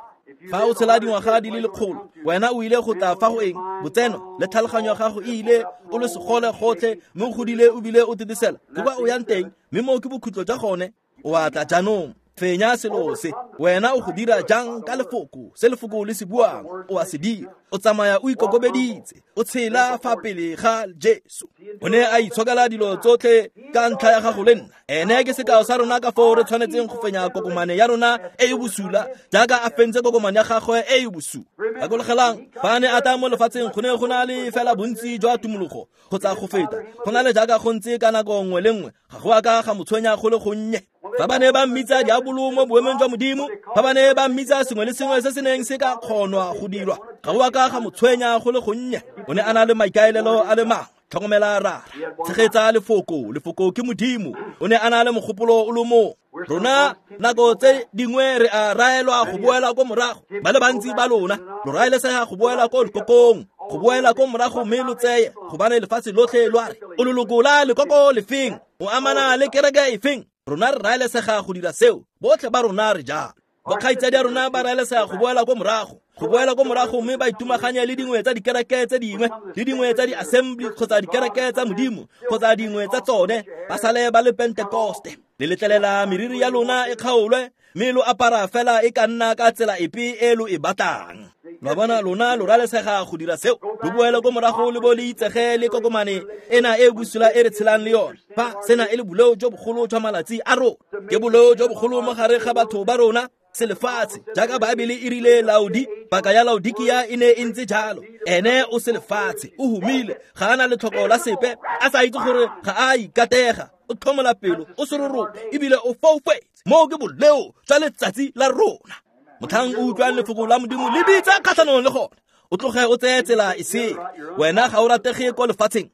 Fa o tshela dingwaga di le lekgolo, wena o ile go tla fa go eng? Botseno le tlhaloganyo ya gago e ile, o le segole gotlhe, mme o godile o bile o tetesela. Ke kwa o yang teng, mme moo ke bokhutlo jwa gone. O a tla jaanong. Fenya selo se. Wena o go dira jang ka lefoko, se lefoko le se buang, o a se dira. O tsamaya o ikokobeditse, o tshela fa pele ga Jesu. O ne a itshokela dilo tsotlhe ka ntlha ya gago le nna. Ene ke sekao sa rona ka foo re tshwanetseng go fenya kokomane ya rona e e bosula, jaaka a fentse kokomane ya gagwe e e bosula. Gakologelang, fa a ne a tla mo lefatsheng go ne go na le fela bontsi jwa tumologo kgotsa go feta, go na le jaaka go ntse ka nako nngwe le nngwe, ga go a ka ga mo tshwenya go le gonnye. Fa ba ne ba mmitsa diabolo mo boemong jwa Modimo, fa ba ne ba mmitsa sengwe le sengwe se se neng se ka kgonwa go dirwa, ga go a ka ga mo tshwenya go le gonnye. O ne a na le maikaelelo a le mangwe. Tlhokomela rara, tshegetsa lefoko, lefoko ke Modimo. O ne a na le mogopolo o le mongwe. Rona nako tse dingwe re a raelwa go boela ko morago. Ba le bantsi ba lona lo raelesega go boela ko lekokong, go boela ko morago mme lo tseye, gobane lefatshe lotlhe lo a re o leloko la lekoko lefeng, o amana le kereke efeng. Rona re raelesega go dira seo, botlhe ba rona re jalo. Bokgaitsadi a rona ba raelesega go boela ko morago, go boela ko morago mme ba itumaganye le dingwe tsa dikereke tse dingwe, le dingwe tsa di-assembly kgotsa dikereke tsa Modimo kgotsa dingwe tsa tsone, ba sale ba le Pentekoste. Le letlelela meriri ya lona e kgaolwe mme lo apara fela e ka nna ka tsela epe e lo e batlang. Lo bona, lona lo ralesega go dira seo, lo boele ko morago le bo le itsege le kokomane ena e bosula e re tshelang le yone. Fa sena e le boleo jo bogolo jwa malatsi a rona, ke boleo jo bogolo mo gare ga batho ba rona selefatshe, jaaka Baebele e rile Laodi, paka ya Laodikia e ne e ntse jalo. Ene o selefatshe, o humile, ga a na letlhoko la sepe, a sa itse gore ga a ikatega, o tlhomola pelo, o serorobe, ebile o foufetse. Moo ke boleo jwa letsatsi la rona. Motlhang o utlwang lefoko la Modimo le bitsa kgatlhanong le gone, o tloge o tseye tsela e sele. Wena ga o ratege ko lefatsheng,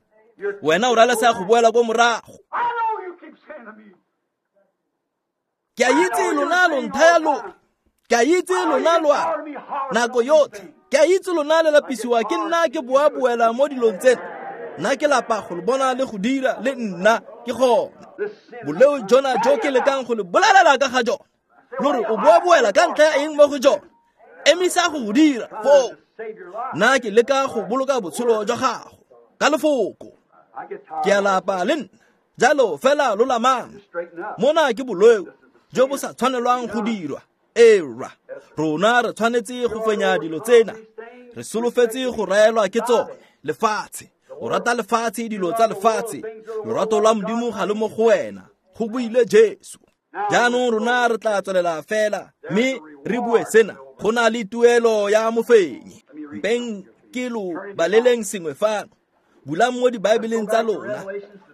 wena o ralesega go boela ko morago. Ke a itse lona lo nthaya lo, ke a itse lona lo a nako yotlhe, ke a itse lona le lapisiwa ke nna ke boa-boela mo dilong tsena. Nna ke lapa go le bona le go dira le nna ke gone. Boleo jona jo ke lekang go le bolelela ka ga jone, lo re o boa-boela ka ntlha ya eng mo go jone? Emisa go go dira foo. Nna ke leka go boloka botshelo jwa gago ka lefoko. Ke a lapa le nna, jalo fela lo lamang. Mona ke boleo jo bo sa tshwanelwang go dirwa. Era, rona re tshwanetse go fenya dilo tsena. Re solofetse go raelwa ke tsone. Lefatshe, o rata lefatshe, dilo tsa lefatshe. Lorato lwa Modimo ga le mo go wena, go buile Jesu. Jaanong rona re tla tswelela fela mme re bue sena. Go na le tuelo ya mofenyi. Mpeng ke lo baleleng sengwe fano. Bulang mo dibaebeleng tsa lona.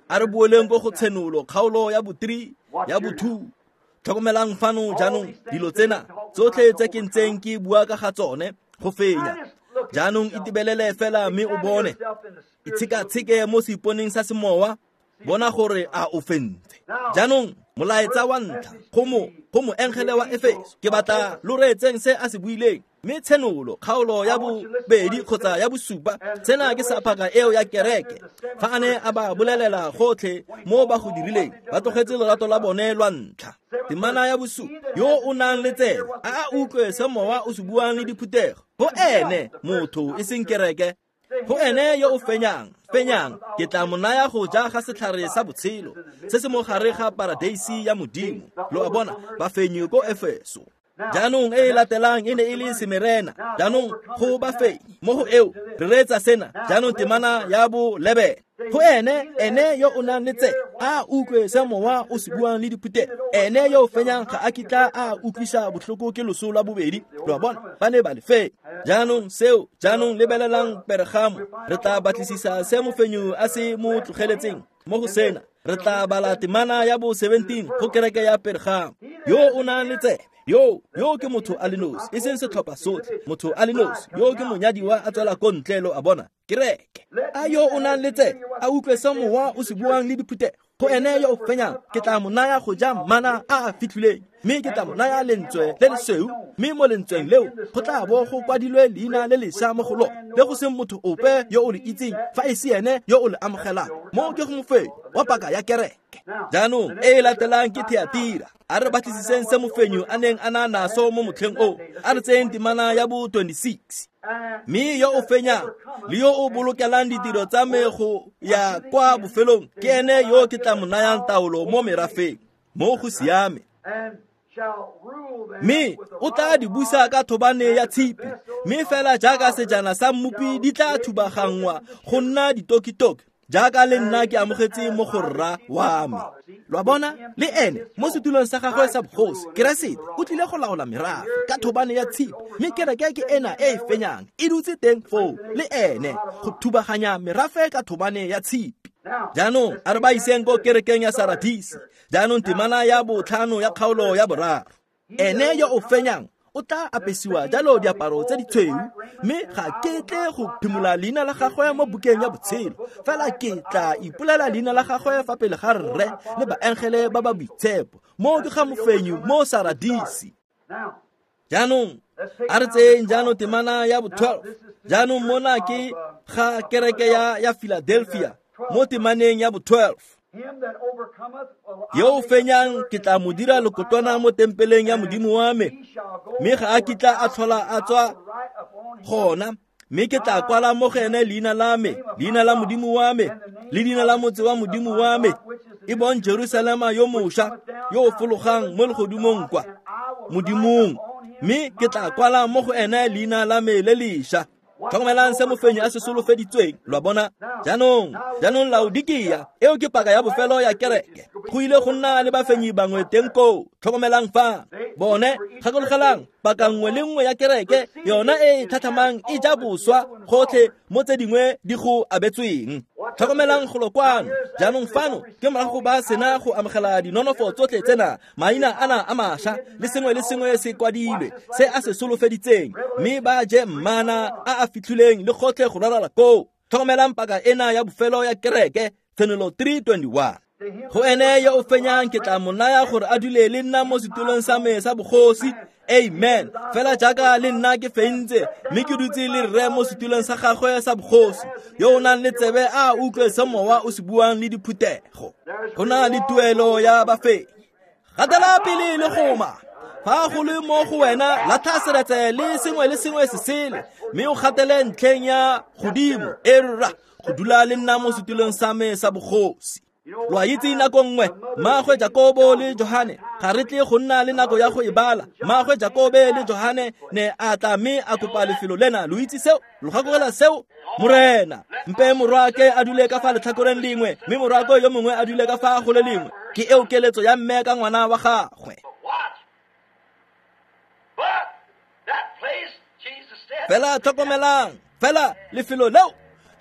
A re boeleng ko go Tshenolo kgaolo ya bo 3 ya bo 2. Tlhokomelang fano jaanong dilo tsena tsotlhe tse ke ntseng ke bua ka ga tsone go fenya. Jaanong itebelele fela mme o bone. Itshekatsheke mo seiponeng sa semowa, bona gore a o fentse. Jaanong molaetsa wa ntlha go moengele wa Efeso, ke batla lo reetseng se a se buileng. Mme Tshenolo kgaolo ya bobedi kgotsa ya bosupa, sena ke sa paka eo ya kereke. Fa a ne a ba bolelela gotlhe mo ba go dirileng, ba tlogetse lorato la bone lwa ntlha. Temana ya bosupa, yo o nang le tsebe a a utlwe se mowa o se buang le diphuthego. Go ene motho e seng kereke, go ene yo o fenyang, ke tla mo naya go ja ga setlhare sa botshelo se se mo gare ga paradeisi ya Modimo. Lo a bona, bafenyi ko Efeso. Jaanong e e latelang e ne e le Semerena. Jaanong go bafenyi mo go eo re reetsa sena. Jaanong temana ya bo 11, go ene yo o nang le tsebe a utlwe se mowa o se buang le diphuthego. Ene yo o fenyang ga a kitla a utlwisa botlhoko ke loso lwa bobedi. Lo a bona, ba ne ba le fenya. Jaanong seo, jaanong lebelelang Pergamo. Re tla batlisisa se mofenyi a se mo tlogeletseng mo go sena. Re tla bala temana ya bo 17 go kereke ya Pergamo. Yo o nang le tsebe, yo ke motho a le nosi, e seng setlhopha sotlhe, motho a le nosi, yo ke monyadiwa a tswela ko ntle, lo a bona, kereke. A yo o nang le tsebe a utlwe se mowa o se buang le diphuthego. Go ene yo o fenyang ke tla mo naya go ja mana a a fitlhileng, mme ke tla mo naya lentswe le lesweu, mme mo lentsweng leo go tla bo go kwadilwe leina le lešwa mo go lone, le go seng motho ope yo o le itseng fa e se ene yo o le amogelang. Mo ke go mofenyi wa paka ya kereke. Jaanong e e latelang ke Thiatira. A re batlisiseng se mofenyi a neng a na naso mo motlheng o. A re tseyeng temana ya bo 26. Mme yo o fenyang le yo o bolokelang ditiro tsa me go ya kwa bofelong, ke ene yo ke tla mo nayang taolo mo merafeng. Mo go siame. Mme o tla di busa ka thobane ya tshipi, mme fela jaaka sejana sa mmopi di tla thubaganngwa go nna ditokitoki, jaaka le nna ke amogetse mo go rra wa me. Lo a bona, le ene mo setulong sa gagwe sa bogosi, Keresete o tlile go laola merafe ka thobane ya tshipi, mme kereke ke ena e e fenyang e dutse teng foo le ene go thubaganya merafe ka thobane ya tshipi. Jaanong a re ba iseng ko kerekeng ya Saradisi. Jaanong temana ya 5 ya kgaolo ya 3. Ene yo o fenyang o tla apesiwa jalo diaparo tse di tshweu, mme ga ke tle go phimola leina la gagwe mo bukeng ya botshelo, fela ke tla ipolela leina la gagwe fa pele ga rre le baengele ba ba boitshepo. Mo ke ga mofenyi mo Saradisi. Jaanong a re tseyeng jaanong temana ya 12. Jaanong mona ke ga kereke ya Philadelphia mo temaneng ya 12. Yo o fenyang ke tla mo dira lekotwana mo tempeleng ya Modimo wa me, mme ga a kitla a tlhola a tswa gona, mme ke tla kwala mo go ene leina la me, leina la Modimo wa me, le leina la motse wa Modimo wa me, e bong Jerusalema yo mošwa, yo o fologang mo legodimong kwa Modimong, mme ke tla kwala mo go ene leina la me le lešwa. Tlhokomelang se mofenyi a se solofeditsweng, lo a bona. Jaanong Laodikia, eo ke paka ya bofelo ya kereke. Go ile go nna le bafenyi bangwe teng koo. Tlhokomelang fa bone, gakologelang, paka nngwe le nngwe ya kereke yona e e tlhatlhamang e ja boswa gotlhe mo tse dingwe di go abetsweng. Tlhokomelang golo kwano. Jaanong fano ke morago ba sena go amogela dinonofo tsotlhe tsena, maina ana a mašwa le sengwe le sengwe se kwadilwe se a se solofeditseng, mme ba je mmana a a fitlhileng le gotlhe go ralala koo. Tlhokomelang paka ena ya bofelo ya kereke, Tshenolo 3:21. Go ene yo o fenyang ke tla mo naya gore a dule le nna mo setulong sa me sa bogosi. Amen. Fela jaaka le nna ke fentse, mme ke dutse le rre mo setulong sa gagwe sa bogosi. Yo o nang le tsebe a utlwe se mowa o se buang le diphuthego. Go na le tuelo ya bafenyi. Gatela pele le goma. Fa go le mo go wena, latlha seretse le sengwe le sengwe se sele, mme o gatele ntlheng ya godimo, e rra, go dula le nna mo setulong sa me sa bogosi. Lo a itse nako nngwe, mmaagwe Jakobo le Johane, ga re tle go nna le nako ya go e bala. Mmaagwe Jakobe le Johane ne a tla mme a kopa lefelo lena. Lo itse seo? Lo gakologelwa seo? Morena, mpe morwaake a dule ka fa letlhakoreng lengwe, mme morwaake yo mongwe a dule ka fa go le lengwe. Ke eo keletso ya mme ka ngwana wa gagwe. Fela tlhokomelang, fela lefelo leo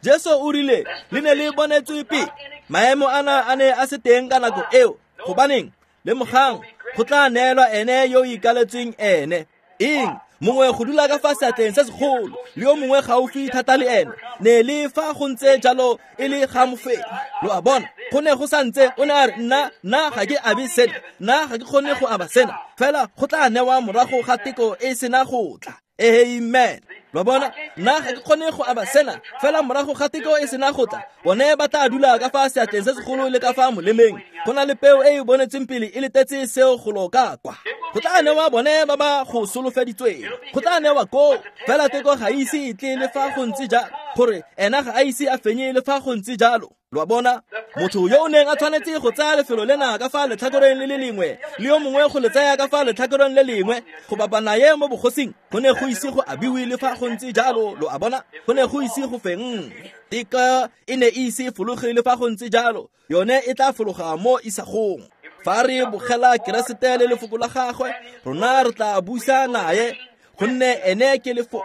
Jesu o rile le ne le bonetswe pele. Maemo ana a ne a se teng ka nako eo. Gobaneng? Lemogang, go tla neelwa ene yo o ikaletsweng ene. Eng? Mongwe go dula ka fa seatleng se segolo, le yo mongwe gaufi thata le ene. Ne le fa go ntse jalo e le ga mofenyi. Lo a bona, go ne go santse o ne a re, nna ga ke abe sena, nna ga ke kgone go aba sena, fela go tla newa morago ga teko e sena go tla. Amen. Lo bona, nna ga ke kgone go aba sena, fela morago ga teko e sena go tla, bone ba tla dula ka fa seatleng se segolo le ka fa molemeng. Go na le peo e e bonetseng pele e letetse seo golo ka kwa. Go tla newa bone ba ba go solofeditsweng. Go tla newa koo, fela teko ga ise e tle le fa go ntse jalo, gore ena ga a ise a fenye le fa go ntse jalo. Lo a bona, motho yo o neng a tshwanetse go tsaya lefelo lena ka fa letlhakoreng le le lengwe, le yo mongwe go le tsaya ka fa letlhakoreng le lengwe, go bapa naye mo bogosing, go ne go ise go abiwe le fa go ntse jalo. Lo a bona, go ne go ise go fenngwe. Teko e ne e ise fologe le fa go ntse jalo, yone e tla fologa mo isagong. Fa re bogela Keresete le lefoko la gagwe, rona re tla busa naye, gonne ene ke lefoko.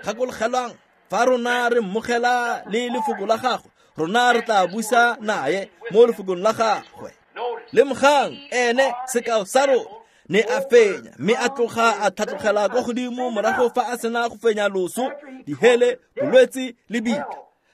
Gakologelwang, fa rona re mmogela le lefoko la gagwe, rona re tla busa naye mo lefokong la gagwe. Lemogang, ene sekao sa rona ne a fenya, mme a tloga a tlhatlogela kwa godimo morago fa a sena go fenya loso, dihele, bolwetse le bitla.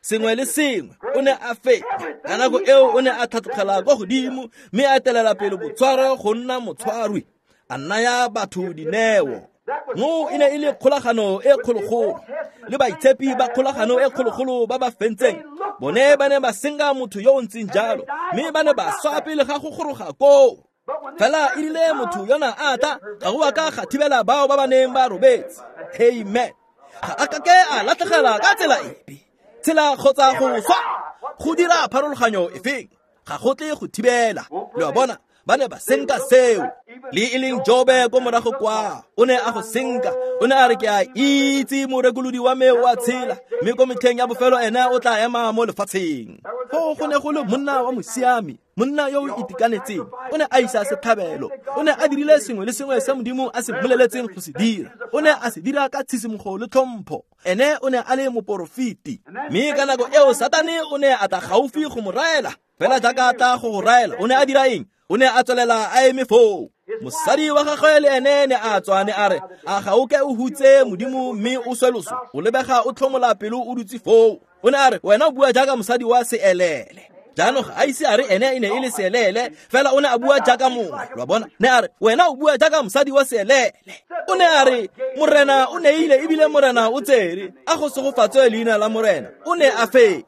Sengwe le sengwe o ne a fenya. Ka nako eo o ne a tlhatlogela kwa godimo, mme a etelela pele botshwaro go nna motshwarwi, a naya batho dineo. Mo e ne e le kgolagano e kgologolo, le baitshepi ba kgolagano e kgologolo ba ba fentseng. Bone ba ne ba senka motho yo o ntseng jalo, mme ba ne ba swa pele ga go goroga koo. Fela e rile motho yona a tla, ga go a ka ga thibela bao ba ba neng ba robetse. Amen. Ga a kake a latlhegela ka tsela epe, tsela kgotsa go swa, go dira pharologanyo efeng, ga go tle go thibela. Lo a bona, Ba ne ba senka seo. Le e leng Jobe ko morago kwa, o ne a go senka. O ne a re ke a itse morekolodi wa me o a tshela, mme ko metlheng ya bofelo ene o tla ema mo lefatsheng. Foo go ne go le monna wa mosiami, monna yo o itekanetseng. O ne a isa setlhabelo. O ne a dirile sengwe le sengwe se Modimo a se mmoleletseng go se dira. O ne a se dira ka tshisimogo le tlhompho. Ene o ne a le moporofeti. Mme ka nako eo Satane o ne a tla gaufi go mo raela. Fela jaaka a tla go go raela, o ne a dira eng? O ne a tswelela a eme foo. Mosadi wa gagwe le ene ne a tswa ne a re, a ga o ke o hutse Modimo mme o swe loso? O lebega o tlhomola pelo o dutse foo. O ne a re, wena o bua jaaka mosadi wa seelele. Jaanong ga a ise a re ene e ne e le seelele, fela o ne a bua jaaka mongwe, lo a bona. Ne a re, wena o bua jaaka mosadi wa seelele. O ne a re, Morena o neile ebile Morena o tsere, a go segofatswe leina la Morena. O ne a fenya.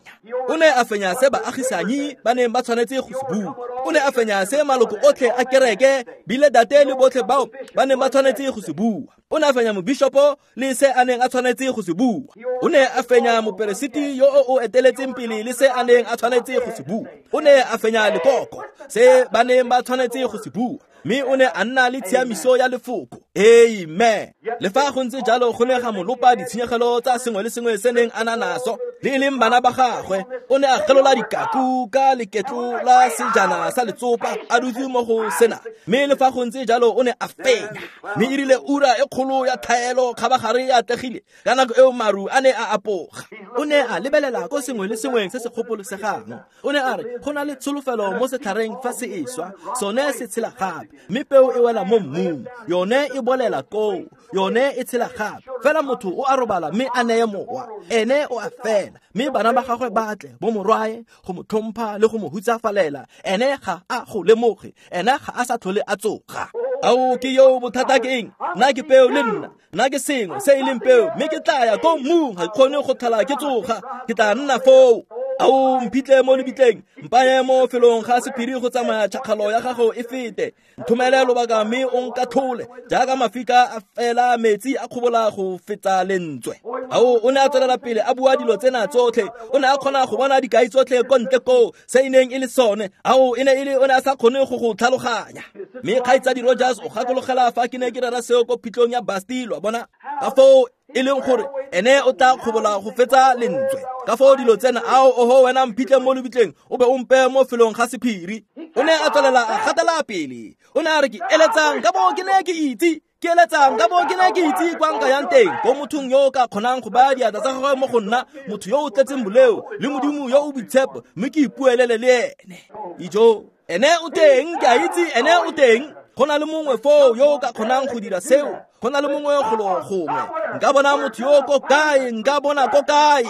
O ne a fenya se baagisanyi ba neng ba tshwanetse go se bua. O ne a fenya se maloko otlhe a kereke, bile date le botlhe bao ba neng ba tshwanetse go se bua. O ne a fenya mobishopo le se a neng a tshwanetse go se bua. O ne a fenya moperesiti yo o eteletseng pele le se a neng a tshwanetse go se bua. O ne a fenya lekoko se ba neng ba tshwanetse go se bua. Mme o ne a nna le tshiamiso ya lefoko. Amen. Le fa go ntse jalo go ne ga mo lopa ditshenyegelo tsa sengwe le sengwe se neng a na naso, le e leng bana ba gagwe. O ne a gelola dikaku ka leketlo la sejana sa letsopa a dutse mo go sena. Mme le fa go ntse jalo o ne a fenya. Mme e rile ura e kgolo ya thaelo kgabagare e atlegile, ka nako eo maru a ne a apoga. O ne a lebelela ko sengwe le sengwe se se kgopolosegang. O ne a re go na le tsholofelo mo setlhareng fa se e swa, sone se tshela gape. Mme peo e wela mo mmung, yone e bolela koo, yone e tshela gape. Fela motho o a robala mme a neye mowa, ene o a fela. Mme bana ba gagwe ba tle bo morwae go mo tlhompha le go mo hutsafalela, ene ga a go lemoge, ene ga a sa tlhole a tsoga. Ao ke yo bothata ke eng? Nna ke peo le nna, nna ke sengwe se e leng peo, mme ke tla ya ko mmung, ga ke kgone go tlhola ke tsoga, ke tla nna foo. Ao mphitle mo lebitleng, mpaye mo felong ga sephiri go tsamaya tšhakgalo ya gago e fete. Nthomele lobaka mme o nkatlhole, jaaka mafika a fela metsi a kgobola go fetsa lentswe. Ao o ne a tswelela pele a bua dilo tsena tsotlhe. O ne a kgona go bona dikai tsotlhe ko ntle koo se e neng e le sone. Ao e ne e le o ne a sa kgone go go tlhaloganya. Mme kgaitsadi Rogers o gakologela fa ke ne ke rera seo ko phitlhong ya Basti, lo a bona. Ka foo e leng gore ene o tla kgobola go fetsa lentswe. Ka foo dilo tsena, ao oho wena mphitlhe mo lebitleng, o be o mpe mo felong ga sephiri. O ne a tswelela a gatela pele. O ne a re ke eletsang ka bo ke ne ke itse, ke eletsang ka bo ke ne ke itse kwa nka yang teng, ko mothong yo o ka kgonang go baya diatla tsa gagwe mo go nna, motho yo o tletseng boleo le Modimo yo o boitshepo, mme ke ipuelele le ene. Ijo, ene o teng, ke a itse ene o teng. Go na le mongwe foo yo o ka kgonang go dira seo. Go na le mongwe golo gongwe. Nka bona motho yo ko kae, nka bona ko kae.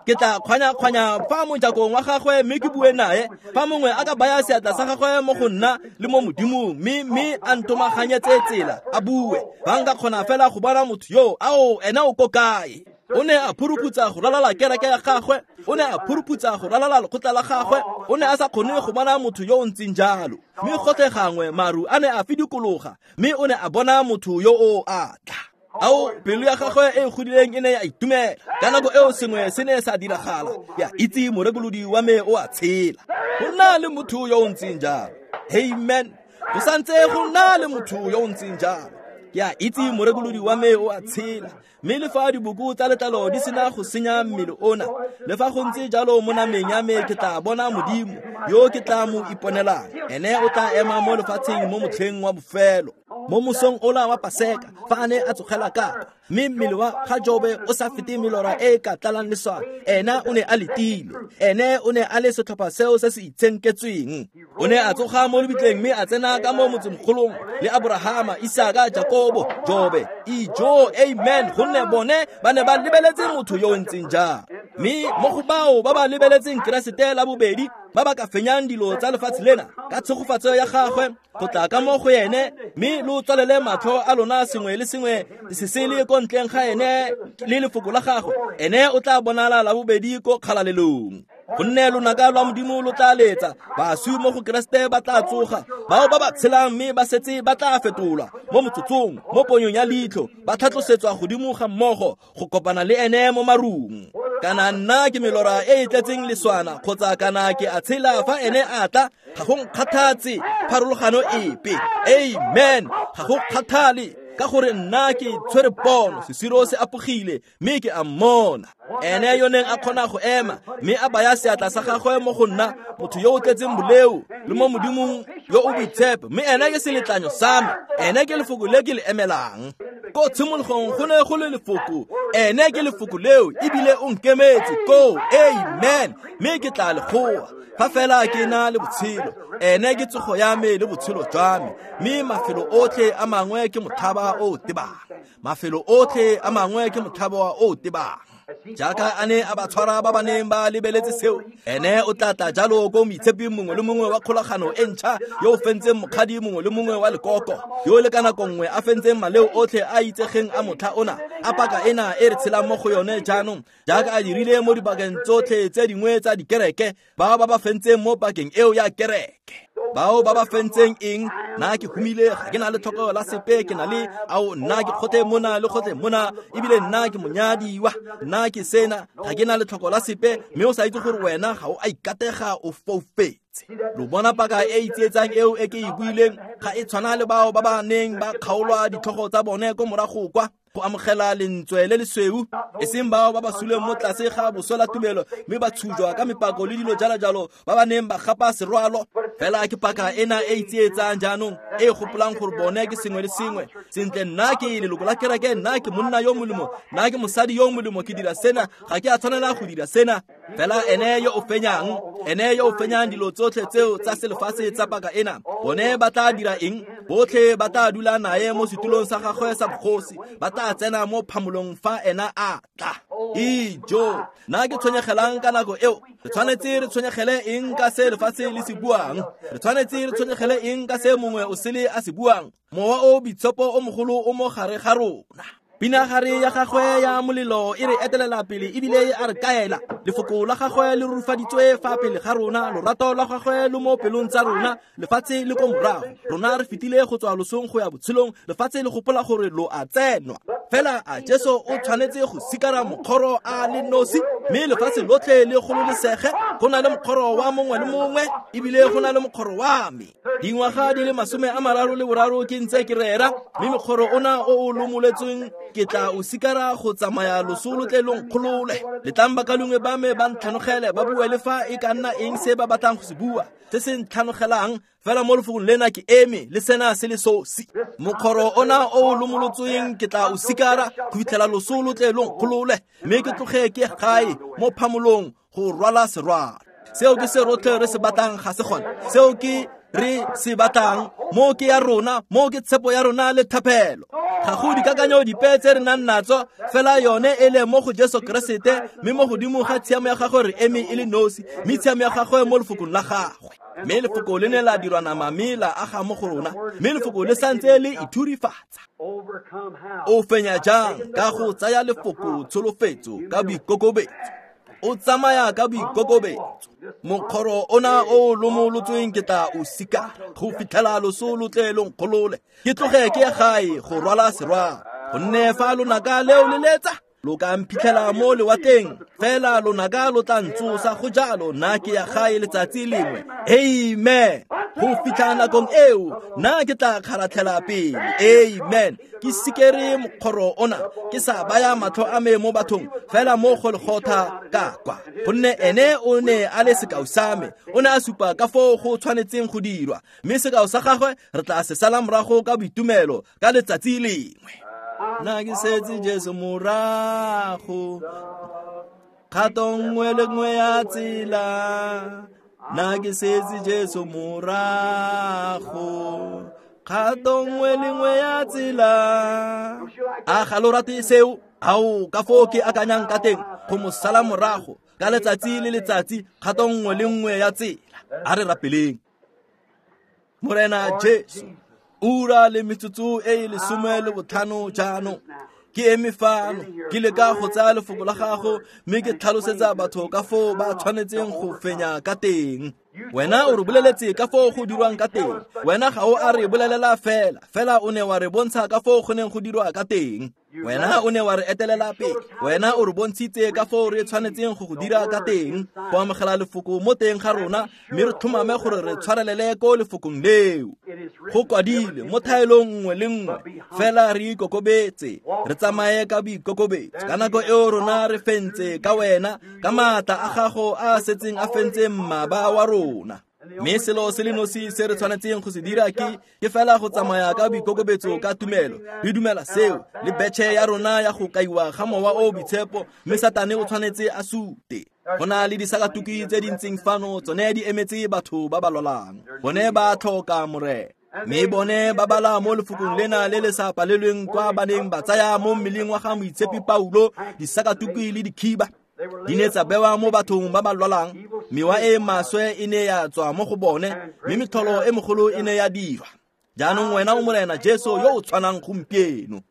Ke tla kgwanya-kgwanya fa mojakong wa gagwe mme ke bue nae. Fa mongwe a ka baya seatla sa gagwe mo go nna le mo Modimong, mme a ntomaganyetse tsela, a bue. Fa nka kgona fela go bona motho yo, ao ene o ko kae. O ne a phuruputsa go ralala kereke ya gagwe, o ne a phuruputsa go ralala lekgotla la gagwe, o ne a sa kgone go bona motho yo o ntseng jalo. Mme gotlhe gangwe maru a ne a fidikologa, mme o ne a bona motho yo o a tla. Ao pelo ya gagwe e godileng e ne ya itumela. Ka nako eo sengwe se ne sa diragala, ya itse morekolodi wa me o a tshela. Go nna le motho yo o ntseng jalo. Amen. Go santse go nna le motho yo o ntseng jalo. Ke a itse morekolodi wa me o a tshela. Mme le fa diboko tsa letlalo di sena go senya mmele ona, le fa go ntse jalo mo nameng ya me ke tla bona Modimo yo ke tla mo iponelang. Ene o tla ema mo lefatsheng mo motlheng wa bofelo, mo mosong ola wa Paseka, fa a ne a tsogela ka kwa, mme mmele wa ga Jobe o sa fete melora e e ka tlalang leswao. Ena o ne a letile. Ene o ne a le setlhopha seo se se itshenketsweng. O ne a tsoga mo lebitleng mme a tsena ka mo motsemogolong le Aborahama, Isaka, Jakobo, Jobe. Ijo, amen, gonne bone ba ne ba lebeletse motho yo o ntseng jang. Mme mo go bao ba ba lebeletseng Keresete la bobedi, ba ba ka fenyang dilo tsa lefatshe lena ka tshegofatso ya gagwe go tla ka mo go ene, mme lo tswalele matlho a lona sengwe le sengwe se sele ko ntleng ga ene le lefoko la gagwe, ene o tla bonala la bobedi ko kgalalelong. Gonne lonaka lwa Modimo lo tla letsa, baswi mo go Keresete ba tla tsoga, bao ba ba tshelang mme ba setse ba tla fetolwa mo motsotsong, mo ponyong ya leitlho, ba tlhatlosetswa godimo ga mmogo go kopana le ene mo marung. Kana nna ke melora e e tletseng leswana kgotsa kana ke a tshela fa ene a tla, ga go nkgathatse pharologano epe. Amen. Ga go kgathale, ka gore nna ke tshwere pono, sesiro se apogile mme ke a mmona. Ene yo neng a kgona go ema mme a baya seatla sa gagwe mo go nna, motho yo o tletseng boleo le mo Modimong yo o boitshepo, mme ene ke seletlanyo sa me, ene ke lefoko le ke le emelang. Ko tshimologong go ne go le lefoko, ene ke lefoko leo, ebile o nkemetse koo. Amen. Mme ke tla le goa fa fela ke na le botshelo. Ene ke tsogo ya me le botshelo jwa me, mme mafelo otlhe a mangwe ke motlhaba o o tebang. Mafelo otlhe a mangwe ke motlhaba o o tebang. Jaaka a ne a ba tshwara ba ba neng ba lebeletse seo, ene o tla tla jalo ko moitsheping mongwe le mongwe wa kgolagano e ntšha, yo o fentseng mokgadi mongwe le mongwe wa lekoko, yo le ka nako nngwe a fentseng maleo otlhe a itsegeng a motlha ona, a paka ena e re tshelang mo go yone jaanong, jaaka a dirile mo dibakeng tsotlhe tse dingwe tsa dikereke, bao ba ba fentseng mo pakeng eo ya kereke. Bao ba ba fentseng eng? Nna ke humile, ga ke na le tlhoko la sepe, ke na le ao, nna ke kgotle mona le kgotle mona, ebile nna ke monyadiwa, nna ke sena, ga ke na le tlhoko la sepe, mme o sa itse gore wena ga o a ikatega, o foufetse. Lo bona paka e itsietsang eo e ke e buileng, ga e tshwana le bao ba ba neng ba kgaolwa ditlhogo tsa bone ko morago kwa go amogela lentswe le lesweu, e seng bao ba ba suleng mo tlase ga boswela tumelo mme ba tshujwa ka mepako le dilo jalo jalo, ba ba neng ba gapa serwalo. Fela ke paka ena e itsietsang jaanong, e gopolang gore bone ke sengwe le sengwe. Sentle, nna ke leloko la kereke, nna ke monna yo molemo, nna ke mosadi yo molemo, ke dira sena, ga ke a tshwanela go dira sena. Fela ene yo o fenyang, ene yo o fenyang dilo tsotlhe tseo tsa selefatshe tsa paka ena, bone ba tla dira eng? Botlhe ba tla dula nae mo setulong sa gagwe sa bogosi, ba tla tsena mo phamolong fa ena a tla. Ijo, nna ke tshwenyegelang ka nako eo? Re tshwanetse re tshwenyegele eng ka se lefatshe le se buang? Re tshwanetse re tshwenyegele eng ka se mongwe o sele a se buang? Mowa o boitshepo o mogolo o mo gare ga rona. Pinagare ya gagwe ya molelo e re etelela pele ebile a re kaela. Lefoko la gagwe le rurifaditswe fa pele ga rona, lorato la gagwe lo mo pelong tsa rona, lefatshe le ko morago. Rona re fetile go tswa losong go ya botshelong, lefatshe le gopola gore lo a tsenwa. Fela a Jesu o tshwanetse go sikara mokgoro a le nosi, mme lefatshe lotlhe le gololesege. Go na le mokgoro wa mongwe le mongwe, ebile go na le mokgoro wa me. Dingwaga di le 33 ke ntse ke rera, mme mokgoro ona o o lomoletsweng ke tla o sikara go tsamaya loso lo tle lo nkgolole. Letlang bakalungwe ba me ba ntlhanogele, ba bue le fa e ka nna eng se ba batlang go se bua, se se ntlhanogelang, fela mo lefokong lena ke eme le sena se le sosi. Mokgoro ona o o lomolotsweng ke tla o sikara go fitlhela loso lo tle lo nkgolole, mme ke tloge ke gae mo phamolong go rwala serwalo. Seo ke se rotlhe re se batlang, ga se gone? Seo ke re se batlang, mo ke ya rona, mo ke tshepo ya rona le thapelo. Ga go dikakanyo dipe tse re nang natso, fela yone e le mo go Jesu Keresete, mme mo godimo ga tshiamo ya gagwe re eme e le nosi, mme tshiamo ya gagwe mo lefokong la gagwe. Mme lefoko le ne la dirwa nama mme la aga mo go rona, mme lefoko le santse le ithurifatsa. O fenya jang? Ka go tsaya lefoko tsholofetso ka boikokobetso. O tsamaya ka boikokobetso. Mokgoro ona o lomolotsweng ke tla o sikara go fitlhela loso lo tle lo nkgolole, ke tloge ke ye gae go rwala serwalo. Gonne fa lonaka leo le letsa, lo ka mphitlhela mo lewatleng, fela lonaka lo tla ntsosa. Go jalo, nna ke ya gae letsatsi lengwe. Amen. Go fitlha nakong eo, nna ke tla kgaratlhela pele. Amen. Ke sikere mokgoro ona, ke sa baya matlho a me mo bathong, fela mo Golgotha ka kwa. Gonne ene o ne a le sekao sa me, o ne a supa ka foo go tshwanetseng go dirwa, mme sekao sa gagwe re tla se sala morago ka boitumelo ka letsatsi lengwe. Nna ke setse Jesu morago, kgato nngwe le nngwe ya tsela. Nna ke setse Jesu morago, kgato nngwe le nngwe ya tsela. A ga lo rate seo? Ao, ka foo ke akanyang ka teng go mo sala morago ka letsatsi le letsatsi, kgato nngwe le nngwe ya tsela. A re rapeleng. Morena Jesu, ura le metsotso e e 15 jaanong, ke eme fano ke leka go tsaya lefoko la gago mme ke tlhalosetsa batho ka foo ba tshwanetseng go fenya ka teng. Wena o re boleletse ka foo go dirwang ka teng. Wena ga o a re bolelela fela, fela o ne wa re bontsha ka foo go neng go dirwa ka teng. Wena o ne wa re etelela pele, wena o re bontshitse ka foo re tshwanetseng go go dira ka teng, go amogela lefoko mo teng ga rona, mme re tlhomame gore re tshwarelele ko lefokong leo. Go kwadile mo thaelong nngwe le nngwe, fela re ikokobetse, re tsamaye ka boikokobetso. Ka nako eo rona re fentse ka wena, ka maatla a gago a a setseng a fentse mmaba wa rona. Mme selo se le nosi se re tshwanetseng go se dira ke fela go tsamaya ka boikokobetso ka tumelo. Re dumela seo le betšhe ya rona ya go kaiwa ga Mowa o Boitshepo, mme Satane o tshwanetse a sute. Go na le disakatuki tse di ntseng fano, tsone di emetse batho ba ba lwalang. Bone ba tlhoka Morena. Mme bone ba bala mo lefokong lena le le sa palelweng kwa ba neng ba tsaya mo mmeleng wa ga Moitshepi Paulo disakatuki le dikhiba. Di ne tsa bewa mo bathong ba ba lwalang, mewa e maswe e ne ya tswa mo go bone, mme metlholo e mogolo e ne ya dirwa. Jaanong wena o Morena Jesu yo o tshwanang gompieno.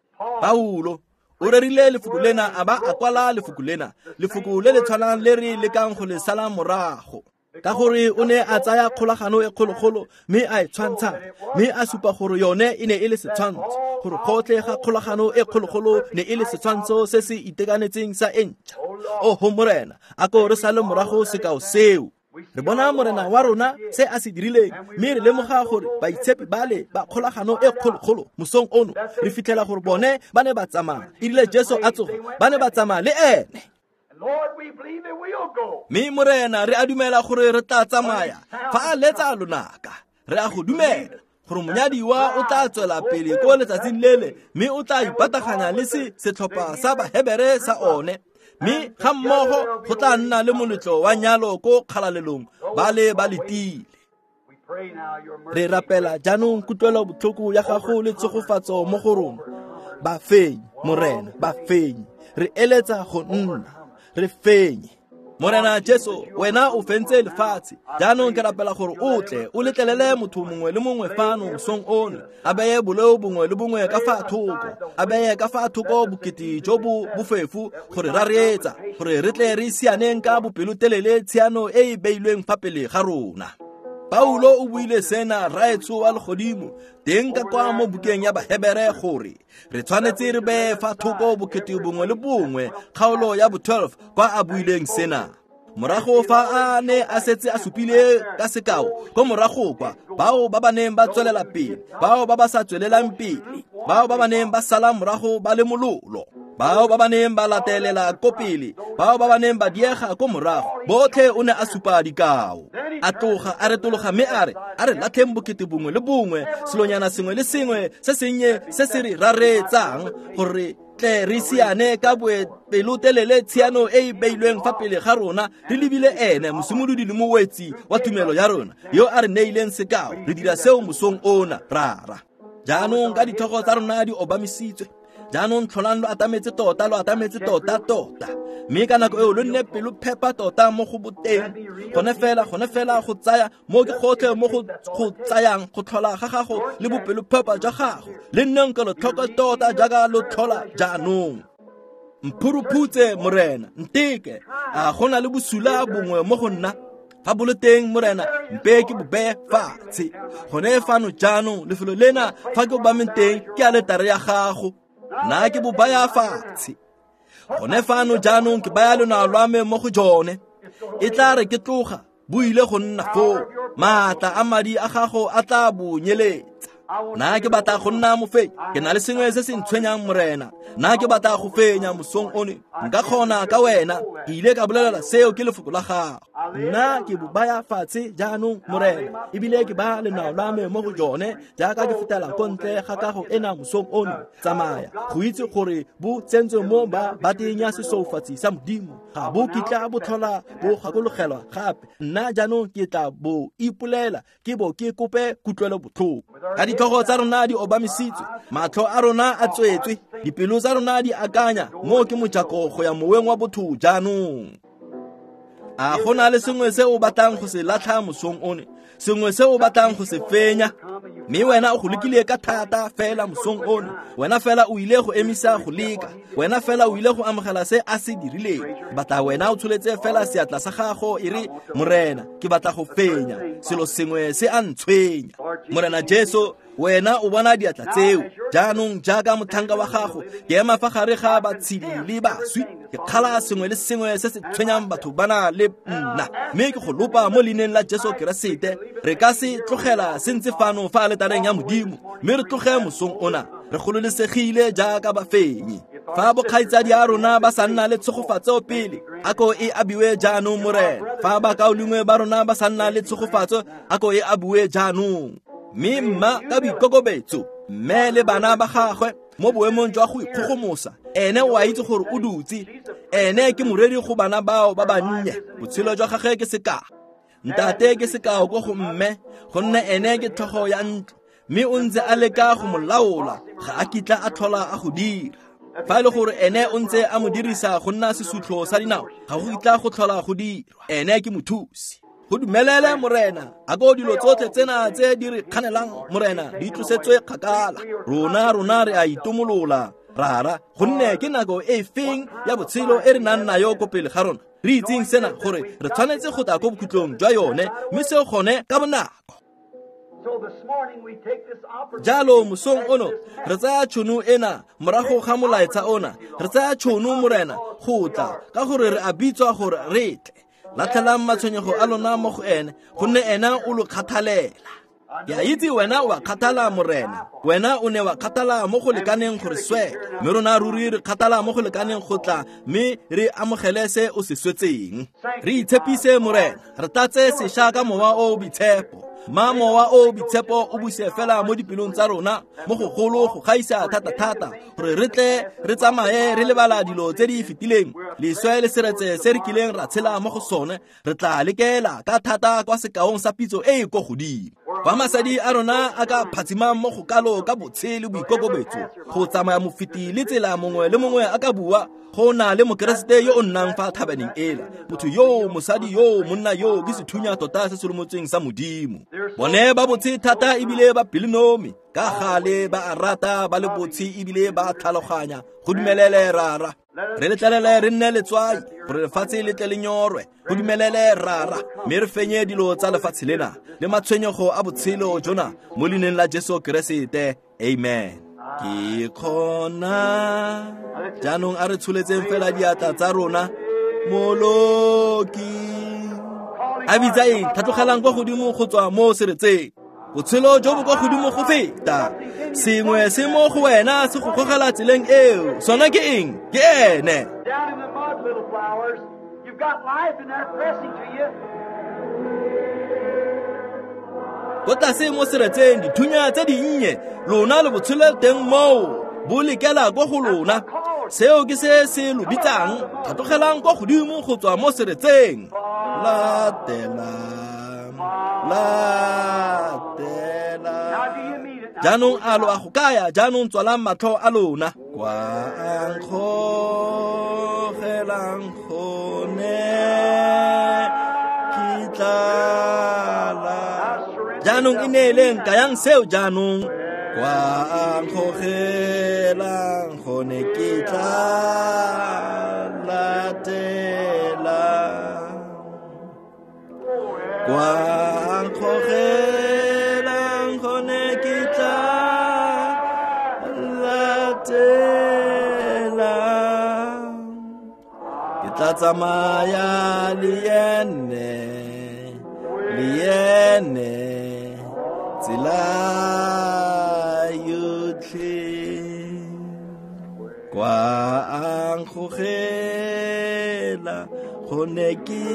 Paulo o rerile lefoko lena a ba a kwala lefoko lena, lefoko le le tshwanang le re lekang go le sala morago. Ka gore o ne a tsaya kgolagano e kgologolo mme a e tshwantsha, mme a supa gore yone e ne e le setshwantsho, gore gotlhe ga kgolagano e kgologolo ne e le setshwantsho se se itekanetseng sa e ntšha. Oho Morena, a ko re sale morago sekao seo. Re bona Morena wa rona se a se dirileng, mme re lemoga gore baitshepi bale ba kgolagano e kgologolo mosong ono, re fitlhela gore bone ba ne ba tsamaya. Erile Jesu a tsoga, ba ne ba tsamaya le ene. Mme Morena, re a dumela gore re tla tsamaya fa a letsa lonaka. Re a go dumela gore monyadiwa o tla tswela pele ko letsatsing lele, mme o tla ipataganya le se setlhopha sa Bahebere sa one, mme ga mmogo go tla nna le moletlo wa nyalo ko kgalalelong ba le ba letile. Re rapela jaanong kutlwelo botlhoko ya gago le tshegofatso mo go rona. Ba fenye, Morena, ba fenye. Re eletsa go nna re fenye. Morena Jesu, wena o fentse lefatshe. Jaanong ke rapela gore o tle o letlelele motho mongwe le mongwe fano mosong ono, a beye boleo bongwe le bongwe ka fa thoko, a beye ka fa thoko bokete jo bo bofefo gore ra reetsa, gore re tle re sianeng ka bopelotelele tshiano e e beilweng fa pele ga rona. Paulo o buile sena, Rraetsho wa legodimo, teng ka kwa mo bukeng ya Bahebere, gore re tshwanetse re beye fa thoko bokete bongwe le bongwe, kgaolo ya bo-12 kwa a buileng sena. Morago fa a ne a setse a supile ka sekao ko morago kwa, bao ba ba neng ba tswelela pele, bao ba ba sa tswelelang pele, bao ba ba neng ba sala morago ba le mololo, bao ba ba neng ba latelela ko pele, bao ba ba neng ba diega ko morago, botlhe o ne a supa dikao. A tloga a retologa mme a re, a re latlheng bokete bongwe le bongwe, selonyana sengwe le sengwe se sennye se se re rareetsang, gore tle re siane ka bopelotelele tshiano e e beilweng fa pele ga rona, re lebile ene mosimolodi le mowetsi wa tumelo ya rona, yo a re neileng sekao. Re dira seo mosong ona, Rara. Jaanong ka ditlhogo tsa rona di obamisitswe, jaanong tlholang lo atametse tota, lo atametse tota tota, mme ka nako eo lo nne pelo phepa tota mo go boteng. Gone fela go tsaya mo ke gotlhe mo go tsayang go tlhola ga gago le bopelophepa jwa gago, le nneng kelotlhoko tota jaaka lo tlhola jaanong. Mphuruphutse Morena, nteke, a go na le bosula bongwe mo go nna? Fa bo le teng Morena, mpe ke bo beye fatshe. Gone fano jaanong, lefelo lena fa ke obameng teng ke aletare ya gago, nna ke bo baya fatshe. Gone fano jaanong ke baya lonao lwa me mo go jone. E tla re ke tloga, bo ile go nna foo. Maatla a madi a gago a tla bo nyeletsa. Nna ke batla go nna mofenyi, ke na le sengwe se se ntshwenyang Morena. Nna ke batla go fenya mosong ono, nka kgona ka wena. Ke ile ka bolelela seo ke lefoko la gago. Nna ke bo baya fatshe jaanong Morena, ebile ke baya lenao la me mo go jone jaaka ke fetela ko ntle ga kago ena mosong ono. Tsamaya go itse gore bo tsentswe mo ba bateng ya sesoufatsi sa Modimo, ga bo kitla bo tlhola bo gakologelwa gape. Nna jaanong ke tla bo ipolela, ke bo ke kope kutlwelo botlhoko. Ka ditlhogo tsa rona di obamisitswe, matlho a rona a tswetswe, dipelo tsa rona di akanya, mo ke mojako go ya moweng wa botho jaanong. A go na le sengwe se o batlang go se latlha mosong one, sengwe se o batlang go se fenya, mme wena o go lekile ka thata fela mosong ono, wena fela o ile go emisa go leka, wena fela o ile go amogela se a se dirileng. Batla wena o tsholetse fela seatla sa gago e re, Morena, ke batla go fenya selo sengwe se a ntshwenya. Morena Jesu, Wena o bona diatla tseo. Jaanong jaaka motlhanka wa gago, ke ema fa gare ga batshedi le baswi. Ke kgala sengwe le sengwe se se tshwenyang batho bana le nna. Mme ke go lopa mo leineng la Jesu Keresete, re ka se tlogela se ntse fano fa aletareng ya Modimo, mme re tloge mosong ona re gololesegile jaaka bafenyi. Fa bokgaitsadi a rona ba sa nna le tshegofatso pele, a ko e abiwe jaanong Morena. Fa bakaulengwe ba rona ba sa nna le tshegofatso, a ko e abiwe jaanong. Mme mma ka boikokobetso, mme le bana ba gagwe mo boemong jwa go ikgogomosa, ene o a itse gore o dutse. Ene ke moreri go bana bao ba bannye. Botshelo jwa gagwe ke sekao. Ntate ke sekao ko go mme, gonne ene ke tlhogo ya ntlo. Mme o ntse a leka go mo laola, ga a kitla a tlhola a go dira. Fa e le gore ene o ntse a mo dirisa go nna sesutlho sa dinao, ga go kitla go tlhola go dirwa. Ene ke mothusi. Go dumelele Morena, a ko dilo tsotlhe tsena tse di re kganelang Morena di tlosetswe kgakala. Rona re a itomolola, Rara, gonne ke nako e feng ya botshelo e re nang nayo ko pele ga rona. Re itseng sena gore re tshwanetse go tla ko bokhutlong jwa yone, mme seo gone ka bonako. Jalo mosong ono re tsaya tšhono ena morago ga molaetsa ona, re tsaya tšhono Morena go tla ka gore re a bitswa gore re tle. Latlhelang matshwenyego a lona mo go ene, gonne ena o lo kgathalela. Ke a itse wena o a kgathala Morena, wena o ne wa kgathala mo go lekaneng gore swela, mme rona ruri re kgathala mo go lekaneng go tla mme re amogele se o se swetseng. Re itshepise Morena, re tlatse sešwa ka mowa o o boitshepo. Ma mowa o o boitshepo o buse fela mo dipelong tsa rona mo go golo go gaisa thata-thata, gore re tle re tsamaye re lebala dilo tse di fetileng, leswe le seretse se re kileng ra tshela mo go sone. Re tla lekela ka thata kwa sekaong sa pitso e e ko godimo, kwa masadi a rona a ka phatsimang mo go kalo ka botshe le boikokobetso, go tsamaya mofeti le tsela mongwe le mongwe a ka bua go na le mokeresete yo o nnang fa thabaneng ela. Motho yo, mosadi yo, monna yo ke sethunya tota se se lomotsweng sa Modimo. Bone ba botshe thata ebile ba pelonomi, ka gale ba a rata, ba le botshe ebile ba tlhaloganya. Go dumelele Rara, re letlelele re nne letswai gore lefatshe le tle le nyorwe. Go dumelele Rara, mme re fenye dilo tsa lefatshe lena le matshwenyego a botshelo jona mo leineng la Jesu Keresete. Amen. Ke kgona jaanong a re tsholetseng fela diatla tsa rona. Moloki a bitsa eng? Tlhatlogelang kwa godimo go tswa mo seretseng. Botshelo jo bo kwa godimo go feta. Sengwe se mo go wena se go gogela tseleng eo. Sona ke eng? Ke ene. Ko tlase mo seretseng dithunya tse dinnye, lona le botshelo teng moo bo lekela ko go lona. Seo ke se se lo bitsang. Tlhatlogelang kwa godimo go tswa mo seretseng. Latela, latela. Jaanong a lo a go kaya? Jaanong tswalang matlho a lona. Kwa a nkgogelang gone ke tlala. Jaanong e neeleng, kayang seo jaanong. Kwa a nkgogelang gone ke tla latela. Kwa a nkgogelang gone ke tla latela. Ke tla tsamaya le ene, le ene tsela yotlhe. Kwa a nkgogela gone ke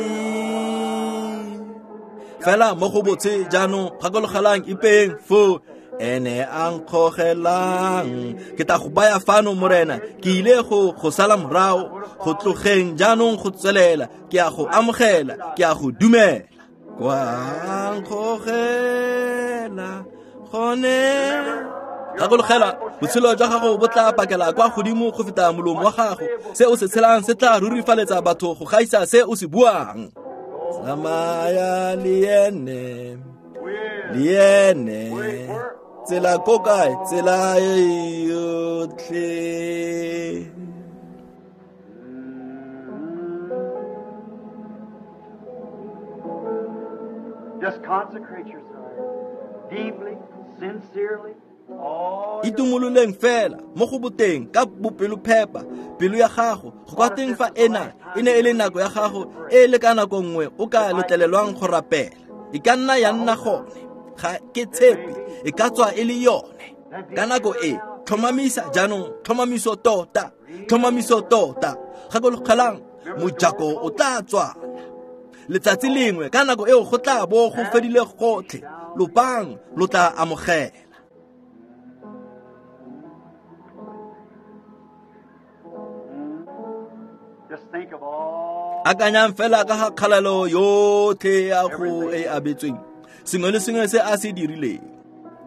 fela mo go botse. Jaanong gakologelang ipeng foo ene a nkgogelang. Ke tla go baya fano Morena, ke ile go sala morago go tlogeng jaanong go tswelela. Ke a go amogela, ke a go dumela. Kwa nkgogela gone. Gakologela, botshelo jwa gago bo tla pakela kwa godimo go feta molomo wa gago. Se o se tshelang se tla rurifaletsa batho go gaisa se o se buang. Tsamaya le ene, le ene tsela ko kae? Tsela e yotlhe. Just consecrate yourself deeply, Itumololeng fela mo go boteng ka bopelophepa pelo ya gago go kwa teng fa ena e ne e le nako ya gago e le ka nako nngwe o ka letlelelwang go rapela. E ka nna ya nna gone, ga ke tshepe, e ka tswa e le yone. Ka nako e, tlhomamisa jaanong, tlhomamiso tota, tlhomamiso tota. Gakologelang, mojako o tla tswala. Letsatsi lengwe ka nako eo go tla bo go fedile gotlhe, lopang lo tla amogela. Akanyang fela ka ga kgalelo yotlhe ya go e abetsweng, sengwe le sengwe se a se dirileng.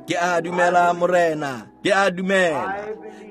Ke a dumela Morena, ke a dumela.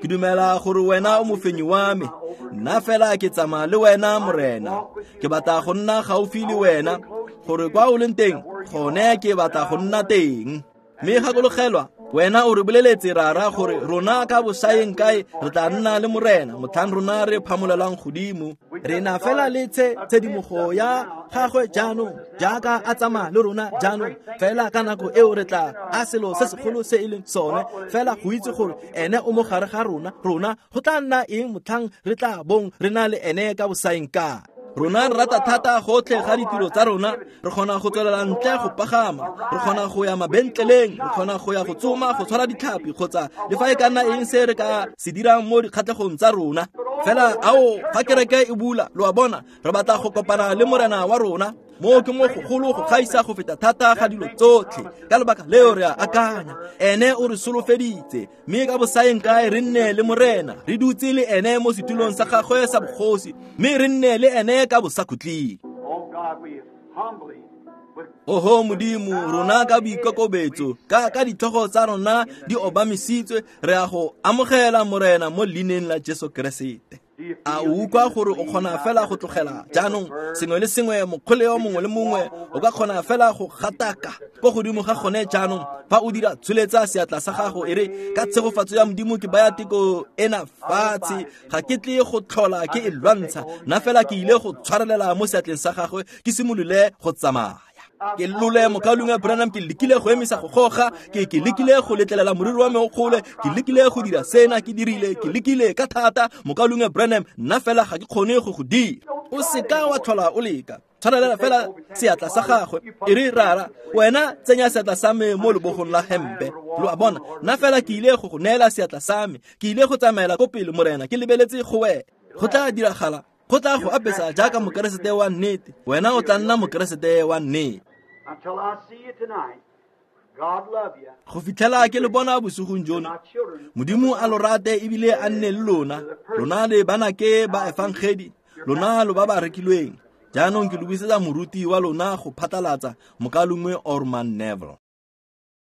Ke dumela gore wena o mofenyi wa me. Nna fela ke tsamaya le wena Morena. Ke batla go nna gaufi le wena, gore kwa o leng teng, gone ke batla go nna teng. Mme gakologelwa, wena o re boleletse rara gore rona ka bosaeng kae re tla nna le Morena motlhang rona re phamolelang godimo. Re na fela le tshedimogo ya gagwe jaanong, jaaka a tsamaya le rona jaanong. Fela ka nako eo re tla a selo se segolo se e leng sone, fela go itse gore ene o mo gare ga rona, rona go tla nna eng motlhang re tla bong re na le ene ka bosaeng kae. Rona re rata thata gotlhe ga ditiro tsa rona, re kgona go tswelela ntle go pagama, re kgona go ya mabentleleng, re kgona go ya go tsoma, go tshwara ditlhapi kgotsa le fa e ka nna eng se re ka se dirang mo dikgatlhegong tsa rona. Fela ao fa kereke e bula, lo a bona, re batla go kopana le Morena wa rona. Moo ke mo gogolo go gaisa go feta thata ga dilo tsotlhe. Ka lebaka leo re a akanya, ene o re solofeditse, mme ka bosaeng kae re nne le Morena, re dutse le ene mo setulong sa gagwe sa bogosi, mme re nne le ene ka bosakhutleng. Oho Modimo, rona ka boikokobetso, ka ditlhogo tsa rona di obamisitswe, re a go amogela Morena mo leineng la Jesu Keresete. A o utlwa gore o kgona fela go tlogela jaanong sengwe le sengwe, mokgoleo mongwe le mongwe o ka kgona fela go gataka ko godimo ga gone jaanong. Fa o dira, tsholetsa seatla sa gago e re, ka tshegofatso ya Modimo ke baya teko ena fatshe, ga ke tle go tlhola ke e lwantsha, nna fela ke ile go tshwarelela mo seatleng sa gagwe ke simolole go tsamaya. Ke lole mokaulengwe Branham, ke lekile go emisa go goga, ke lekile go letlelela moriri wa me o gole, ke lekile go dira sena, ke dirile, ke lekile ka thata, mokaulengwe Branham, nna fela ga ke kgone go go dira. O seka wa tlhola o leka, tshwarelela fela seatla sa gagwe, e re rara, wena tsenya seatla sa me mo lebogong la hempe. Lo a bona, nna fela ke ile go go neela seatla sa me, ke ile go tsamaela ko pele Morena, ke lebeletse go wena. Go tla diragala, go tla go apesa jaaka mokeresete wa nnete, wena o tla nna mokeresete wa nnete. Go fitlhela ke le bona bosigong jono, Modimo a lo rate ebile a nne le lona. Lona le banake ba efangedi, lona lo ba ba rekilweng. Jaanong ke lo buisetsa moruti wa lona go phatlalatsa, mokaulengwe Orman Neville.